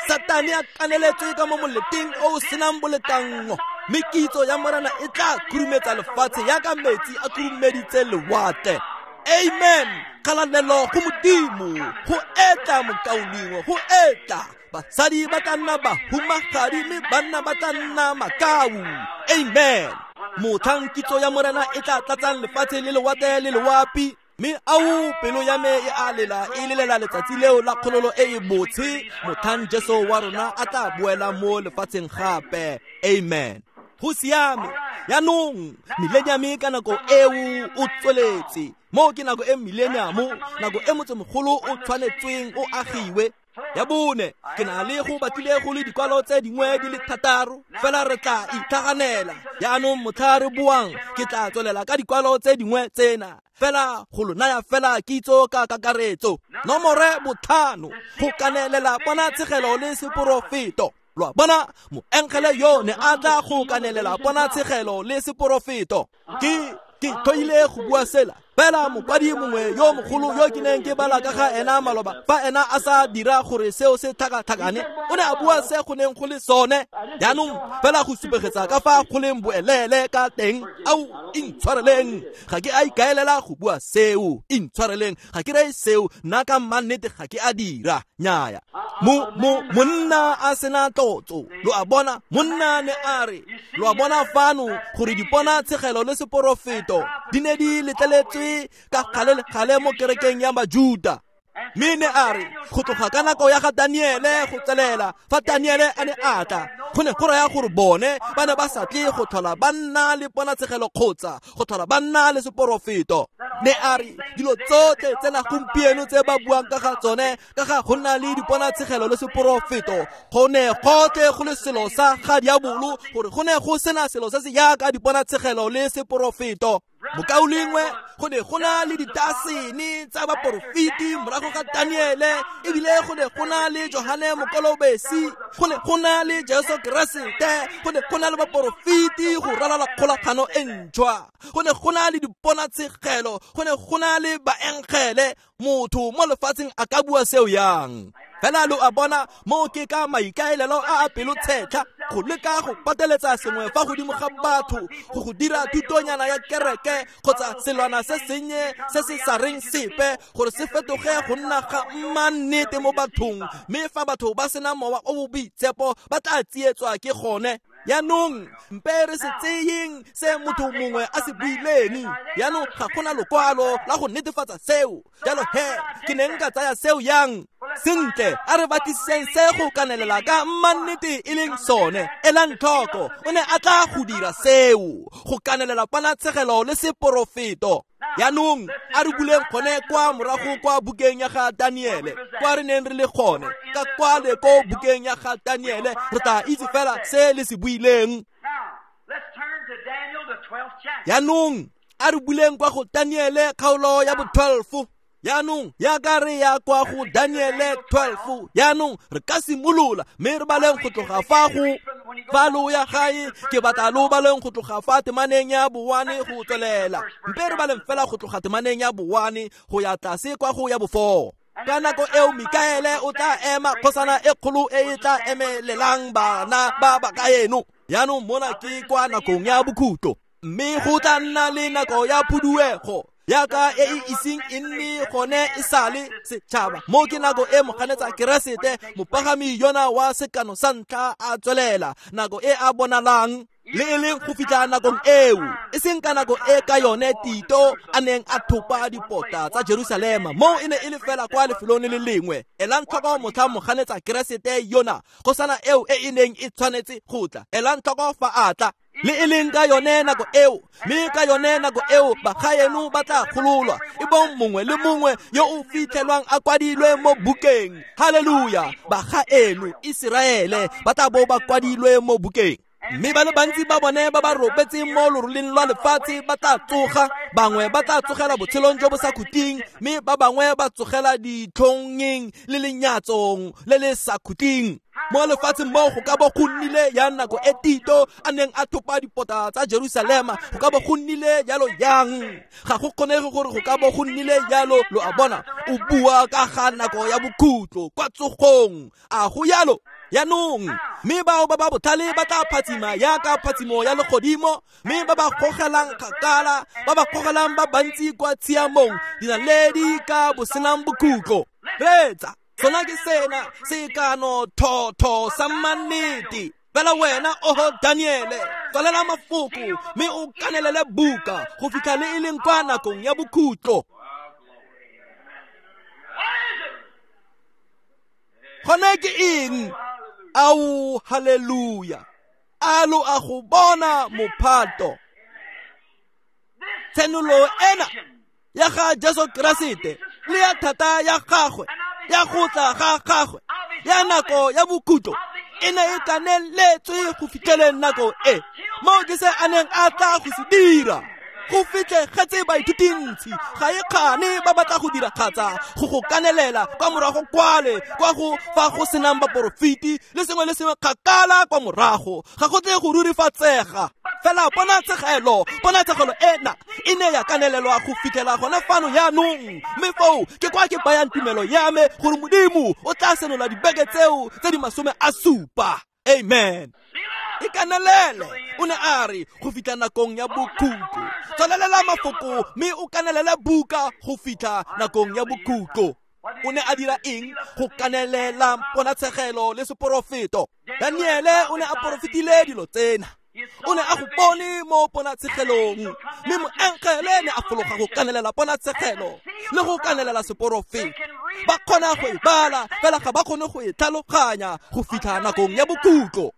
A: Satane a kaneletswe ka mo moleteng o o senang bolekanngo, mme kitso ya Morena e tla khurumetsa lefatshe jaaka metsi a khurumeditse lewatle. Amen. Kgalalelo go Modimo, go etla mokaulengwe, go etla. Basadi ba tla nna bahumagadi mme banna ba tla nna makau. Amen. Motlhang kitso ya Morena e tla tlatsang lefatshe le lewatle le loapi, mme ao pelo ya me e a lela, e lelela letsatsi leo la kgololo e e botshe, motlhang Jesu wa rona a tla boela mo lefatsheng gape. Amen. Go siame. Jaanong millennium ka nako eo o tsweletse. Mo ke nako e millennium, nako e motsemogolo o tshwanetsweng o agiwe. Ya bone, ke na le go batlile go le dikwalo tse dingwe di le thataro, fela re tla itlhaganela. Jaanong motlha re boang, ke tla tswelela ka dikwalo tse dingwe tsena, fela go lo naya fela kitso ka kakaretso. Nomore botlhano, go kanelela ponatshegelo le seporofeto. Lo a bona, moengele yo ne a tla go kanelela ponatshegelo le seporofeto. Ke ke tlhoile go bua sela, fela mokwadi mongwe yo mogolo yo ke neng ke bala ka ga ena maloba, fa ena a sa dira gore seo se tlhakatlhakane, o ne a bua se go neng go le sone. Jaanong fela go supegetsa ka fa go leng boelele ka teng. Ao, intshwareleng, ga ke a ikaelela go bua seo. Intshwareleng, ga ke reye seo, nna ka mannete ga ke a dira. Nnyaya. Mo mo monna a sena tlotso. Lo a bona, monna ne a re, lo a bona fano gore diponatshegelo le seporofeto di ne di letleletswe ka gale le gale mo kerekeng ya Bajuda. Mme ne a re go tloga ka nako ya ga Daniele go tswelela, fa Daniele a ne a tla, go ne go raya gore bone ba ne ba sa tle go tlhola ba nna le ponatshegelo kgotsa go tlhola ba nna le seporofeto. Ne a re dilo tsotlhe tsena gompieno tse ba buang ka ga tsone, ka ga go nna le diponatshegelo le seporofeto, go ne gotlhe go le selo sa ga diabolo, gore go ne go sena selo se se jaaka diponatshegelo le seporofeto. Mokaulengwe, go ne go na le ditasene tsa baporofeti morago ga Daniele, ebile go ne go na le Johane Mokolobesi, go ne go na le Jesu Keresete, go ne go na le baporofeti go ralala kgolagano e ntšhwa, go ne go na le diponatshegelo, go ne go na le baengele. Motho mo lefatsheng a ka bua seo yang? Fela lo a bona, mo ke ka maikaelelo a a pelotshetlha go leka go pateletsa sengwe fa godimo ga batho, go go dira thutonyana ya kereke kgotsa selwana se sennye se se sa reng sepe, gore se fetoge go nna ga mmannete mo bathong. Mme fa batho ba sena mowa o o boitshepo, ba tla tsietswa ke gone. Jaanong mpe re se tseyeng se motho mongwe a se buileng. Jaanong ga gona lokwalo la go netefatsa seo. Jalo he ke ne nka tsaya seo yang? Sentle, a re batlisiseng se go kanelela ka mannete e leng sone. Elang tlhoko, o ne a tla go dira seo, go kanelela ponatshegelo le seporofeto. Jaanong a re buleng gone kwa morago kwa bukeng ya ga Daniele, kwa re neng re le gone. Ka kwale ko bukeng ya ga Daniele, re tla itse fela se le se buileng. Jaanong a re buleng kwa go Daniele kgaolo ya bo twelve. Jaanong yaka re ya kwa go Daniele twelve. Jaanong re ka simolola mme re baleng go tloga fa go fa lo ya gae. Ke batla lo baleng go tloga fa temaneng ya bowane go tswelela. Mpe re baleng fela go tloga temaneng ya bowane go ya tlase kwa go ya bofo. Ka nako eo Mikaele o tla ema, kgosana e kgolo e e tla emelelang bana ba ba kaeno. Jaanong mona ke kwa nakong ya bokhutlo, mme go tla nna le nako ya phuduego yaka e e iseng e nne gone e sale setšhaba. Mo ke nako e moganetsa Keresete mopagami yona wa sekano sa ntlha a tswelela, nako e a bonalang le e leng go fitlha nakong eo, e seng ka nako e ka yone Tito a neng a thopa dipota tsa Jerusalema. Mo e ne e le fela kwa lefelong le le lengwe. Elang tlhoko motlha moganetsa Keresete yona, kgosana eo e e neng e tshwanetse go tla. Elang tlhoko fa a tla, le e leng ka yone nako eo, mme ka yone nako eo bagaeno ba tla gololwa, e bong mongwe le mongwe yo o fitlhelwang a kwadilwe mo bukeng. Haleluya! Bagaeno Iseraele ba tla bo ba kwadilwe mo bukeng. Mme ba le bantsi ba bone ba ba robetseng mo loroleng lwa lefatshe ba tla tsoga. Bangwe ba tla tsogela botshelong jo bo sa khutleng, mme ba bangwe ba tsogela ditlhongeng le lenyatsong le le sa khutleng. Mo lefatsheng mo go ka bo go nnile ya nako e Tito a neng a thopa dipota tsa Jerusalema, go ka bo go nnile jalo yang? Ga go kgonege gore go ka bo go nnile jalo. Lo a bona, o bua ka ga nako ya bokhutlo kwa tsogong. A go jalo? Jaanong mme bao ba ba botlhale ba tla phatsima yaka phatsimo ya legodimo, mme ba ba gogelang kgakala, ba ba gogelang ba bantsi kwa tshiamong, dinaledi ka bosenang bokhutlo. Reetsa, sona ke sena sekano thotho sa mannete. Fela wena, oho Daniele, tswalela mafoko mme o kanelele buka go fitlha le e leng kwa nakong ya bokhutlo. Gone ke eng? Ao, haleluya! A lo a go bona mophato. Tshenolo ena ya ga Jesu Keresete le ya thata ya gagwe, ya go tla ga gagwe, ya nako ya bokhutlo e ne e kaneletswe go fitlheleng nako e. Mo ke se a neng a tla go se dira. Go fitlhegetse baithutintsi ga e kgane ba batla go dira kgatsa go go kanelela kwa morago kwale kwa go fa go senang baporofeti le sengwe le sengwe kgakala kwa morago. Ga go tle go rurifatsega. Fela ponatshegelo, ponatshegelo ena e ne ya kanelelwa go fitlhela gone fano jaanong. Mme foo ke kwa ke bayang tumelo ya me gore Modimo o tla senola dibeke tseo tse di masome a supa. Amen. E kanelele, o ne a re go fitlha nakong ya bokhutlo. Tswalelela mafoko mme o kanelele buka go fitlha nakong ya bokhutlo. O ne a dira eng? Go kanelela ponatshegelo le seporofeto. Daniele o ne a porofetile dilo tsena. O ne a go bone mo ponatshegelong, mme moengele ne a fologa go kanelela ponatshegelo le go kanelela seporofeto. Ba kgona go e bala, fela ga ba kgone go e tlhaloganya go fitlha nakong ya bokhutlo.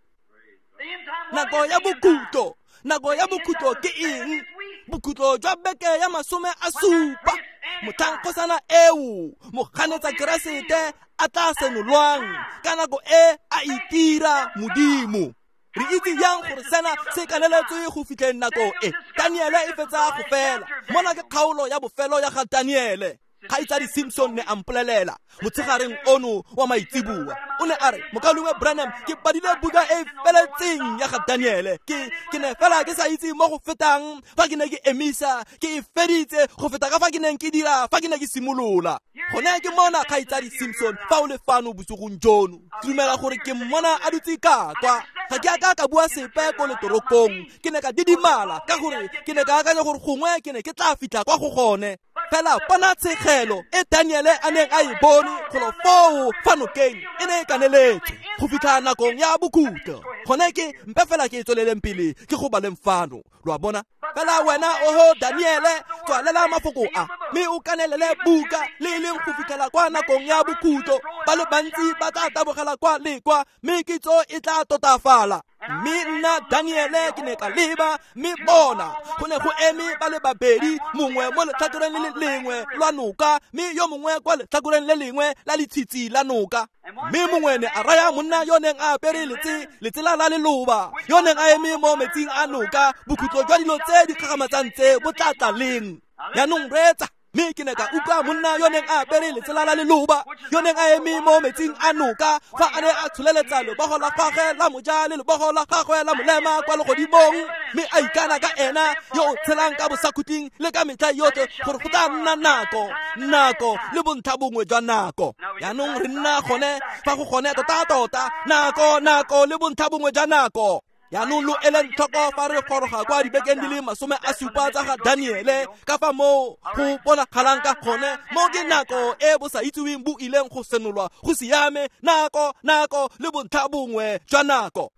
A: Nako ya bokhutlo, nako ya bokhutlo ke eng? Bokhutlo jwa beke ya masome a supa. Motlhang kgosana eo moganetsa Keresete a tla senolwang ka nako e a itira Modimo. Re itse yang gore sena se kaneletswe go fitlheng nako e? Daniele e fetsa go fela. Mona ke kgaolo ya bofelo ya ga Daniele. Kgaitsadi Simpson ne a mpolelela motshegareng ono wa maitseboa. O ne a re, Mokaulengwe Branham, ke badile buka e feletseng ya ga Daniele. Ke ke ne fela ke sa itse mo go fetang fa ke ne ke emisa, ke e feditse go feta ka fa ke neng ke dira fa ke ne ke simolola. Gone ke mona kgaitsadi Simpson fa o le fano bosigong jono. Ke dumela gore ke mmona a dutse ka kwa. Ga ke a ka ka bua sepe ko letorokong. Ke ne ka didimala ka gore ke ne ka akanya gore gongwe ke ne ke tla fitlha kwa go gone. Fela ponatshegelo e Daniele a neng a e bone golo foo fa nokeng e ne e kaneletswe go fitlha nakong ya bokhutlo. Gone ke mpe fela ke e tsweleleng pele ke go baleng fano, lo a bona. Fela wena oho Daniele, tswalela mafoko a mme o kanelele buka le e leng go fitlhela kwa nakong ya bokhutlo. Ba le bantsi ba tla tabogela kwa le kwa, mme kitso e tla totafala. Mme nna Daniele ke ne ka leba, mme bona go ne go eme ba le babedi, mongwe mo letlhakoreng le le lengwe lwa noka, mme yo mongwe kwa letlhakoreng le lengwe la letshitshi la noka. Mme mongwe ne a raya monna yo neng a apere letse letsela la leloba, yo neng a eme mo metsing a noka, bokhutlo jwa dilo tse di kgakgamatsang tse bo tla tla leng? Jaanong reetsa. Mme ke ne ka utlwa monna yo neng a apere letsela la leloba, yo neng a eme mo metsing a noka, fa a ne a tsholeletsa lebogo la gagwe la moja le lebogo la gagwe la molema kwa legodimong, mme a ikana ka ena yo o tshelang ka bosakhutleng le ka metlha yotlhe gore go tla nna nako, nako le bontlha bongwe jwa nako. Jaanong re nna gone fa go gone tota-tota, nako, nako le bontlha bongwe jwa nako. Jaanong lo eleng tlhoko fa re goroga kwa dibekeng di le masome a supa tsa ga Daniele, ka fa moo go bonagalang ka gone, mo ke nako e bo sa itseweng bo ileng go senolwa go siame, nako, nako le bontlha bongwe jwa nako.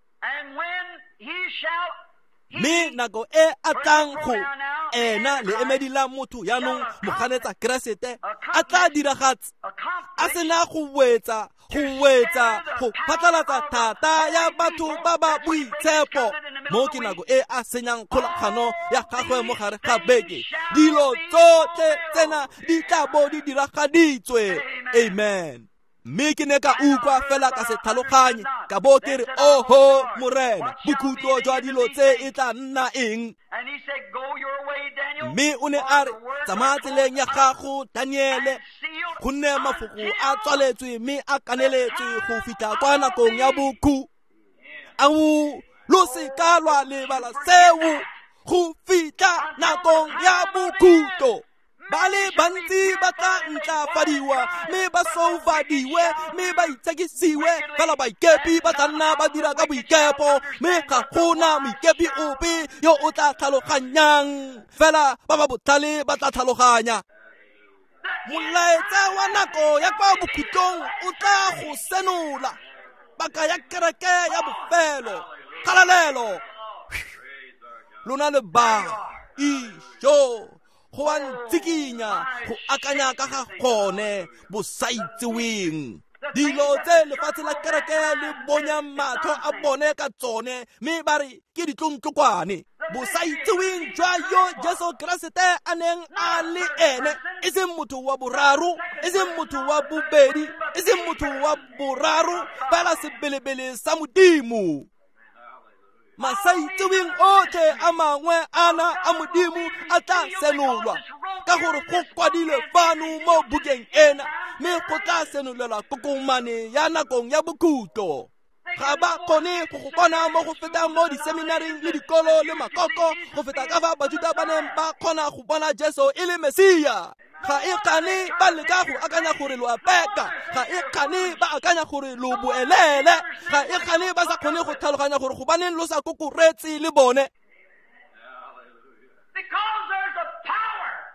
A: Mme nako e a tlang go ena leemedi la motho jaanong moganetsa Keresete a tla diragatsa, a sena go wetsa, go wetsa, go phatlalatsa thata ya batho ba ba boitshepo. Mo ke nako e a senyang kgolagano ya gagwe mo gare ga beke. Dilo tsotlhe tsena di tla bo di diragaditswe. Amen. Mme ke ne ka utlwa fela ka se tlhaloganye, ka bo ke re, oho Morena, bokhutlo jwa dilo tse e tla nna eng? Mme o ne a re, tsamaya tseleng ya gago Daniele, gonne mafoko a tswaletswe mme a kaneletswe go fitlha kwa nakong ya bokhu. Ao, lo se ka lwa lebala seo, go fitlha nakong ya bokhutlo. Ba le bantsi ba tla ntlafadiwa, mme ba soufadiwe, mme ba itshekisiwe, fela baikepi ba tla nna ba dira ka boikepo, mme ga gona moikepi ope yo o tla tlhaloganyang, fela ba ba botlhale ba tla tlhaloganya. Molaetsa wa nako ya kwa bokhutlong o tla go senola paka ya kereke ya bofelo. Kgalalelo lona le ba isho go a ntsikinya go akanya ka ga gone bosaitseweng. Dilo tse lefatshe la kereke le bonyang matlho a bone ka tsone, mme ba re ke ditlontlokwane. Bosaitseweng jwa yo Jesu Keresete a neng a le ene, e seng motho wa boraro, e seng motho wa bobedi, e seng motho wa boraro, fela sebelebele sa Modimo. Masaitseweng otlhe a mangwe ana a Modimo a tla senolwa, ka gore go kwadilwe fano mo bukeng ena, mme go tla senolelwa kokomane ya nakong ya bokhutlo. Ga ba kgone go go bona mo go fetang mo diseminaring le dikolo le makoko, go feta ka fa Bajuda ba neng ba kgona go bona Jesu e le Mesia. Ga e kgane ba leka go akanya gore lo a peka, ga e kgane ba akanya gore lo boelele, ga e kgane ba sa kgone go tlhaloganya gore gobaneng lo sa kokoretse le bone.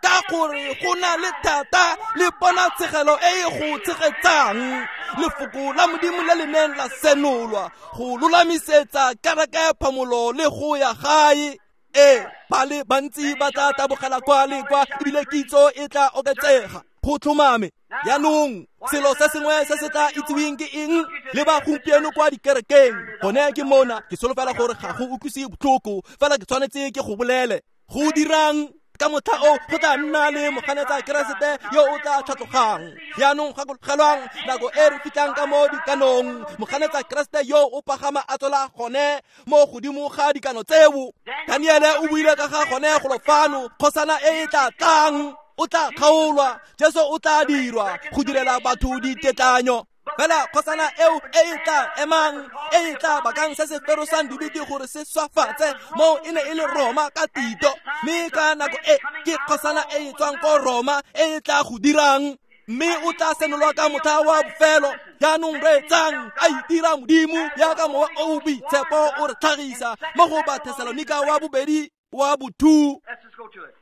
A: Ka gore go na le thata le ponatshegelo e e go tshegetsang lefoko la Modimo le le neng la senolwa go lolamisetsa kereke phamolo le go ya gae. E ba le bantsi ba tla tabogela kwa le kwa, ebile kitso e tla oketsega go tlhomame. Jaanong selo se sengwe se se tla itseweng ke eng le ba gompieno kwa dikerekeng? Gone ke mona, ke solofela gore ga go utlwise botlhoko, fela ke tshwanetse ke go bolele. Go dirang ka motlha o go tla nna le moganetsa Keresete yo o tla tlhatlogang. Jaanong gakologelwang nako e re fitlhang ka mo dikanong, moganetsa Keresete yo o pagama a tswela gone mo godimo ga dikano tseo. Daniele o buile ka ga gone golo fano, kgosana e e tla tlang o tla kgaolwa, Jesu o tla dirwa go direla batho ditetlanyo. Fela kgosana eo e e tla emang, e e tla bakang se se ferosang dibete gore se swafatse, moo e ne e le Roma ka Tito. Mme ka nako e ke kgosana e e tswang ko Roma e e tla go dirang. Mme o tla senolwa ka motlha wa bofelo. Jaanong reetsang, a itira Modimo jaaka Mowa o o Boitshepo o re tlhagisa mo go Bathesalonika wa bobedi wa bo-two.
B: Let's just go to it.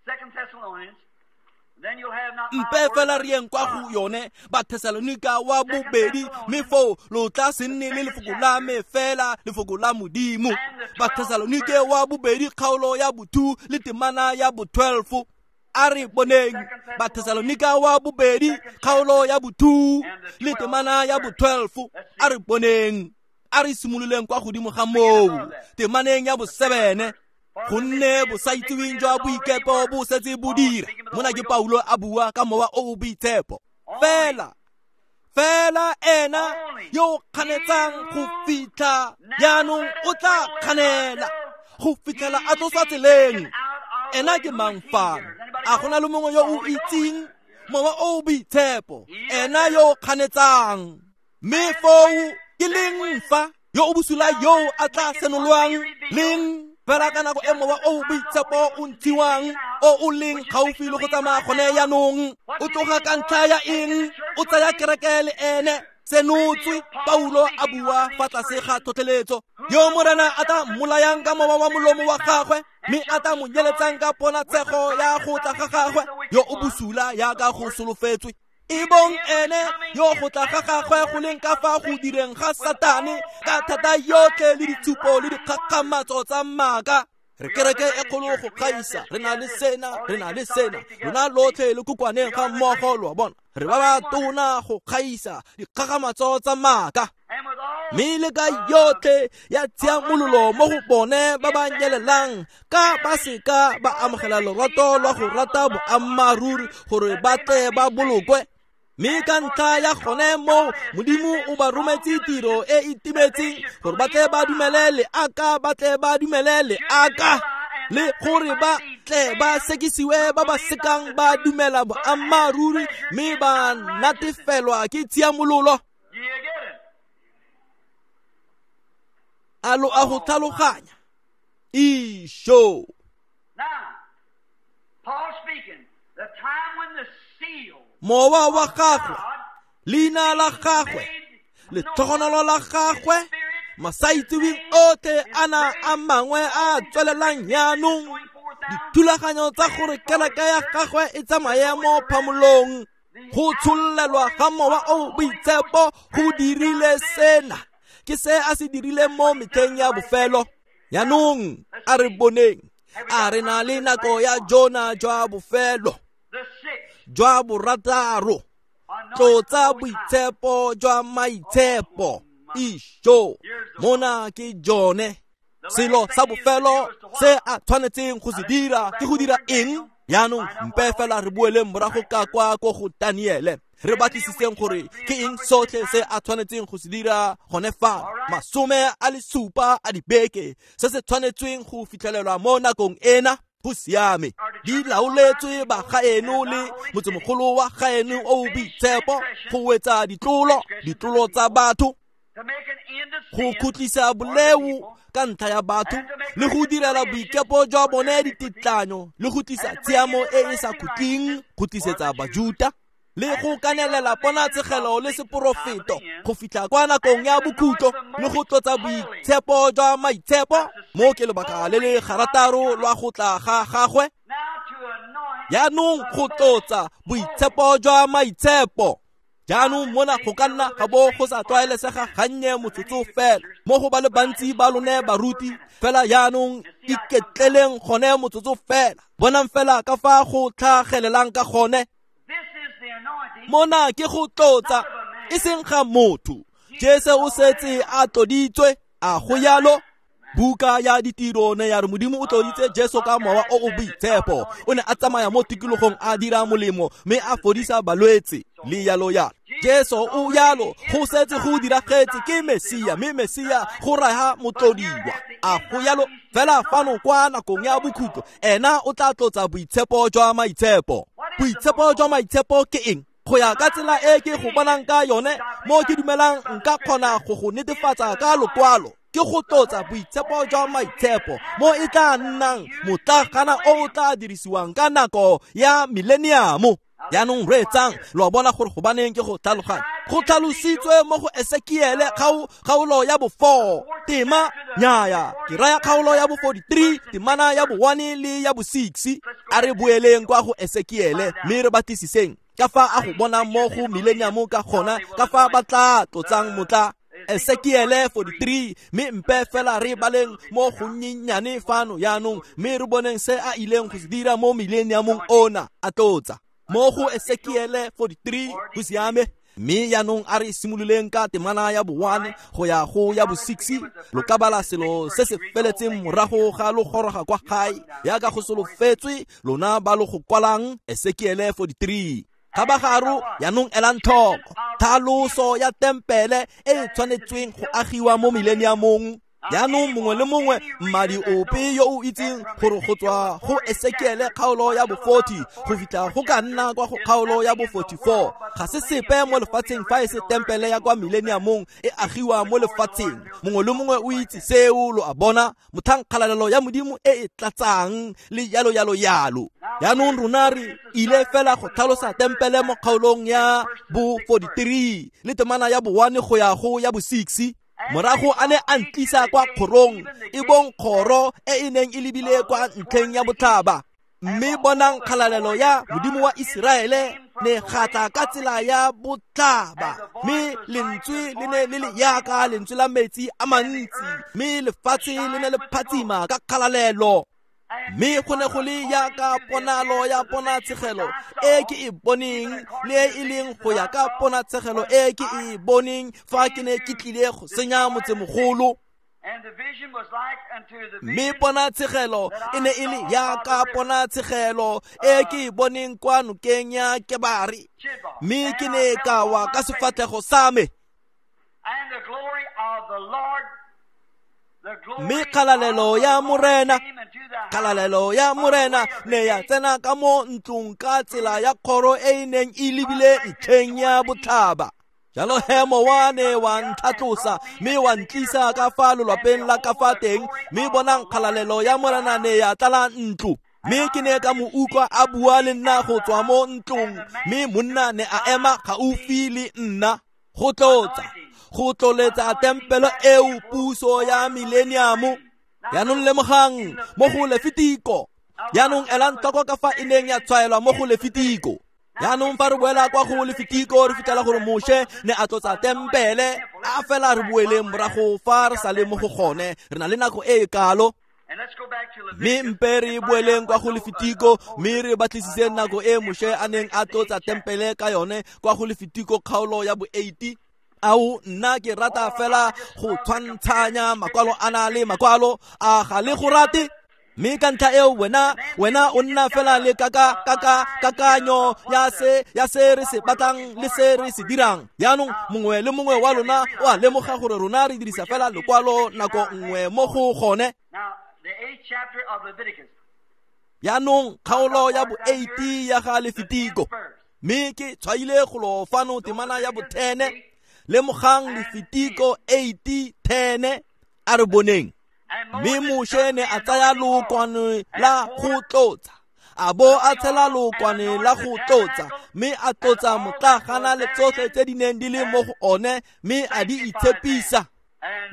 B: Second Thessalonians. Then you'll have not my
A: Mpe
B: word,
A: fela
B: but
A: re yeng kwa go
B: God.
A: yone Bathesalonika wa bobedi, mme foo lo tla se nne le lefoko la me fela, lefoko la Modimo. Bathesalonike wa bobedi kgaolo ya bo-two le temana ya bo-twelve. A re boneng Bathesalonika wa bobedi kgaolo ya bo-two le temana ya bo-twelve. A re boneng, a re simololeng kwa godimo ga moo temaneng ya bo-seven. Gonne bosaitseweng jwa boikepo bo setse bo dira. Mona ke Paulo a bua ka Mowa o o Boitshepo. Fela, fela ena yo o kganetsang go fitlha jaanong o tla kganela go fitlhela a tloswa tseleng. Ena ke mang fano? A go na le mongwe yo o itseng Mowa o o Boitshepo? Ena yo o kganetsang. Mme foo ke leng fa yo o bosula yo a tla senolwang leng? Fela ka nako e Mowa o o Boitshepo o ntshiwang, o o leng gaufi le go tsamaya gone jaanong, o tloga ka ntlha ya eng? O tsaya kereke le ene. Senotswe, Paulo a bua fa tlase ga tlhotlheletso. Yo Morena a tla mmolayang ka mowa wa molomo wa gagwe, mme a tla mo nyeletsang ka ponatshego ya go tla ga gagwe, yo o bosula jaaka go solofetswe. E bong ene yo go tla ga gagwe go leng ka fa go direng ga Satane ka thata yotlhe le ditshupo le dikgakgamatso tsa maaka. Re kereke e kgolo go gaisa, re na le sena, re na le sena, rona lotlhe le kokwaneng ga mmogo, lo a bona. Re ba ba tona go gaisa dikgakgamatso tsa maaka.
B: And with all
A: Mme le ka yotlhe ya tshiamololo mo go bone ba ba nyelelang, ka ba seka ba amogela lorato lwa go rata boammaaruri gore ba tle ba bolokwe. Mme ka ntlha ya gone moo Modimo o ba rometse tiro e e timetseng gore ba tle ba dumele leaka, ba tle ba dumele leaka, le gore ba tle ba sekisiwe ba ba sekang ba dumela boammaaruri mme ba natefelwa ke tshiamololo.
B: Do you get it?
A: A lo a go tlhaloganya? Isho.
B: Now, Paul speaking, the time when the seal
A: Mowa wa
B: of
A: gagwe,
B: God
A: leina la gagwe, letlhogonolo la gagwe, masaitseweng otlhe a na a mangwe a tswelelang jaanong, dithulaganyo tsa gore kereke ya gagwe e tsamaye mo phamolong, go tshololelwa ga Mowa o o Boitshepo go dirile sena. Ke se a se dirileng mo metlheng ya bofelo. Jaanong a re boneng, a re na le nako ya jona jwa bofelo,
B: the sixth,
A: jwa borataro,
B: anointed
A: tlotsa
B: most high.
A: boitshepo jwa maitshepo. Isho, mona ke jone. Selo sa bofelo se a tshwanetseng go se dira ke go dira eng? Jaanong mpe fela re boeleng morago ka kwa ko go Daniele, re batlisiseng gore ke eng sotlhe se a tshwanetseng go se dira gone fa masome a le supa a dibeke se se tshwanetsweng go fitlhelelwa mo nakong ena. Go siame, di laoletswe bagaeno le motsemogolo wa gaeno o o boitshepo go wetsa ditlolo, ditlolo tsa batho,
B: To make an end of
A: go
B: sin
A: khutlisa boleo ka ntlha ya batho, le go direla boikepo jwa bone ditetlanyo, le go tlisa tshiamo e e sa khutleng go tlisetsa Bajuta, le go kanelela ponatshegelo le seporofeto go fitlha kwa nakong ya bokhutlo, le go tlotsa boitshepo jwa maitshepo. Mo ke lebaka le le garataro lwa go tla ga gagwe.
B: Now to anoint
A: Jaanong go tlotsa boitshepo jwa maitshepo. Jaanong mona go ka nna ga bo go sa tlwaelesega gannye motsotso fela mo go ba le bantsi ba lone baruti, fela jaanong iketleleng gone motsotso fela. Bonang fela ka fa go tlhagelelang ka gone.
B: This is the anointing
A: Mona ke go tlotsa, e seng ga motho. Jesu o setse a tloditswe, a go yalo. Buka ya ditiro ne ya re Modimo o tloditse Jesu ka Mowa o o Boitshepo. O ne a tsamaya mo tikologong a dira molemo mme a fodisa balwetse le yalo yalo. Jesu o yalo, go setse go diragetse, ke Mesia, mme Mesia go raya motlodiwa. A go yalo fela fano kwa nakong ya bokhutlo, ena o tla tlotsa boitshepo jwa maitshepo. Boitshepo jwa maitshepo ke eng? Go ya ka tsela e ke go bonang ka yone, mo ke dumelang nka kgona go go netefatsa ka lokwalo, ke go tlotsa boitshepo jwa maitshepo mo e tla nnang motlagana o o tla dirisiwang ka nako ya millennium. Jaanong reetsang, lo a bona gore gobaneng ke go tlhaloganya. Go tlhalositswe mo go Esekiele kgaolo ya bo four tema nyaya ke raya kgaolo ya bo forty-three temana ya bo one le ya bo six. A re boeleng kwa go Esekiele mme re batlisiseng ka fa a go bona mo go millennium ka gona, ka fa ba tla tlotsang motla. Esekiele forty-three, mme mpe fela re baleng mo gonnyenyane fano jaanong, mme re boneng se a ileng go se dira mo millenniumong ona a tlotsa. Mo go Esekiele forty-three go siame. Mme jaanong a re simololeng ka temana ya bo one go ya go ya bo six. Lo ka bala selo se se feletseng morago ga lo goroga kwa gae, yaka go solofetswe lona ba lo go kwalang. Esekiele forty-three. Kgabagaro jaanong elang tlhoko tlhaloso ya tempele e e tshwanetsweng go agiwa mo millenniumong. Jaanong mongwe le mongwe mmadi ope yo o itseng gore go tswa go Esekiele kgaolo ya bo forty go fitlha go ka nna kwa go kgaolo ya bo forty-four ga se sepe mo lefatsheng fa e se tempele ya kwa millenniumong e agiwa mo lefatsheng. Mongwe le mongwe o itse seo, lo a bona, motlhang kgalalelo ya Modimo e e tlatsang le yalo yalo yalo. Jaanong rona re ile fela go tlhalosa tempele mo kgaolong ya bo forty-three le temana ya bo one go ya go ya bo six. Morago a ne a ntlisa kwa kgorong, e bong kgoro e e neng e lebile kwa ntlheng ya botlhaba. Mme bonang kgalalelo ya Modimo wa Iseraele ne gatla ka tsela ya botlhaba, mme lentswe le ne le le yaka lentswe la metsi a mantsi, mme lefatshe le ne le phatsima ka kgalalelo. Mme go ne go le yaka ponalo ya ponatshegelo e ke e boneng, le e leng go ya ka ponatshegelo e ke e boneng fa ke ne ke tlile go senya motsemogolo. Mme ponatshegelo e ne e le yaka ponatshegelo e ke e boneng kwa nokeng ya Kebare, mme ke ne ka wa ka sefatlhego sa me. Mme kgalalelo ya Morena, kgalalelo ya Morena ne ya tsena ka mo ntlong ka tsela ya kgoro e e neng e lebile ntlheng ya botlhaba. Jalo he mowa ne wa ntlhatlosa mme wa ntlisa ka fa lolwapeng la ka fa teng, mme bonang kgalalelo ya Morena ne ya tlala ntlo. Mme ke ne ka mo utlwa a bua le nna go tswa mo ntlong, mme monna ne a ema gaufi le nna go tlotsa go tloletsa tempele eo puso ya millennium. Jaanong lemogang mo go Lefitiko. Jaanong elang tlhoko ka fa e neng ya tshwaelwa mo go Lefitiko. Jaanong fa re boela kwa go Lefitiko re fitlhela gore Moshe ne a tlotsa tempele. A fela re boeleng morago fa re sa le mo go gone, re na le nako e e kalo. Mme mpe re boeleng kwa go Lefitiko mme re batlisise nako e Moshe a neng a tlotsa tempele ka yone kwa go Lefitiko kgaolo ya bo eighty. Ao nna ke rata fela go tshwantshanya makwalo a na le makwalo a ga le go rate. Mme ka ntlha eo wena wena o nna fela le kaka kaka kakanyo ya se ya se re se batlang le se re se dirang. Jaanong mongwe le mongwe wa lona o a lemoga gore rona re dirisa fela lekwalo nako nngwe mo go gone. Jaanong kgaolo ya bo eighty ya ga Lefitiko, mme ke tshwaile golo fano temana ya bo ten. Lemogang Lefitiko eighty ten, a re boneng. Mme Moshe ne a tsaya lookwane la go tlotsa, a bo a tshela lookwane la go tlotsa, mme a tlotsa motlagana le tsotlhe tse di neng di le mo go one, mme a di itshepisa.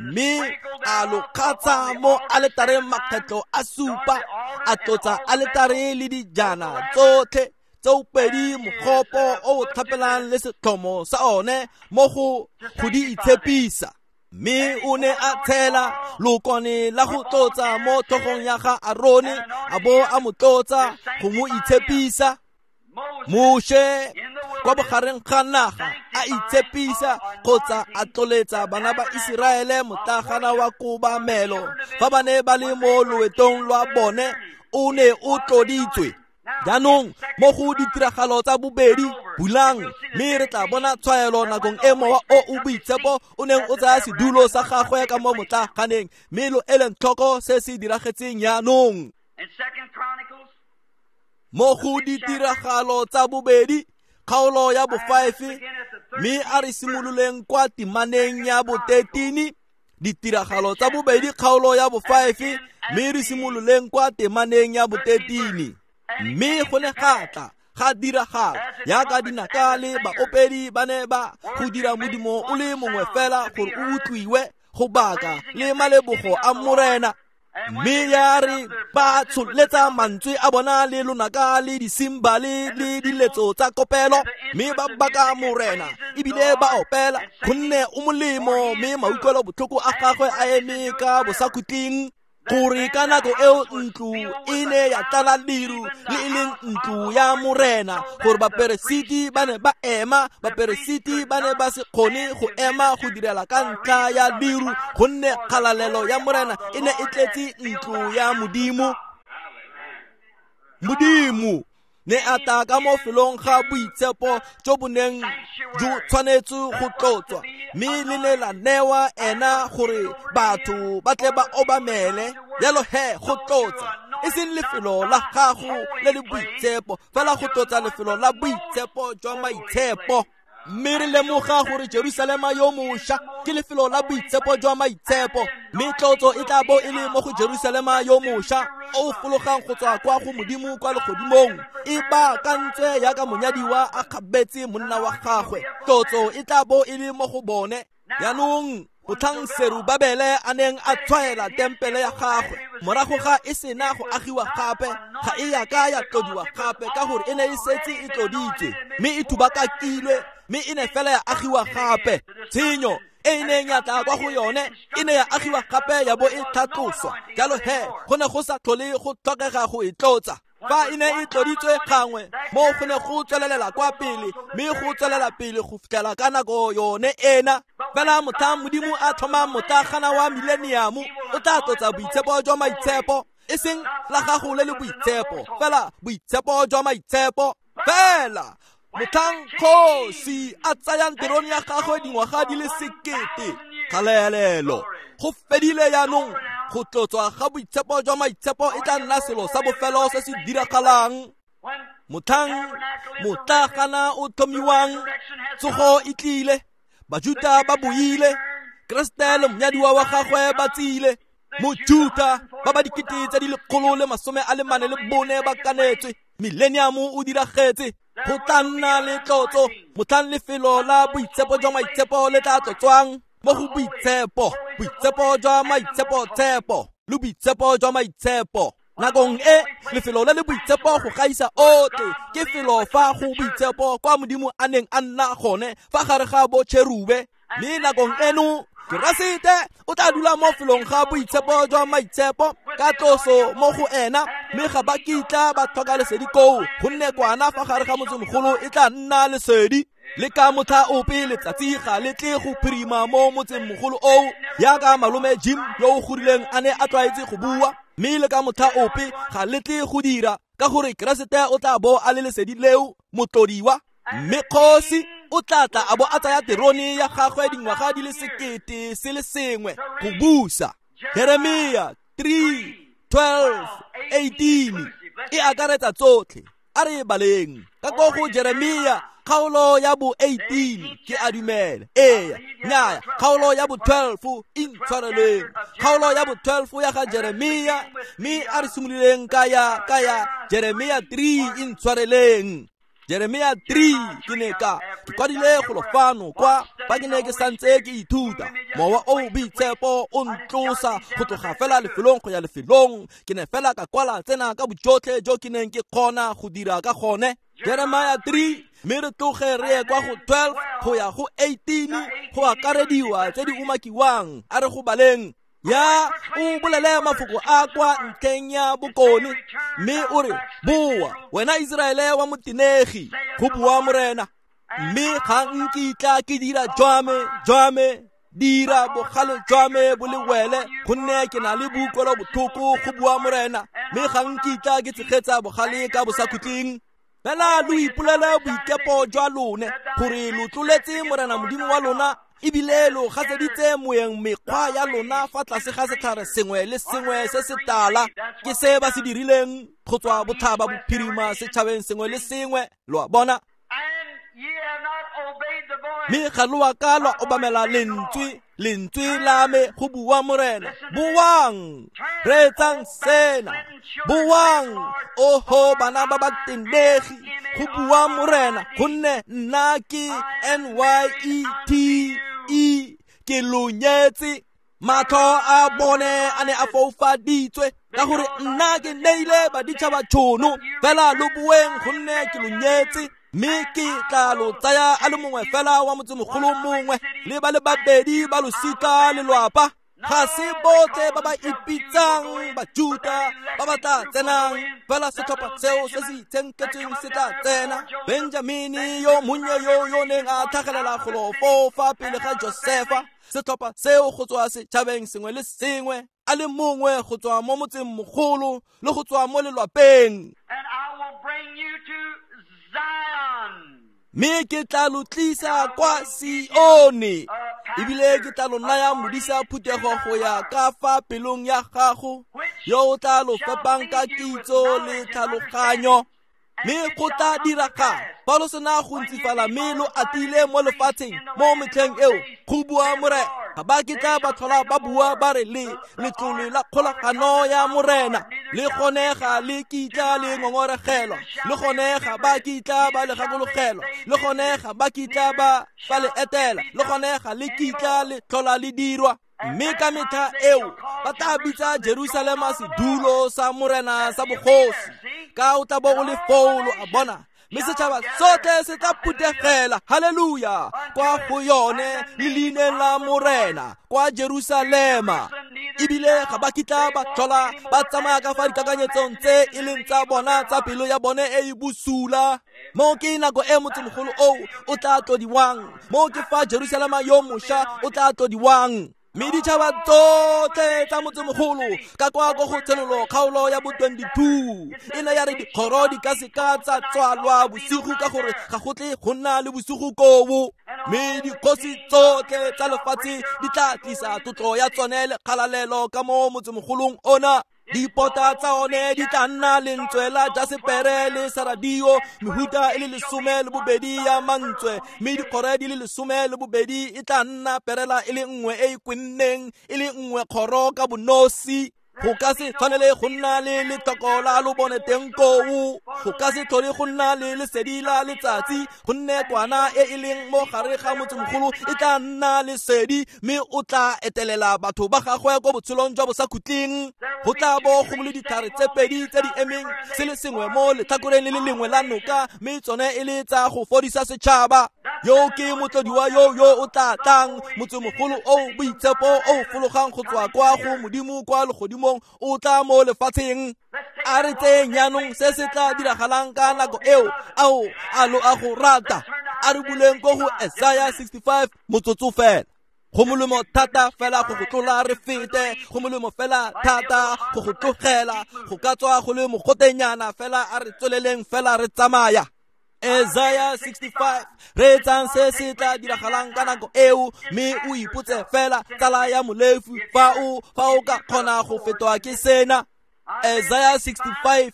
A: Mme a lo kgatsha mo aletareng makgetlo a supa, a tlotsa aletare le dijana tsotlhe tsoopedi mogopo o o tlhapelang le setlhomo sa one mo go go di itshepisa. Mme o ne a tshela lookwane la go tlotsa mo tlhogong ya ga Arone, a bo a mo tlotsa go mo itshepisa. Moshe kwa bogareng ga naga a itshepisa kgotsa a tloletsa bana ba Iseraele motlagana wa kobamelo fa ba ne ba le mo loetong lwa bone, o ne o tloditswe. Jaanong mo go ditiragalo tsa bobedi bulang, mme re tla bona tshwaelo nakong e mowa o o boitshepo o neng o tsaya sedulo sa gagwe ka mo motlaganeng, mme lo eleng tlhoko se se diragetseng jaanong. Mo go ditiragalo tsa bobedi kgaolo ya bo five, mme a re simololeng kwa temaneng ya bo thirteen. Ditiragalo tsa bobedi kgaolo ya bo five, mme re simololeng kwa temaneng ya bo thirteen. Mme go ne ga tla ga diragala yaka dinaka le baopedi ba ne ba go dira modimo o le mongwe fela gore o utlwiwe go baka le malebogo a Morena. Mme ya re ba tsholetsa mantswe a bona le lonaka le disimbale le diletso tsa kopelo, mme ba baka Morena ebile ba opela, gonne o molemo mme mautlwelo botlhoko a gagwe a eme ka bosakhutleng. Gore ka nako eo ntlo e ne ya tlala leru le e leng ntlo ya Morena, gore baperesiti ba ne ba ema, baperesiti ba ne ba se kgone go ema go direla ka ntlha ya leru, gonne kgalalelo ya Morena e ne e tletse ntlo ya Modimo. Modimo ne a tla ka mo felong ga boitshepo jo bo neng jo tshwanetse go tlotswa, mme le ne la newa ena gore batho ba tle ba obamele. Jalo he go tlotsa e seng lefelo la gago le le boitshepo, fela go tlotsa lefelo la boitshepo jwa maitshepo. Mme re lemoga gore Jerusalema yo mošwa ke lefelo la boitshepo jwa maitshepo, mme tlotso e tla bo e le mo go Jerusalema yo mošwa o fologang go tswa kwa go Modimo kwa legodimong, e baakantswe yaka monyadiwa a kgabetse monna wa gagwe. Tlotso e tla bo e le mo go bone. Jaanong motlhang Serubabele a neng a tshwaela tempele ya gagwe morago ga e sena go agiwa gape, ga e ya ka ya tlodiwa gape ka gore e ne e setse e tloditswe mme e thubakakilwe, mme e ne fela ya agiwa gape. Tshenyo e e neng ya tla kwa go yone e ne ya agiwa gape ya bo e tlhatloswa. Jalo he go ne go sa tlhole go tlhokega go e tlotsa. Fa e ne e tloditswe gangwe, mo go ne go tswelelela kwa pele, mme go tswelela pele go fitlhela ka nako yone ena. Fela motlhang Modimo a tlhoma motlagana wa mileniamo, o tla tlotsa boitshepo jwa maitshepo, e seng la gago le le boitshepo, fela boitshepo jwa maitshepo. Fela motlhang kgosi a tsayang terone ya gagwe dingwaga di le sekete, kgalelelo go fedile jaanong. Go tlotswa ga boitshepo jwa maitshepo e tla nna selo sa bofelo se se diragalang. Motlhang motlagana o tlhomiwang, tsogo e tlile, Bajuta ba boile, Keresete le monyadiwa wa gagwe ba tsile. Mojuta ba ba dikete tse di lekgolo le masome a le mane le bone ba kanetswe, mileniamo o diragetse. Go tla nna le tlotso motlhang lefelo la boitshepo jwa maitshepo le tla tlotswang mo go boitshepo, boitshepo jwa maitshepo-tshepo le boitshepo jwa maitshepo. Nakong e lefelo le le boitshepo go gaisa otlhe ke felo fa go boitshepo kwa Modimo a neng a nna gone fa gare ga bo cherube. Mme nakong eno Keresete o tla dula mo felong ga boitshepo jwa maitshepo ka tloso mo go ena, mme ga ba kitla ba tlhoka lesedi koo, gonne kwana fa gare ga motsemogolo e tla nna lesedi. Le ka motlha ope letsatsi ga le tle go phirima mo motsemogolo oo, yaka malome Jim yo o godileng a ne a tlwaetse go bua, mme le ka motlha ope ga le tle go dira, ka gore Keresete o tla bo a le lesedi leo motlodiwa. Mme kgosi o tla tla a bo a tsaya terone ya gagwe dingwaga di le sekete se le sengwe go busa. Jeremia three twelve eighteen e akaretsa tsotlhe. A re baleng ka ko go Jeremia kgaolo ya bo eighteen, ke a dumela. Ee, nnyaya, kgaolo ya bo twelve intshwareleng, kgaolo ya bo twelve ya ga Jeremia, mme a re simololeng ka ya ka ya Jeremia three intshwareleng. Jeremia three ke ne ka ke kwadile golo fano kwa fa ke ne ke santse ke ithuta. Mowa o boitshepo o ntlosa go tloga fela lefelong go ya lefelong. Ke ne fela ka kwala tsena ka bojotlhe jo ke neng ke kgona go dira ka gone. Jeremia three, mme re tloge re ye kwa go twelve go ya go eighteen go akarediwa tse di umakiwang. A re go baleng. Ya o bolele mafoko a kwa ntlheng ya bokone, mme o re, boa wena Iseraele wa motenegi, go bua Morena, mme ga nkitla ke dira jwa me jwa me dira bogale jwa me bo le wele, gonne ke na le boutlwelo botlhoko, go bua Morena, mme ga nkitla ke tshegetsa bogale ka bosakhutleng. Fela lo ipolele boikepo jwa lone, gore lo tloletse Morena Modimo wa lona, ebile lo gaseditse moeng mekgwa ya lona fa tlase ga setlhare sengwe le sengwe se se tala. Ke se ba se dirileng go tswa botlhaba bophirima setšhabeng sengwe le sengwe, lo a bona. Mme ga lo a ka lwa obamela lentswe Lentswe la me go bua Morena. Boang, reetsang sena. Boang, oho bana ba ba tenegi, go bua Morena, gonne nna ke N Y E T E, ke lo nyetse. Matlho a bone a ne a foufaditswe ka gore nna ke neile baditšhaba tšhono, fela lo boeng gonne ke lo nyetse. Mme ke tla lo tsaya a le mongwe fela wa motsemogolo mongwe le ba le babedi ba losika le lwapa. Ga se botlhe ba ba ipitsang Bajuta ba ba tla tsenang, fela setlhopha seo se se itshenketsweng se tla tsena. Benjamini yo monnye yo yo neng a tlhagelela golo foo fa pele ga Josefa, setlhopha seo go tswa setšhabeng sengwe le sengwe, a le mongwe go tswa mo motseng mogolo le go tswa mo lelwapeng.
B: And I will bring you to Zion.
A: Mme ke tla lo tlisa kwa Sione, ebile ke tla lo naya modisa phuthego go ya ka fa pelong ya gago, yo o tla lo fepang ka kitso le tlhaloganyo. Mme go tla diragala fa lo sena go ntsifala mme lo atile mo lefatsheng mo metlheng eo, go bua Morena. Ga ba kitla ba tlhola ba bua ba re le letlole la kgolagano ya Morena, le gone ga le kitla le ngongoregelwa, le gone ga ba kitla ba le gakologelwa, le gone ga ba kitla ba ba le etela, le gone ga le kitla le tlhola le dirwa. Mme ka metlha eo ba tla bitsa Jerusalema sedulo sa Morena sa bogosi, ka o tla bo o le foo lo a bona. Mme setšhaba sotlhe se tla phuthegela, haleluya, kwa go yone le leineng la Morena kwa Jerusalema. Ebile ga ba kitla ba tlhola ba tsamaya ka fa dikakanyetsong tse e leng tsa bona tsa pelo ya bone e e bosula. Mo ke nako e motsemogolo oo o tla tlodiwang, mo ke fa Jerusalema yo mošwa o tla tlodiwang. Mme ditšhaba tsotlhe tsa motsemogolo ka kwa ko go Tshenolo kgaolo ya bo twenty-two e ne ya re dikgoro di ka seka tsa tswalwa bosigo ka gore ga go tle go nna le bosigo koo. Mme dikgosi tsotlhe tsa lefatshe di tla tlisa tlotlo ya tsone le kgalalelo ka mo motsemogolong ona. Dipota tsa one di tla nna lentswe la jasepere le saradio, mehuta e le lesome le bobedi ya mantswe, mme dikgoro di le lesome le bobedi e tla nna perela e le nngwe e e kwenneng, e le nngwe kgoro ka bonosi. Go ka se tshwanele go nna le letlhoko la lobone teng koo, go ka se tlhole go nna le lesedi la letsatsi, gonne kwana e e leng mo gare ga motsemogolo e tla nna lesedi, mme o tla etelela batho ba gagwe ko botshelong jwa bosakhutleng. Go tla bo go le ditlhare tse pedi tse di emeng, se le sengwe mo letlhakoreng le le lengwe la noka, mme tsone e le tsa go fodisa setšhaba. Yo ke motlodiwa yo yo o tla tlang, motsemogolo o boitshepo o fologang go tswa kwa go Modimo kwa legodimong o tla mo lefatsheng. A re tseyeng jaanong se se tla diragalang ka nako eo, ao a lo a go rata. A re buleng ko go Isaiah sixty-five motsotso fela. Go molemo thata fela go go tlola re fete, go molemo fela thata go go tlogela, go ka tswa go le mogotenyana fela, a re tsweleleng fela re tsamaya. Isaiah sixty-five, reetsang se se tla diragalang ka nako eo, mme o ipotse fela tsala ya molefi fa o fa o ka kgona go fetwa ke sena. Isaiah sixty-five,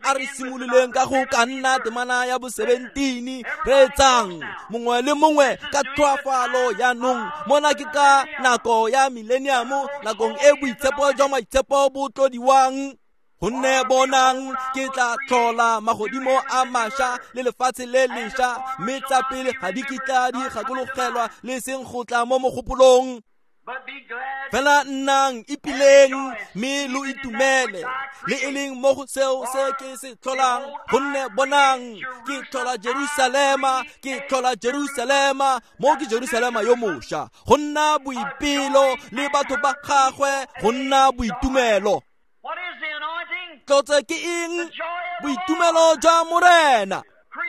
A: a re simololeng ka go ka nna temana ya bo seventeen. Reetsang mongwe le mongwe ka tlhoafalo jaanong. Mona ke ka nako ya millennium, nakong e boitshepo jwa maitshepo bo tlodiwang. Gonne bonang ke tla tlhola magodimo a mašwa le lefatshe le lešwa, mme tsa pele ga di kitla di gakologelwa le seng go tla mo mogopolong. Fela nnang ipileng mme lo itumele le e leng mo go seo se ke se tlholang, gonne bonang ke tlhola Jerusalema, ke tlhola Jerusalema, mo ke Jerusalema yo mošwa, go nna boipelo le batho ba gagwe, go nna boitumelo. Tlotse ke eng? Boitumelo jwa Morena.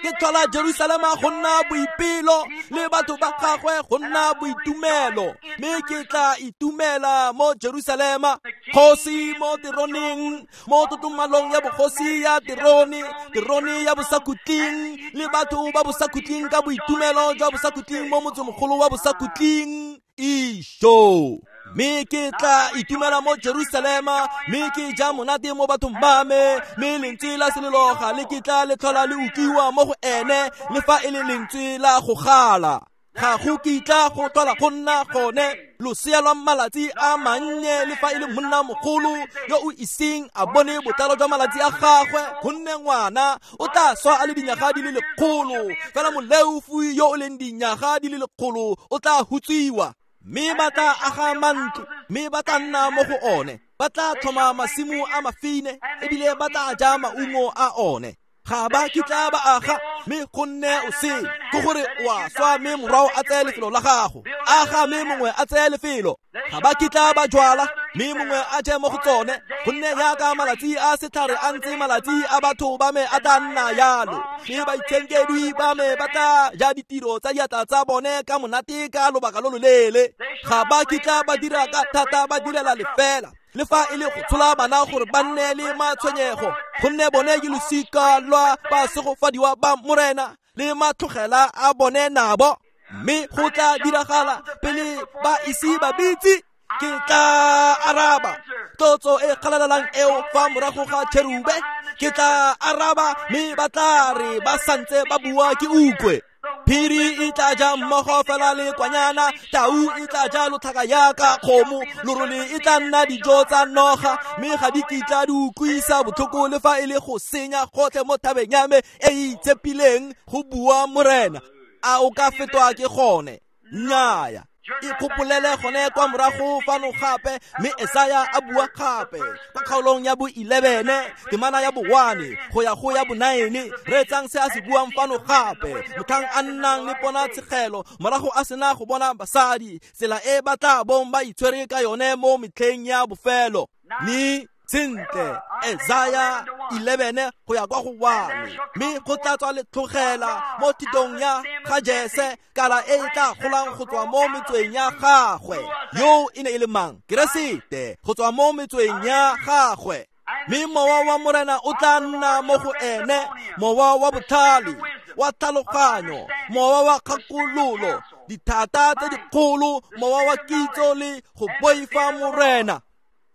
A: Ke tlhola Jerusalema go nna boipelo le batho ba gagwe go nna boitumelo, mme ke tla itumela mo Jerusalema. Kgosi mo teroneng, mo totomalong ya bogosi ya terone, terone ya bosakhutleng, le batho ba bosakhutleng ka boitumelo jwa bosakhutleng mo motsemogolo wa bosakhutleng. Isho. Mme ke tla itumela mo Jerusalema, mme ke ja monate mo bathong ba me, mme lentswe la selelo ga le kitla le tlhola le utlwiwa mo go ene, le fa e le lentswe la go gala. Ga go kitla go tlhola go nna gone losea lwa malatsi a mannye le fa e le monna mogolo yo o iseng a bone botlalo jwa malatsi a gagwe, gonne ngwana o tla swa a le dinyaga di le lekgolo, fela moleofi yo o leng dinyaga di le lekgolo o tla hutsiwa. Mme ba tla aga mantlo, mme ba tla nna mo go one, ba tla tlhoma masimo a mafine ebile ba tla ja maungo a one. Ga ba kitla ba aga, mme go nne o sele, ke gore o a swa mme morwao a tseye lefelo la gago. Aga mme mongwe a tseye lefelo. Ga ba kitla ba jwala, mme mongwe a je mo go tsone, gonne jaaka malatsi a setlhare a ntse malatsi a batho ba me a tla nna yalo. Mme baitshenkedwi ba me ba tla ja ditiro tsa diatla tsa bone ka monate ka lobaka lo loleele. Ga ba kitla ba dira ka thata ba direla lefela, le fa e le go tshola bana gore ba nne le matshwenyego, gonne bone ke losika lwa basegofadiwa ba Morena le matlogela a bone nabo. Mme go tla diragala pele ba ise ba bitse, ke tla araba tlotso e kgalalelang eo fa morago ga cherube. Ke tla araba mme ba tla re ba santse ba bua ke utlwe. Phiri e tla ja mmogo fela le kwanyana, tau e tla ja lotlhaka yaka kgomo, lorole e tla nna dijo tsa noga, mme ga di kitla di utlwisa botlhoko le fa e le go senya gotlhe mo thabeng ya me e e itshepileng, go bua Morena. A o ka fetwa ke gone? Nnyaya. Ikgopolele gone kwa morago fano gape, mme Esaya a bua gape kwa kgaolong ya bo eleven, temana ya bo one go ya go ya bo nine. Reetsang se a se buang fano gape, motlhang a nnang le ponatshegelo morago a sena go bona basadi, tsela e ba tla bong ba itshwere ka yone mo metlheng ya bofelo. Mme sentle, Esaya eleven go ya kwa go one. Mme go tla tswa letlhogela mo thitong ya ga Jese, kala e e tla golang go tswa mo metsweng ya gagwe. Yo e ne e le mang? Keresete, go tswa mo metsweng ya gagwe. Mme mowa wa Morena o tla nna mo go ene, mowa wa botlhale, wa tlhaloganyo, mowa wa kgakololo, dithata tse dikgolo, mowa wa kitso le go boifa Morena.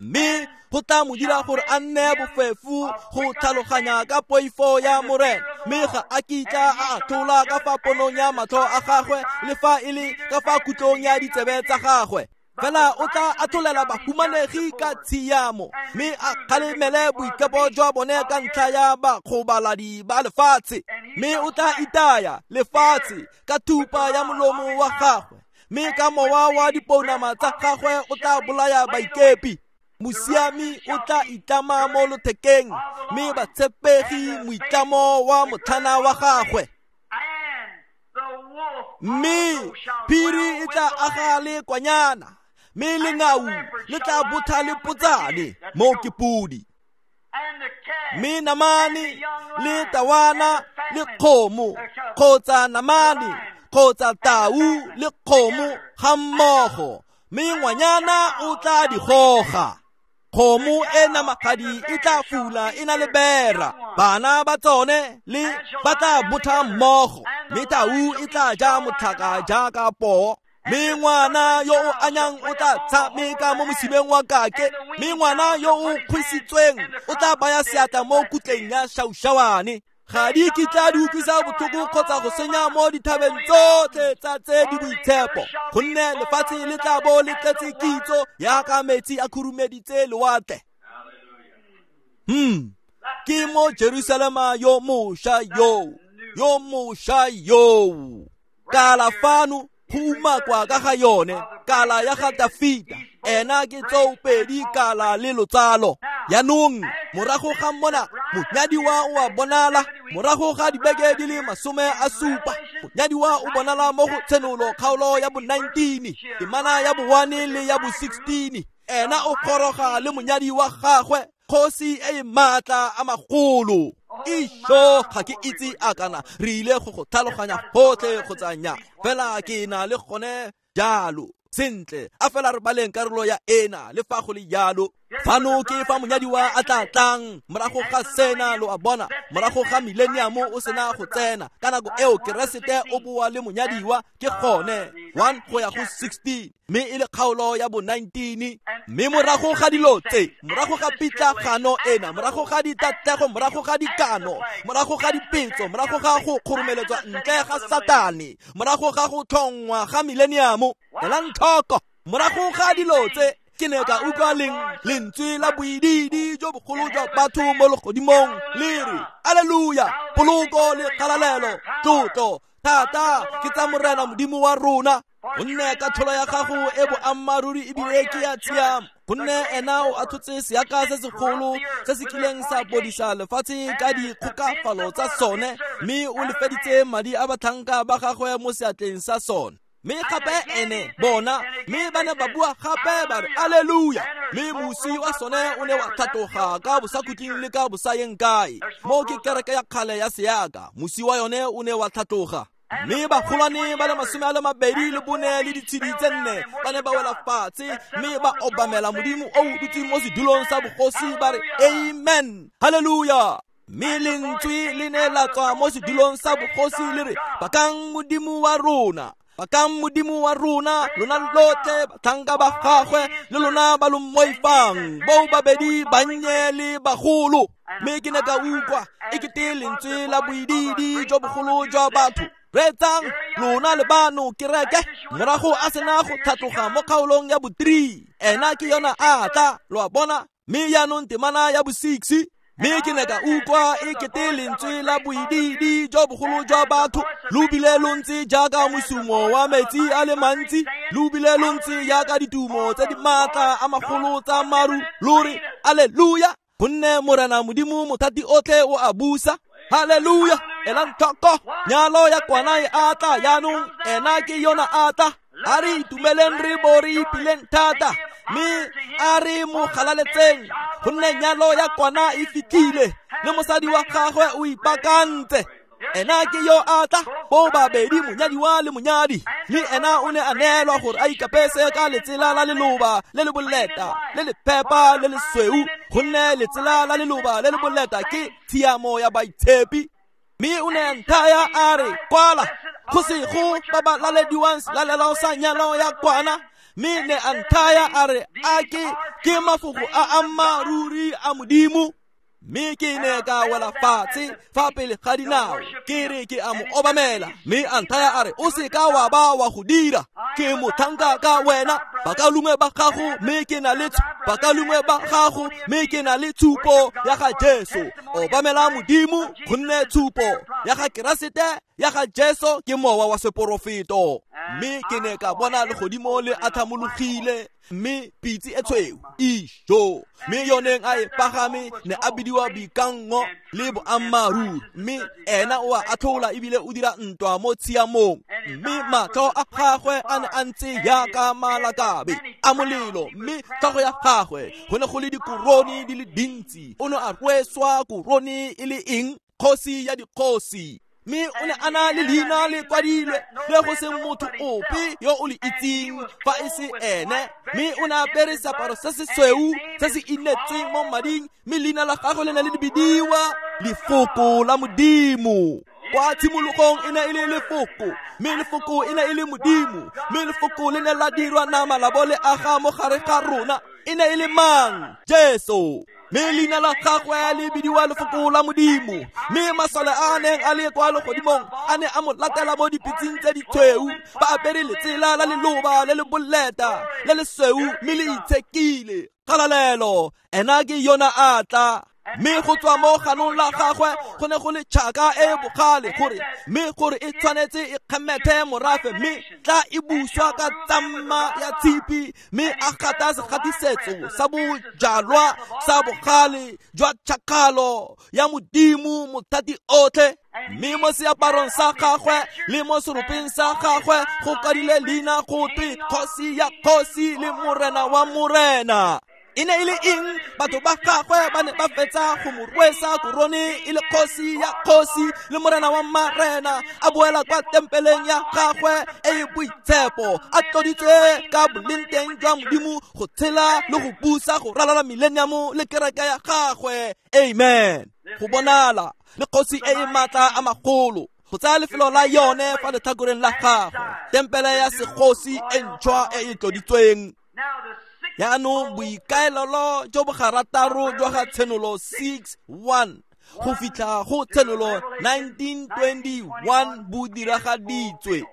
A: Mme go tla mo dira gore a nne bofefo go tlhaloganya ka poifo ya Morena, mme ga a kitla a atlhola ka fa ponong ya matlho a gagwe le fa e le ka fa kutlong ya ditsebe tsa gagwe. Fela o tla atlholela bahumanegi ka tshiamo, mme a kgalemele boikepo jwa bone ka ntlha ya bakgobaladi ba lefatshe. Mme o tla itaya lefatshe ka thupa ya molomo wa gagwe, mme ka mowa wa dipounama tsa gagwe o tla bolaya baikepi. Mosiami o tla itlama mo lothekeng, mme batshepegi moitlamo wa motlhana wa gagwe. Mme phiri e tla aga le kwanyana, mme lengau le tla botha le potsane mo ke podi. Mme namane le tawana le kgomo, kgotsa namane kgotsa tau le kgomo ga mmogo, mme ngwanyana o tla di goga. Kgomo e namagadi e tla fula e na le bera, bana ba tsone le ba tla botha mmogo, mme tau e tla ja motlhaka jaaka poo. Mme ngwana yo o anyang o tla tshameka mo mosimeng wa kake, mme ngwana yo o kgwisitsweng o tla baya seatla mo kutleng ya šaušawane. Ga di kitla di utlwisa botlhoko kgotsa go senya mo dithabeng tsotlhe tsa tse di boitshepo, gonne lefatshe le tla bo le tletse kitso yaka metsi a khurumeditse lewatle. Hmm, ke mo Jerusalema yo mošwa yo, yo mošwa yo. Kala fano go umakwa ka ga yone, kala ya ga Dafita, ena ke tsoopedi kala le lotsalo. Jaanong morago ga mona monyadiwa o a bonala, morago ga dibeke di le masome a supa, monyadiwa o bonala mo go Tshenolo kgaolo ya bo nineteen, temana ya bo one le ya bo sixteen. Ena o goroga le monyadi wa gagwe, kgosi e e maatla a magolo. Isho, ga ke itse a kana re ile go go tlhaloganya gotlhe kgotsa nnyaa, fela ke na le gone jalo. Sentle, a fela re baleng karolo ya ena le fa go le jalo. Fano ke fa monyadiwa a tla tlang morago ga sena, lo a bona, morago ga millennium o sena go tsena. Ka nako eo Keresete o boa le monyadiwa, ke gone one go ya go sixteen, mme e le kgaolo ya bo nineteen. Mme morago ga dilo tse, morago ga pitlagano ena, morago ga ditatlego, morago ga dikano, morago ga dipetso, morago ga go kgoromeletswa ntle ga Satane, morago ga go tlhongwa ga millennium, elang tlhoko, morago ga dilo tse, ke ne ka utlwa lentswe la boidiidi jo bogolo jwa batho mo legodimong le re, Alleluia, poloko le kgalalelo, tlotlo, thata ke tsa Morena Modimo wa rona. Gonne katlholo ya gago e boammaaruri ebile ke ya tshiamo, gonne ena o atlhotse seaka se segolo se se kileng sa bodisa lefatshe ka dikgokafalo tsa sone, mme o lefeditse madi a batlhanka ba gagwe mo seatleng sa sone. Mme gape ene bona, mme ba ne ba bua gape ba re, Alleluia. Mme mosi wa sone o ne wa tlhatloga ka bosakhutleng le ka bosayeng kae. Mo ke kereke ya kgale ya seaka, mosi wa yone o ne wa tlhatloga. Mme bagolwane ba le masome a le mabedi le bone le ditshedi tse nne ba ne ba wela fatshe, mme ba obamela Modimo o o dutseng mo sedulong sa bogosi ba re, Amen, Hallelujah. Mme lentswe le ne la tswa mo sedulong sa bogosi le re, Bakang Modimo wa rona, bakang Modimo wa rona, lona lotlhe batlhanka ba gagwe le lona ba lo mmoifang, bo babedi bannye le bagolo. Mme ke ne ka utlwa e kete lentswe la boidiidi jo bogolo jwa batho. Reetsang lona le bano kereke, morago a sena go tlhatloga mo kgaolong ya bo three, ena ke yona a tla, lo a bona. Mme jaanong temana ya bo six, mme ke ne ka utlwa e kete lentswe la boidiidi jo bogolo jwa batho, lo bile lo ntse jaaka mosumo wa metsi a le mantsi, lo bile lo ntse jaaka ditumo tse di maatla a magolo tsa maru, lo re, Alleluia, gonne Morena Modimo mothati otlhe o a busa. Hallelujah, elang tlhoko, nyalo ya kwana e a tla jaanong, ena ke yona a tla. A re itumeleng re bo re ipileng thata, mme a re mo galaletseng, gonne nyalo ya kwana e fitlhile, le mosadi wa gagwe o ipaakantse. Ena ke yo a tla, bo babedi monyadiwa le monyadi, mme ena o ne a neelwa gore a ikapese ka letsela la leloba le le boleta, le le phepa le lesweu, gonne letsela la leloba le le boleta ke tshiamo ya baitshepi. Mme o ne a nthaya a re, Kwala, go sego ba ba lalediwang selalelo sa nyalo ya kwana. Mme ne a nthaya a re, a ke ke mafoko a ammaaruri a Modimo. Mme ke ne ka wela fatshe fa pele ga dinao, ke re ke a mo obamela. Mme a nthaya a re, o seka wa ba wa go dira, ke motlhanka ka wena, bakaulengwe ba gago, mme ke na le bakaulengwe ba gago, mme ke na le tshupo ya ga Jesu. Obamela Modimo, gonne tshupo ya ga Keresete ya ga Jesu ke mowa wa seporofeto. Mme ke ne ka bona legodimo le athamologile, mme pitse e tshweu ijo, mme yoneng a e pagame ne a bidiwa Boikanngo le Boammaaruri, mme ena o a atlhola ebile o dira ntwa mo tshiamong. Mme matlho a gagwe a ne a ntse jaaka malakabe a molelo, mme tlhogo ya gagwe go ne go le dikorone di le dintsi. O ne a rweswa korone e le eng? Kgosi ya dikgosi. Mme o ne a na le leina le kwadilwe le go seng motho ope yo o le itseng fa e se ene. Mme o ne a apere seaparo se se sweu se se inetsweng mo mading, mme leina la gagwe le ne le bidiwa Lefoko la Modimo. Kwa tshimologong e ne e le Lefoko, mme Lefoko e ne e le Modimo, mme Lefoko le ne la dirwa nama la bo le aga mo gare ga rona. E ne e le mang? Jesu. Mme leina la gagwe le bidiwa Lefoko la Modimo. Mme masole a neng a le kwa legodimong a ne a mo latela mo dipitseng tse ditshweu, ba apere letsela la leloba le le boleta le lesweu, mme le itshekile. Kgalalelo, ena ke yona a tla. Mme go tswa mo ganong la gagwe go ne go le tšhaka e bogale, gore mme gore e tshwanetse e kgemethe morafe, mme tla e buswa ka tsamma ya tshipi, mme a gata segatisetso sa bojalwa sa bogale jwa tšhakgalo ya Modimo mothati otlhe. Mme mo seaparong sa gagwe le mo seropeng sa gagwe go kwadile leina go twe Kgosi ya kgosi le Morena wa morena. E ne e le eng? Batho ba gagwe ba ne ba fetsa go mo rwesa korone e le kgosi ya kgosi le morena wa marena, a boela kwa tempeleng ya gagwe e e boitshepo, a tloditswe ka bolengteng jwa Modimo go tshela le go busa go ralala millennium le kereke ya gagwe. Amen. Go bonala le kgosi e e maatla a magolo go tsaya lefelo la yone fa letlhakoreng la gagwe, tempele ya segosi e ntšhwa e e tloditsweng. Jaanong boikaelelo jo bo garataro jwa ga Tshenolo six one go fitlha go Tshenolo nineteen twenty-one bo diragaditswe.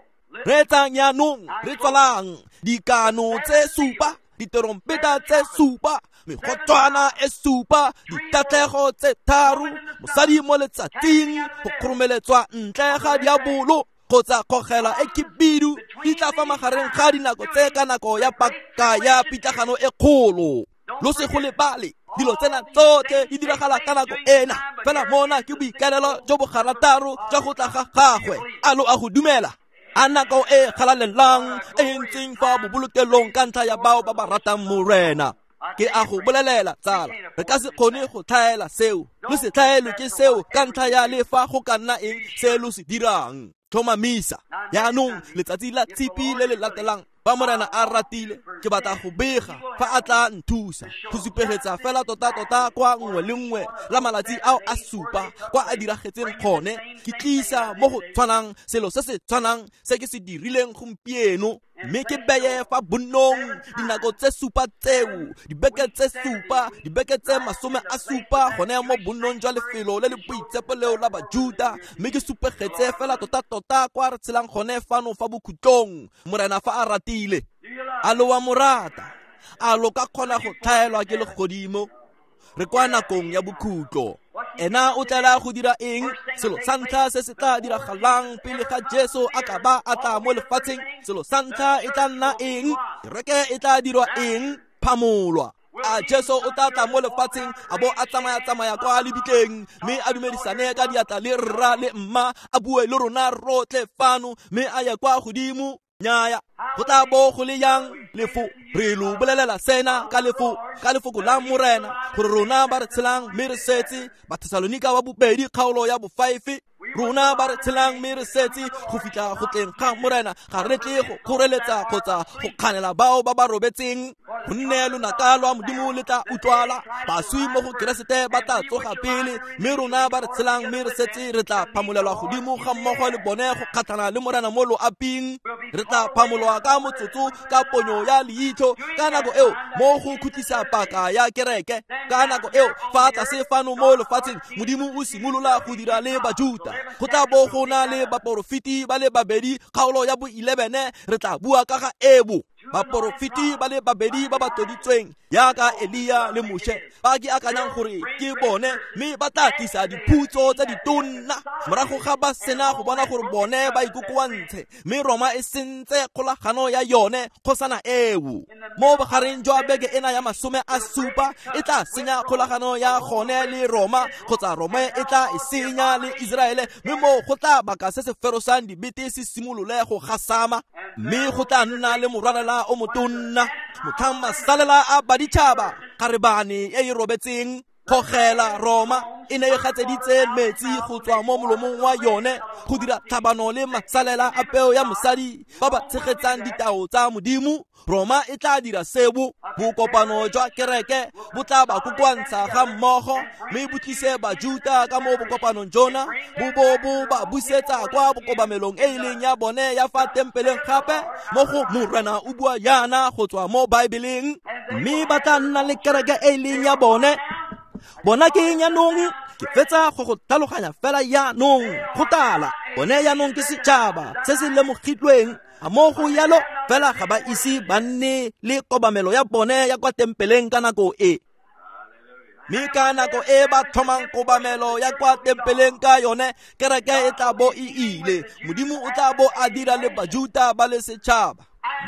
A: Reetsang jaanong, re tswalang dikano tse supa, diterompeta tse supa, megotswana e supa, ditatlhego tse tharo, mosadi mo letsatsing, go kgoromeletswa ntle ga diabolo kgotsa kgogela e khibidu, di tla fa magareng ga dinako tse ka nako ya paka ya pitlagano e kgolo. Lo se go lebale, dilo tsena tsotlhe di diragala ka nako ena, fela mona ke boikaelelo jo bo garataro jwa go tla ga gagwe. A lo a go dumela? A nako e galalelang e ntseng fa bobolokelong ka ntlha ya bao ba ba ratang Morena. Ke a go bolelela tsala, re ka se kgone go tlhaela seo. Lo se tlhaelwe ke seo ka ntlha ya le fa go ka nna eng se lo se dirang. Tlhomamisa. Jaanong letsatsi la tshipi le le latelang, fa Morena a ratile, ke batla go bega fa a tla nthusa go supegetsa fela tota-tota kwa nngwe le nngwe la malatsi ao a supa kwa a diragetseng gone. Ke tlisa mo go tshwanang selo se se tshwanang se ke se dirileng gompieno, mme ke beye fa bonnong dinako tse supa tseo, dibeke tse supa, dibeke tse masome a supa gone mo bonnong jwa lefelo le le boitshepo leo la Bajuda, mme ke supegetse fela tota-tota kwa re tshelang gone fano fa bokhutlong. Morena fa a ratile. A lo wa mo rata? A lo ka kgona go tlhaelwa ke legodimo? Re kwa nakong ya bokhutlo. Ena o tlela go dira eng? Selo sa ntlha se se tla diragalang pele ga Jesu a ka ba a tla mo lefatsheng, selo sa ntlha e tla nna eng? Kereke e tla dirwa eng? Phamolwa. A Jesu o tla tla mo lefatsheng a bo a tsamaya-tsamaya kwa lebitleng, mme a dumedisane ka diatla le rra le mma, a bue le rona rotlhe fano, mme a ye kwa godimo? Nnyaya. Go tla bo go le yang lefo? Re lo bolelela sena ka lefo, ka lefoko la Morena, gore rona ba re tshelang mme re setse, Bathesalonika wa bobedi kgaolo ya bofive, rona ba re tshelang mme re setse go fitlha go tleng ga Morena, ga re tle go kgoreletsa kgotsa go kganela bao ba ba robetseng, gonne lonaka lwa Modimo le tla utlwala, baswi mo go Keresete ba tla tsoga pele, mme rona ba re tshelang mme re setse re tla phamolelwa godimo ga mmogo le bone go kgatlhana le Morena mo loaping. Re tla phamolwa ka motsotso ka ponyo ya leitlho ka nako eo mo go khutlisa paka ya kereke. Ka nako eo fa tlase fano mo lefatsheng, Modimo o simolola go dira le Bajuta. Go tla bo go na le baporofeti ba le babedi, kgaolo ya bo eleven, re tla bua ka ga ebo. Baporofeti ba le babedi ba ba tloditsweng yaka Elia le Moshe, ba ke akanyang gore ke bone, mme ba tla tlisa diphutso tsa ditonna morago ga ba sena go bona gore bone ba ikokoantshe, mme Roma e sentse kgolagano ya yone kgosana eo. Mo bogareng jwa beke ena ya masome a supa e tla senya kgolagano ya gone le Roma, kgotsa Roma e tla e senya le Iseraele, mme mo go tla baka se se ferosang dibete se simolole go gasama, mme go tla nna le morwalela o motonna motlhang masalela a baditšhaba kgarebane e e robetseng. Kgogela Roma e ne e gatseditse metsi go tswa mo molomong wa yone go dira tlhabano le masalela a peo ya mosadi ba ba tshegetsang ditao tsa Modimo. Roma e tla dira sebo, bokopano jwa kereke bo tla ba kokoantsha ga mmogo, mme bo tlise Bajuta ka mo bokopanong jona, bo bo bo ba busetsa kwa bokobamelong e e leng ya bone ya fa tempeleng gape mo go Morena o bua yana go tswa mo Baebeleng, mme ba tla nna le kereke e e leng ya bone. Bona ke eng yanong? Ke fetsa go go tlhaloganya fela yanong go tala. Bone yanong ke setšhaba se se lemogilweng, a mo go yalo fela ga ba ise ba nne le kobamelo ya bone ya kwa tempeleng ka nako e. Mme ka nako e ba thomang kobamelo ya kwa tempeleng ka yone, kereke e tla bo e ile. Modimo o tla bo a dira le Bajuta ba le setšhaba.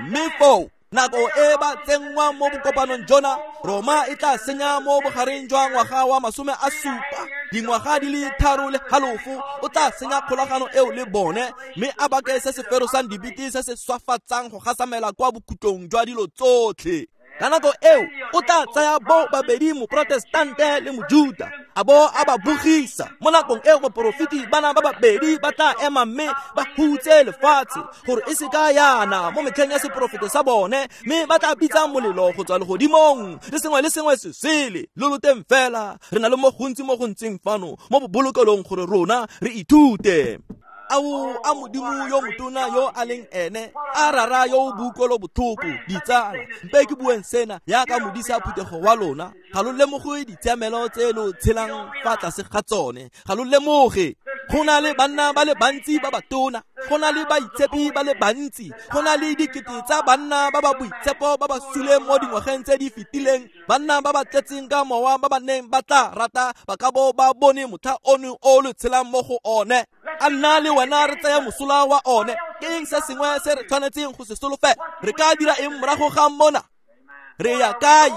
A: Mme foo nako e ba tsenngwang mo bokopanong jona, Roma e tla senya mo bogareng jwa ngwaga wa masome a supa, dingwaga di le tharo le halofo, o tla senya kgolagano eo le bone, mme a bake se se ferosang dibete se se swafatsang go gasamela kwa bokhutlong jwa dilo tsotlhe. Ka nako eo o tla tsaya bo babedi moprotestante le mojuta a bo a ba bogisa. Mo nakong eo baporofeti bana ba babedi ba tla ema mme ba hutse lefatshe gore e se ka yana mo metlheng ya seporofeto sa bone, mme ba tla bitsa molelo go tswa legodimong le sengwe le sengwe se sele. Lo loteng fela, re na le mo gontsi mo go ntseng fano mo bobolokelong gore rona re ithute. Ao a Modimo yo motona yo a leng ene, a rara yo o boutlwelo botlhoko. Ditsala, mpe ke bueng sena yaka modisa phuthego wa lona, ga lo lemoge ditshiamelo tse lo tshelang fa tlase ga tsone. Ga lo lemoge go na le banna ba le bantsi ba batona, go na le baitshepi ba le bantsi, go na le dikete tsa banna ba ba boitshepo ba ba suleng mo dingwageng tse di fetileng, banna ba ba tletseng ka mowa ba ba neng ba tla rata ba ka bo ba bone motlha ono o lo tshelang mo go one. A nna le wena re tsaya mosola wa one. Ke eng se sengwe se re tshwanetseng go se solofela? Re ka dira eng morago ga mona? Re ya kae?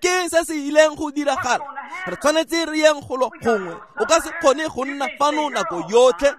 A: Ke eng se se ileng go diragala? Re tshwanetse re yeng golo gongwe. O ka se kgone go nna fano nako yotlhe.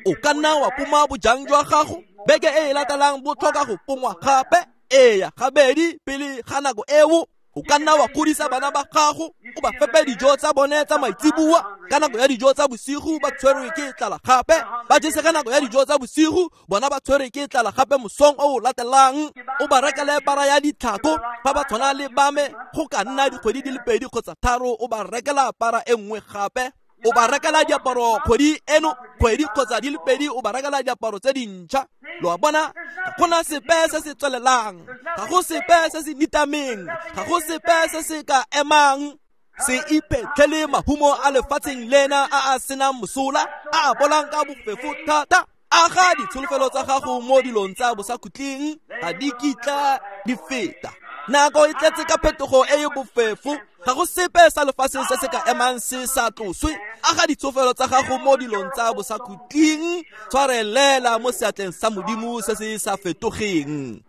A: O ka nna wa poma bojang jwa gago beke e e latelang bo tlhoka go pongwa gape, eya gabedi pele ga nako eo. O ka nna wa godisa bana ba gago, o ba fepe dijo tsa bone tsa maitseboa. Ka nako ya dijo tsa bosigo ba tshwerwe ke tlala gape, ba jese ka nako ya dijo tsa bosigo bona ba tshwerwe ke tlala gape mosong o o latelang. O ba rekele para ya ditlhako fa ba tshwana le bame, go ka nna dikgwedi di le pedi kgotsa tharo o ba rekela para e nngwe gape. O ba rekela diaparo kgwedi eno, kgwedi kgotsa di le pedi o ba rekela diaparo tse dintšha. Lo a bona, ga gona sepe se se tswelelang, ga go sepe se se nitameng, ga go sepe se se ka emang. Se iphetlhele mahumo a lefatsheng lena a a senang mosola, a a bolang ka bofefo thata. Aga ditsholofelo tsa gago mo dilong tsa bosakhutleng, ga di kitla di feta. Nako e tletse ka phetogo e e bofefo, ga go sepe sa lefatsheng se se ka emang se sa tloswe. Aga ditsholofelo tsa gago mo dilong tsa bosakhutleng, tshwarelela mo seatleng sa Modimo se se sa fetogeng.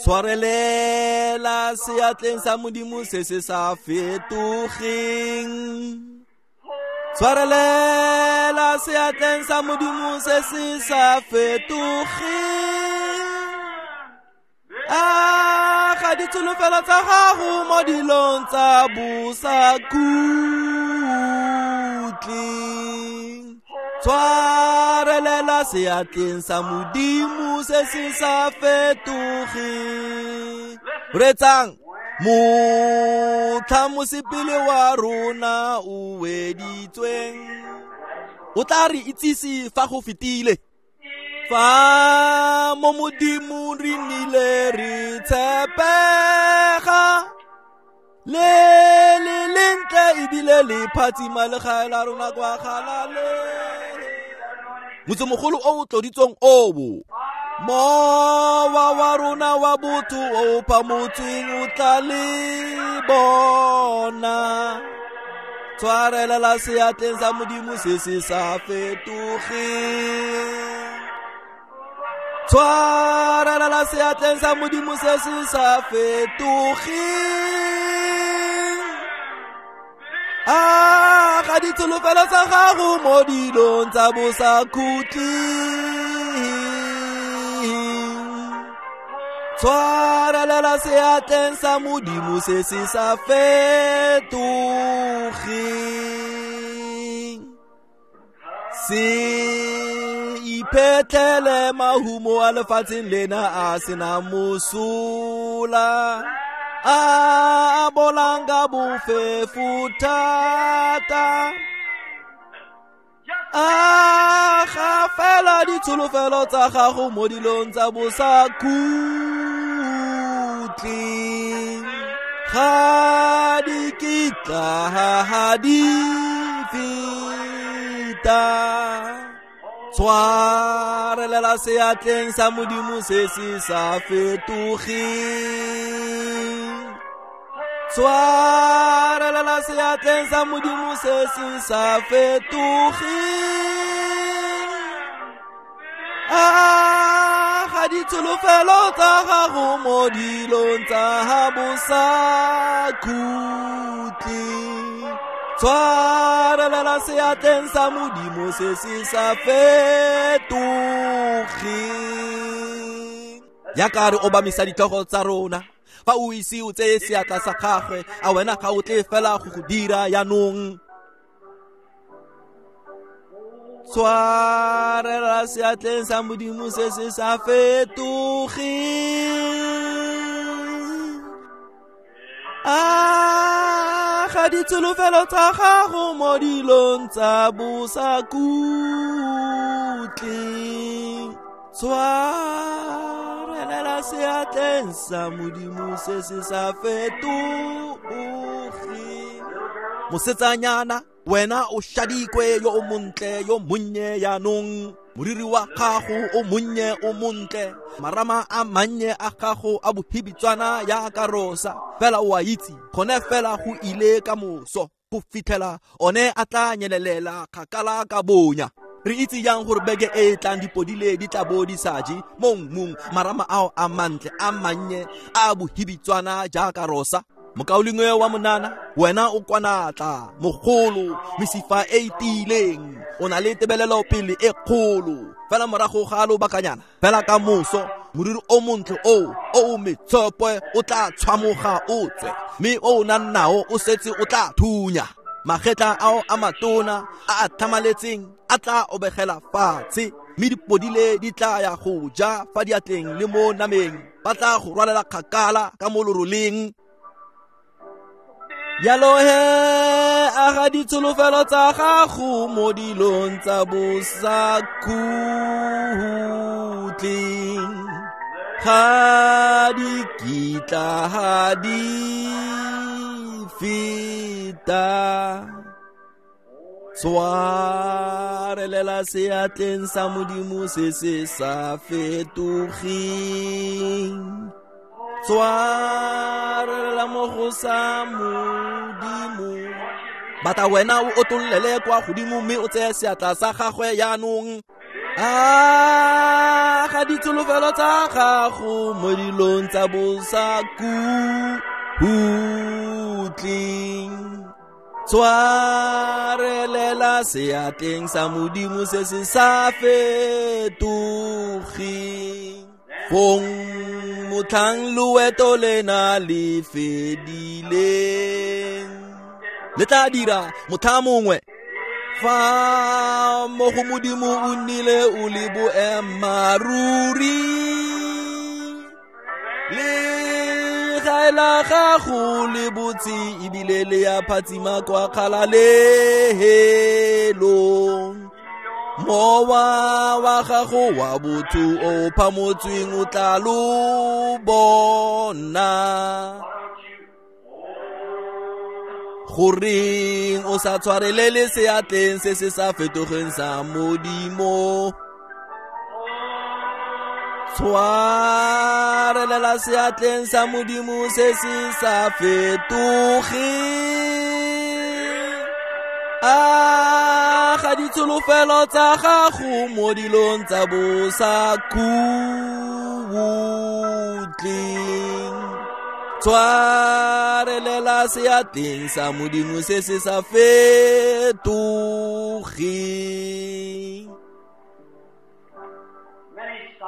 A: Tshwarelela seatleng sa Modimo se se sa fetogeng. Tshwarelela seatleng sa Modimo se se sa fetogeng. Aga ditsholofelo tsa gago mo dilong tsa bosakhutleng. Tshwarelela seatleng sa Modimo se se sa fetogeng. Reetsang, motlha mosepele wa rona o weditsweng, o tla re itsise fa go fetile. Fa mo Modimong re nnile re tshepega, le le lentle ebile le phatsima legae la rona kwa Galaleng. Motsemogolo o o tloditsweng oo, mowa wa rona wa botho o phamotsweng o tla le bona. Tshwarelela seatleng sa Modimo se se sa fetogeng. Tshwarelela seatleng sa Modimo se se sa fetogeng. Aga ditsholofelo tsa gago mo dilong tsa bosakhutleng. Tshwarelela seatleng sa Modimo se se sa fetogeng. Se iphetlhele mahumo a lefatsheng lena a senang mosola, a bolang ka bofefo thata. Aga fela ditsholofelo tsa gago mo dilong tsa bosakhutleng. Ga di kitla di feta. Tshwarelela seatleng sa Modimo se se sa fetogeng. Tshwarelela seatleng sa Modimo se se sa fetogeng. Aga ditsholofelo tsa gago mo dilong tsa bosakhutleng. Tshwarelela seatleng sa Modimo se se sa fetogeng. Yaka re obamisa ditlhogo tsa rona, Fa o ise o tseye seatla sa gagwe, a wena ga o tle fela go go dira jaanong? Tshwarela seatleng sa Modimo se se sa fetogeng. A ga ditsholofelo tsa gago mo dilong tsa bosakhutleng. Tshwarelela seatleng sa Modimo se se sa fetogeng. Mosetsanyana, wena o shadikwe yo o montle yo monnye jaanong. Moriri wa gago o monnye o montle, marama a mannye a gago a bohibitswana jaaka rosa. Fela o a itse, gone fela go ile ka moso, go fitlhela one a tla nyelelela kgakala ka bonya. Re itse jang gore beke e e tlang dipodile di tla bo di sa je mo mmung, marama ao a mantle a mannye a bohibitswana jaaka rosa? Mokaulengwe wa monana, wena o kwanatla, mogolo, mesifa e e tiileng, o na le tebelelo pele e kgolo. Fela morago ga lobakanyana, fela ka moso, moriri o montle o o metshopo o tla tshwamoga o tswe, mme o o nang nao o setse o tla thunya. Magetla ao a matona a a tlhamaletseng a tla obegela fatshe, mme dipodile di tla ya go ja fa diatleng le mo nameng. Ba tla go rwalela kgakala ka mo loroleng. Jalo he, a ga ditsholofelo tsa gago mo dilong tsa bosakhutleng. Ga di kitla ha di feta. Tshwarelela seatleng sa Modimo se se sa fetogeng. Tshwarelela mo go sa Modimo. Bata wena o otollele kwa godimo mme o tseye seatla sa gagwe jaanong. A ga ditsholofelo tsa gago mo dilong tsa bosakhutleng. Tshwarelela seatleng sa Modimo se se sa fetogeng. Fong motlhang loeto lena le fedileng, le tla dira motlha mongwe fa mo go Modimo o nnile o le boemmaruri. Le gae la gago le botse ebile le ya phatsima kwa kgalalelong. Mowa wa gago wa botho o phamotsweng o tla lo bona. Goreng o sa tshwarelele seatleng se se sa fetogeng sa Modimo? Tshwarelela seatleng sa Modimo se se sa fetogeng. A ga ditsholofelo tsa gago mo dilong tsa bosakhutleng. Tshwarelela seatleng sa Modimo se se sa fetogeng.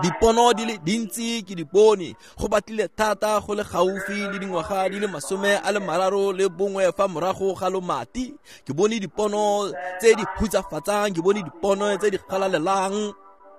A: Dipono di le dintsi ke di bone, go batlile thata go le gaufi le dingwaga di le masome a le mararo le bongwe fa morago ga lomati. Ke bone dipono tse di hutsafatsang, ke bone dipono tse di galalelang.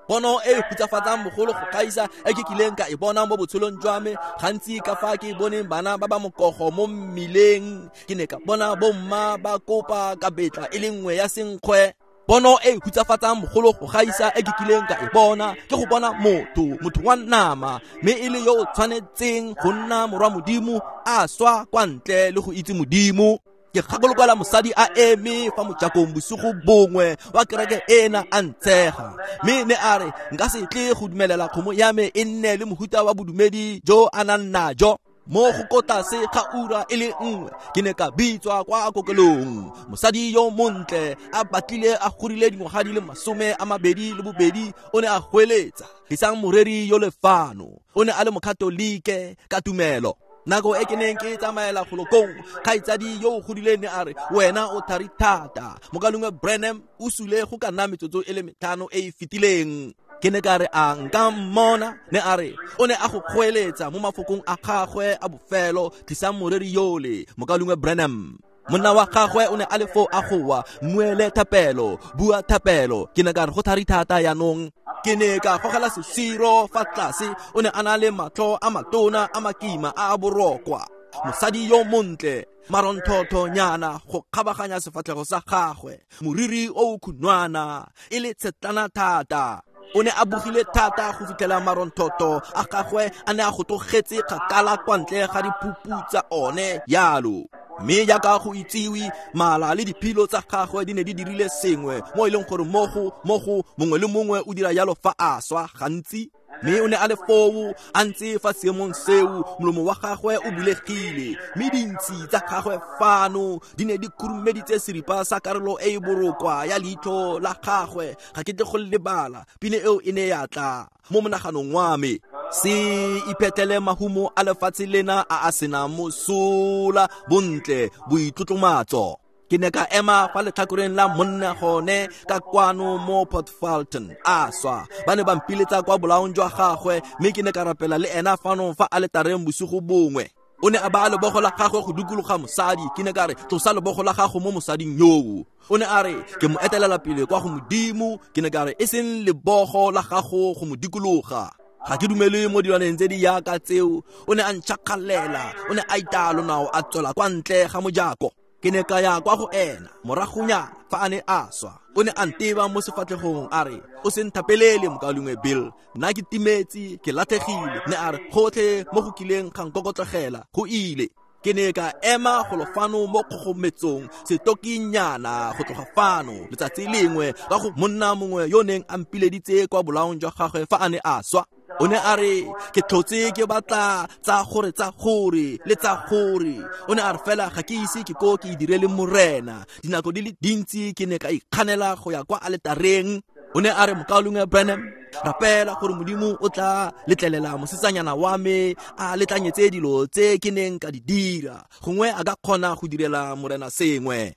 A: Pono e hutsafatsang bogolo go gaisa e ke kileng ka e bona mo botshelong jwa me. Gantsi ka fa ke boneng bana ba ba mokogo mo mmileng, ke ne ka bona bomma ba kopa ka betla e le nngwe ya senkgwe. Pono e hutsafatsang bogolo go gaisa e ke kileng ka e bona ke go bona motho, motho wa nama, mme e le yo o tshwanetseng go nna morwa Modimo a swa kwa ntle le go itse Modimo. Ke gakologelwa mosadi a eme fa mojakong bosigo bongwe wa kereke ena a ntshega, mme ne a re nka se tle go dumelela kgomo ya me e nne le mohuta wa bodumedi jo a nang najo. Mo go kotase ga ura e le nngwe ke ne ka bitswa kwa kokelong. Mosadi yo montle a batlile a gorile dingwaga di le masome a mabedi le bobedi o ne a hweletsa, "Isang moreri yo lefano." O ne a le mokatolike ka tumelo. Nako e ke neng ke tsamaela golokong, kgaitsadi yo o godileng ne a re, "Wena o thari thata." Mokalengwe Branham o sule go ka nna metsotso e le metlhano e e fetileng. Ke ne ka re a nka mmona, ne a re o ne a go kgoeletsa mo mafokong a gagwe a bofelo, tlisang moreri yole, mokaulengwe Branham. Monna wa gagwe o ne a le foo a goa, mmuele thapelo, bua thapelo. Ke ne ka re go thari thata yaanong. Ke ne ka gogela sesiro fa tlase, o ne a na le matlho a matona a makima a a borokwa. Mosadi yo montle, maronthothonyana go kgabaganya sefatlhego sa gagwe, moriri o o khunwana, e le tshetlana thata. O ne a bogile thata go fitlhela maronthotho a gagwe a ne a go tlogetse kgakala kwa ntle ga diphupu tsa one yalo. Mme jaaka go itsiwe, mala le diphilo tsa gagwe di ne di dirile sengwe mo e leng gore mo go mo go mongwe le mongwe o dira yalo fa a swa gantsi. Mme o ne a le foo a ntse fa seemong seo, molomo wa gagwe o bulegile, mme dintshi tsa gagwe fano di ne di khurumeditse seripa sa karolo e e borokwa ya leitlho la gagwe. Ga ke tle go lebala, pina eo e ne ya tla mo monaganong wa me. Se iphetele mahumo a lefatshe lena a a senang mosola, bontle, boitlotlomatso. Ke ne ka ema fa letlhakoreng la monna gone ka kwano mo Port Fulton a swa. Ba ne ba mpiletsa kwa bolaong jwa gagwe, mme ke ne ka rapela le ena fano fa aletareng bosigo bongwe. O ne a baya lebogo la gagwe go dikologa mosadi. Ke ne ka re tlosa lebogo la gago mo mosading yoo. O ne a re ke mo etelela pele kwa go Modimo. Ke ne ka re e seng lebogo la gago go mo dikologa. Ga ke dumele mo dilwaneng tse di yaka tseo. O ne a ntšhakgalela, o ne a itaya lonao a tswela kwa ntle ga mojako. Ke ne ka ya kwa go ena moragonya fa a ne a swa. O ne a nteba mo sefatlhegong a re, o se nthapelele mokaulengwe Bill, nna ke timetse, ke latlhegile. Ne a re gotlhe mo go kileng ga nkokotlogela go ile. Ke ne ka ema golo fano mo kgogometsong setokinyana go tloga fano letsatsi lengwe ka go monna mongwe yo neng a mpileditse kwa bolaong jwa gagwe fa a ne a swa. O ne a re ke tlhotse ke batla tsa gore tsa gore le tsa gore. O ne a re fela ga ke ise ke ko ke dire le morena. Dinako di le dintsi ke ne ka ikganela go ya kwa aletareng. O ne a re mokaulengwe Branham, rapela gore Modimo o tla letlelela mosetsanyana wa me a letlanyetse dilo tse ke neng ka di dira, gongwe a ka kgona go direla morena sengwe.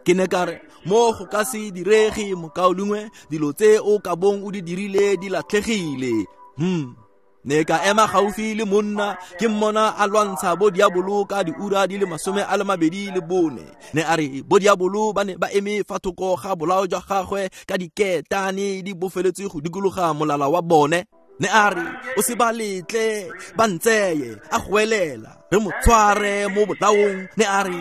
A: Ke ne ka re mo go ka se direge mokaulengwe, dilo tse o ka bong o di dirile di latlhegile. Hmm. Ne ka ema gaufi le monna, ke mmona a lwantsha bo diabolo ka diura di le masome a le mabedi le bone. Ne a re bo diabolo ba ne ba eme fa thoko ga bolao jwa gagwe ka diketane di bofeletswe go dikologa molala wa bone. Ne a re o se ba letle ba ntseye, a goelela re mo tshware mo bolaong. Ne a re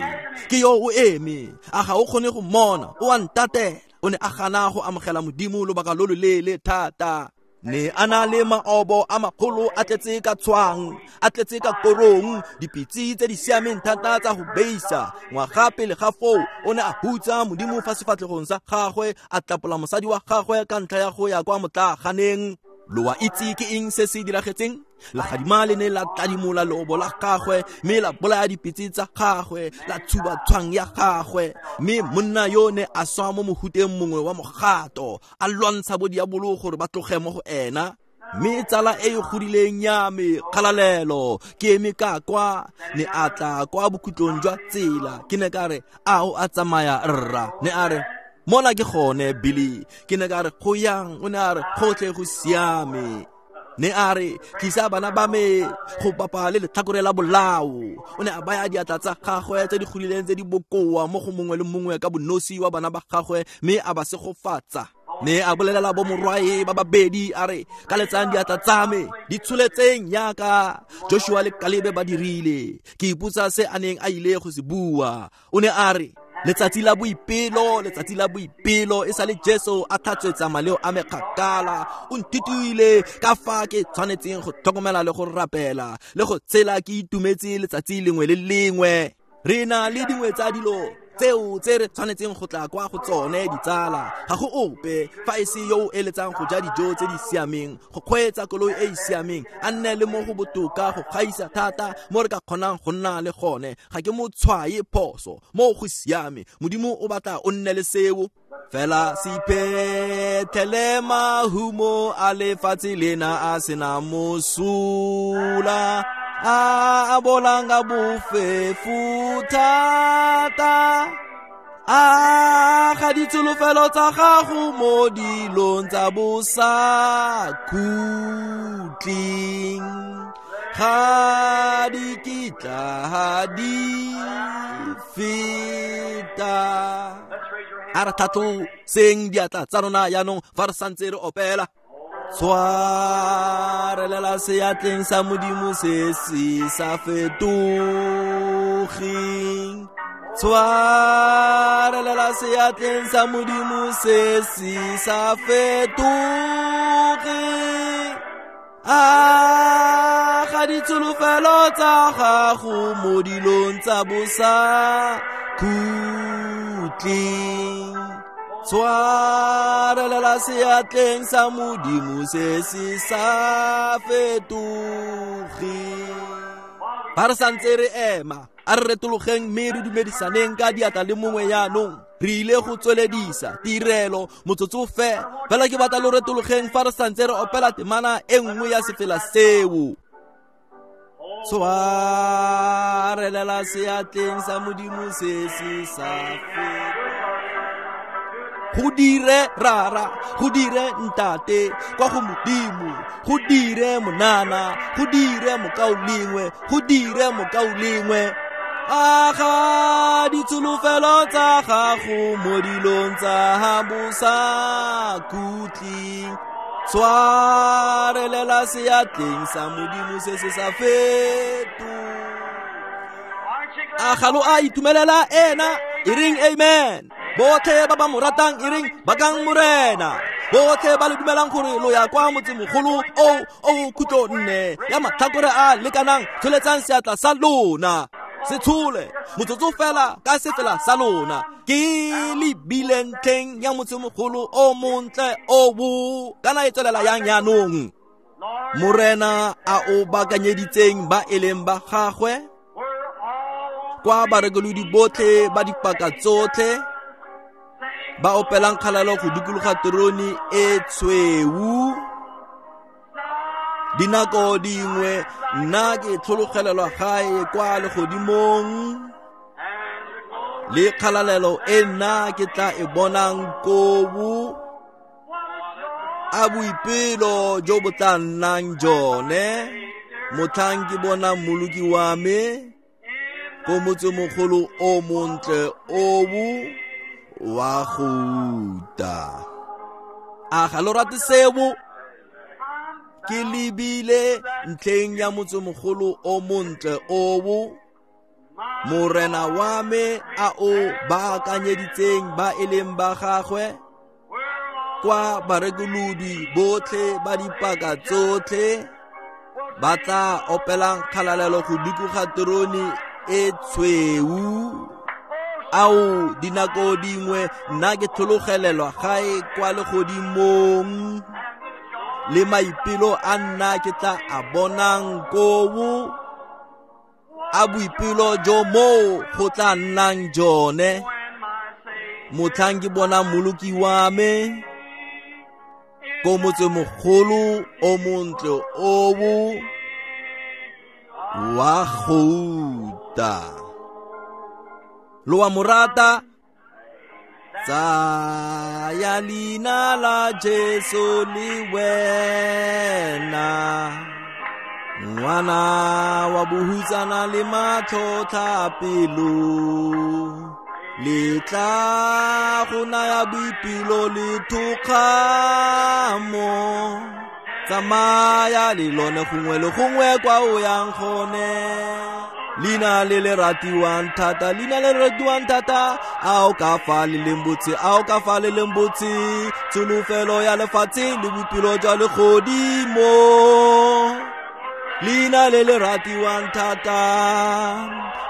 A: ke yo o eme, a ga o kgone go mmona, o a ntatela. O ne a gana go amogela Modimo lobaka lo loleele thata. Ne a na le maobo a magolo a tletse ka tshwang, a tletse ka korong, dipitse tse di siameng thata tsa go beisa. Ngwaga pele ga foo o ne a hutsa Modimo fa sefatlhegong sa gagwe, a tlapola mosadi wa gagwe ka ntlha ya go ya kwa motlaaganeng. Lo a itse ke eng se se diragetseng? Legadima le ne la tladimola leobo la gagwe, mme la bolaya dipitse tsa gagwe, la tshuba tshwang ya gagwe. Mme monna yo ne a swa mo mohuteng mongwe wa mogato, a lwantsha bo diabolo gore ba tloge mo go ena. Mme tsala e e godileng ya me, kgalalelo, ke eme ka kwa, ne a tla kwa bokhutlong jwa tsela. Ke ne ka re a o a tsamaya rra? Ne a re mona ke gone Billy. Ke ne ka re go yang? O ne a re gotlhe go siame. Ne a re tlisa bana ba me go bapa le letlhakore la bolao. O ne a baya diatla tsa gagwe tse di godileng tse di bokoa mo go mongwe le mongwe ka bonosi wa bana ba gagwe, mme a ba segofatsa. Ne a bolelela bo morwae ba babedi a re ka letsang diatla tsa me di tsholetseng yaka Joshua le Kalebe ba dirile. Ke ipotsa se a neng a ile go se bua. O ne a re letsatsi la boipelo, letsatsi la boipelo, e sale Jesu a tlhatswetsa maleo a me kgakala. O nthutile ka fa ke tshwanetseng go tlhokomela le go rapela le go tshela ke itumetse letsatsi lengwe le lengwe. Re na le dingwe tsa dilo tseo tse re tshwanetseng go tla kwa go tsone ditsala. Ga go ope fa e se yo o eletsang go ja dijo tse di siameng, go kgweetsa koloi e e siameng, a nne le mo go botoka go gaisa thata mo re ka kgonang go nna le gone. Ga ke mo tshwaye phoso, mo go siame. Modimo o batla o nne le seo. Fela se iphethele mahumo a lefatshe lena a sena mosola, a a bolang ka bofefo thata. A ga ditsholofelo tsa gago mo dilong tsa bosakhutleng ga di kitla di feta. A re tlhatloseng diatla tsa rona jaanong fa re santse re opela. Tshwarelela seatleng sa Modimo se se sa fetogeng. Tshwarelela seatleng sa Modimo se se sa fetogeng. A ga ditsholofelo tsa gago mo dilong tsa bosakhutleng. Tshwarelela seatleng sa Modimo se se sa fetogeng. Fa re santse re ema, a re retologeng mme re dumedisaneng ka diatla le mongwe jaanong. Re ile go tsweledisa tirelo motsotso fela. Fela ke batla lo retologeng fa re santse re opela temana e nngwe ya sefela seo. Tshwarelela seatleng sa Modimo se se sa fetogeng. Go dire rara, go dire ntate, kwa go Modimo, go dire monana, go dire mokaulengwe, go dire mokaulengwe. A ga ditsholofelo tsa gago mo dilong tsa bosakhutleng. Tshwarelela seatleng sa Modimo se se sa fetogeng. A ga lo a itumelela ena? E reng amen. Botlhe ba ba mo ratang e reng bakang Morena. Botlhe ba le dumelang gore lo ya kwa motsemogolo o o khutlo nne ya matlhakore a lekanang, tsholetsang seatla sa lona. Se tshole motsotso fela ka sefela sa lona. Ke lebile ntlheng ya motsemogolo o montle o bo kana e tswelela yang jaanong. Morena a o baakanyeditseng ba e leng ba gagwe, kwa barekolodi botlhe ba dipaka tsotlhe ba opelang kgalalo go dikologa terone e tshweu. Dinako dingwe nna ke tlhologelelwa gae kwa legodimong, le kgalalelo e nna ke tla e bonang koo. A boipelo jo bo tla nnang jone motlhang ke bonang Mmoloki wa me ko motsemogolo o montle o wa gouta. A ga lo rate seo? Ke lebile ntlheng ya motsemogolo o montle o Morena wa me a o baakanyeditseng ba e leng ba gagwe, kwa barekolodi botlhe ba dipaka tsotlhe ba tla opelang kgalalelo go dikologa terone e tshweu. Ao dinako dingwe nna ke tlhologelelwa gae kwa legodimong, le maipelo a nna ke tla a bonang koo. A boipelo jo moo go tla nnang jone motlhang ke bonang Mmoloki wa me ko motsemogolo o montle o wa gouta. Lo a mo rata? Tsaya leina la Jesu le wena, ngwana wa bohutsana le matlhotlhapelo, le tla go naya boipelo le thokgamo. Tsamaya le lone gongwe le gongwe kwa o yang gone. Leina le le ratiwang thata, leina le le ratiwang thata, a o ka fa le leng botse, a o ka fa le leng botse, tsholofelo ya lefatshe le boipelo jwa legodimo. Leina le le ratiwang thata,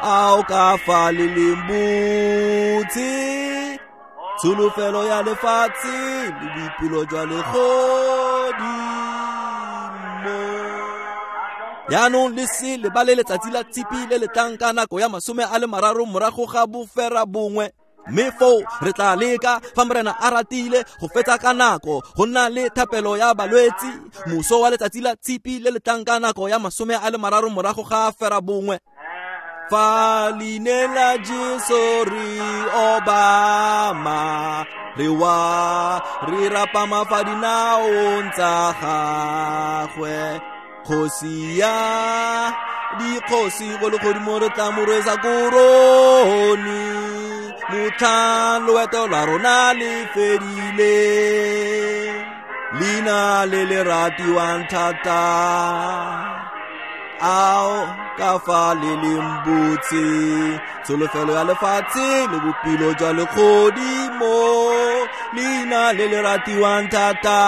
A: a o ka fa le leng botse, tsholofelo ya lefatshe le boipelo jwa legodimo. Jaanong le se lebale letsatsi la Tshipi le le tlang ka nako ya masome a le mararo morago ga bofera bongwe. Mme foo re tla leka fa Morena a ratile go fetsa ka nako go nna le thapelo ya balwetsi moso wa letsatsi la Tshipi le le tlang ka nako ya masome a le mararo morago ga fera bongwe. Fa leina la Jesu re obama, re wa re rapama fa dinaong tsa gagwe. Kgosi ya dikgosi go legodimo re tla mo rwesa korone, motlhang loeto lwa rona le fedile. Leina le le ratiwang thata, ao ka fa le leng botse, tsholofelo ya lefatshe le bophelo jwa legodimo. Leina le le ratiwang thata,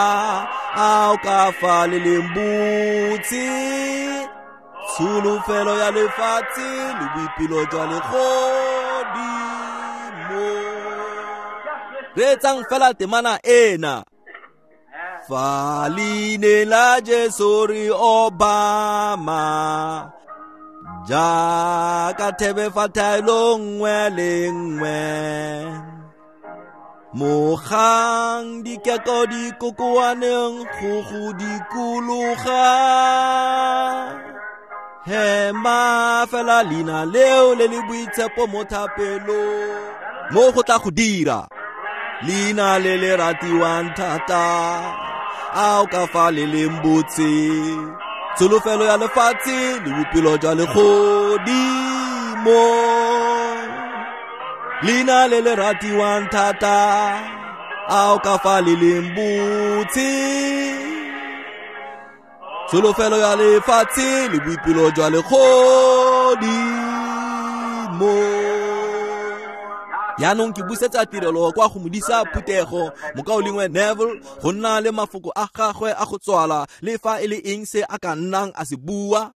A: ao ka fa le leng botse, tsholofelo ya lefatshe le boipelo jwa legodimo. Reetsang fela temana ena. Fa leina la Jesu re obama, jaaka thebe fa thaelo nngwe le nngwe, mogang dikeko di kokoaneng go go dikologa, hema fela leina leo le le boitshepo mo thapelong, mo go tla go dira. Leina le le ratiwang thata, ao ka fa le leng botse, tsholofelo ya lefatshe le bophelo jwa legodimo. Leina le le ratiwang thata, ao ka fa le leng botse, tsholofelo ya lefatshe le boipelo jwa legodimo. Jaanong ke busetsa tirelo kwa go modisa phuthego mokaulengwe Neville go nna le mafoko a gagwe a go tswala le fa e le eng se a ka nnang a se bua.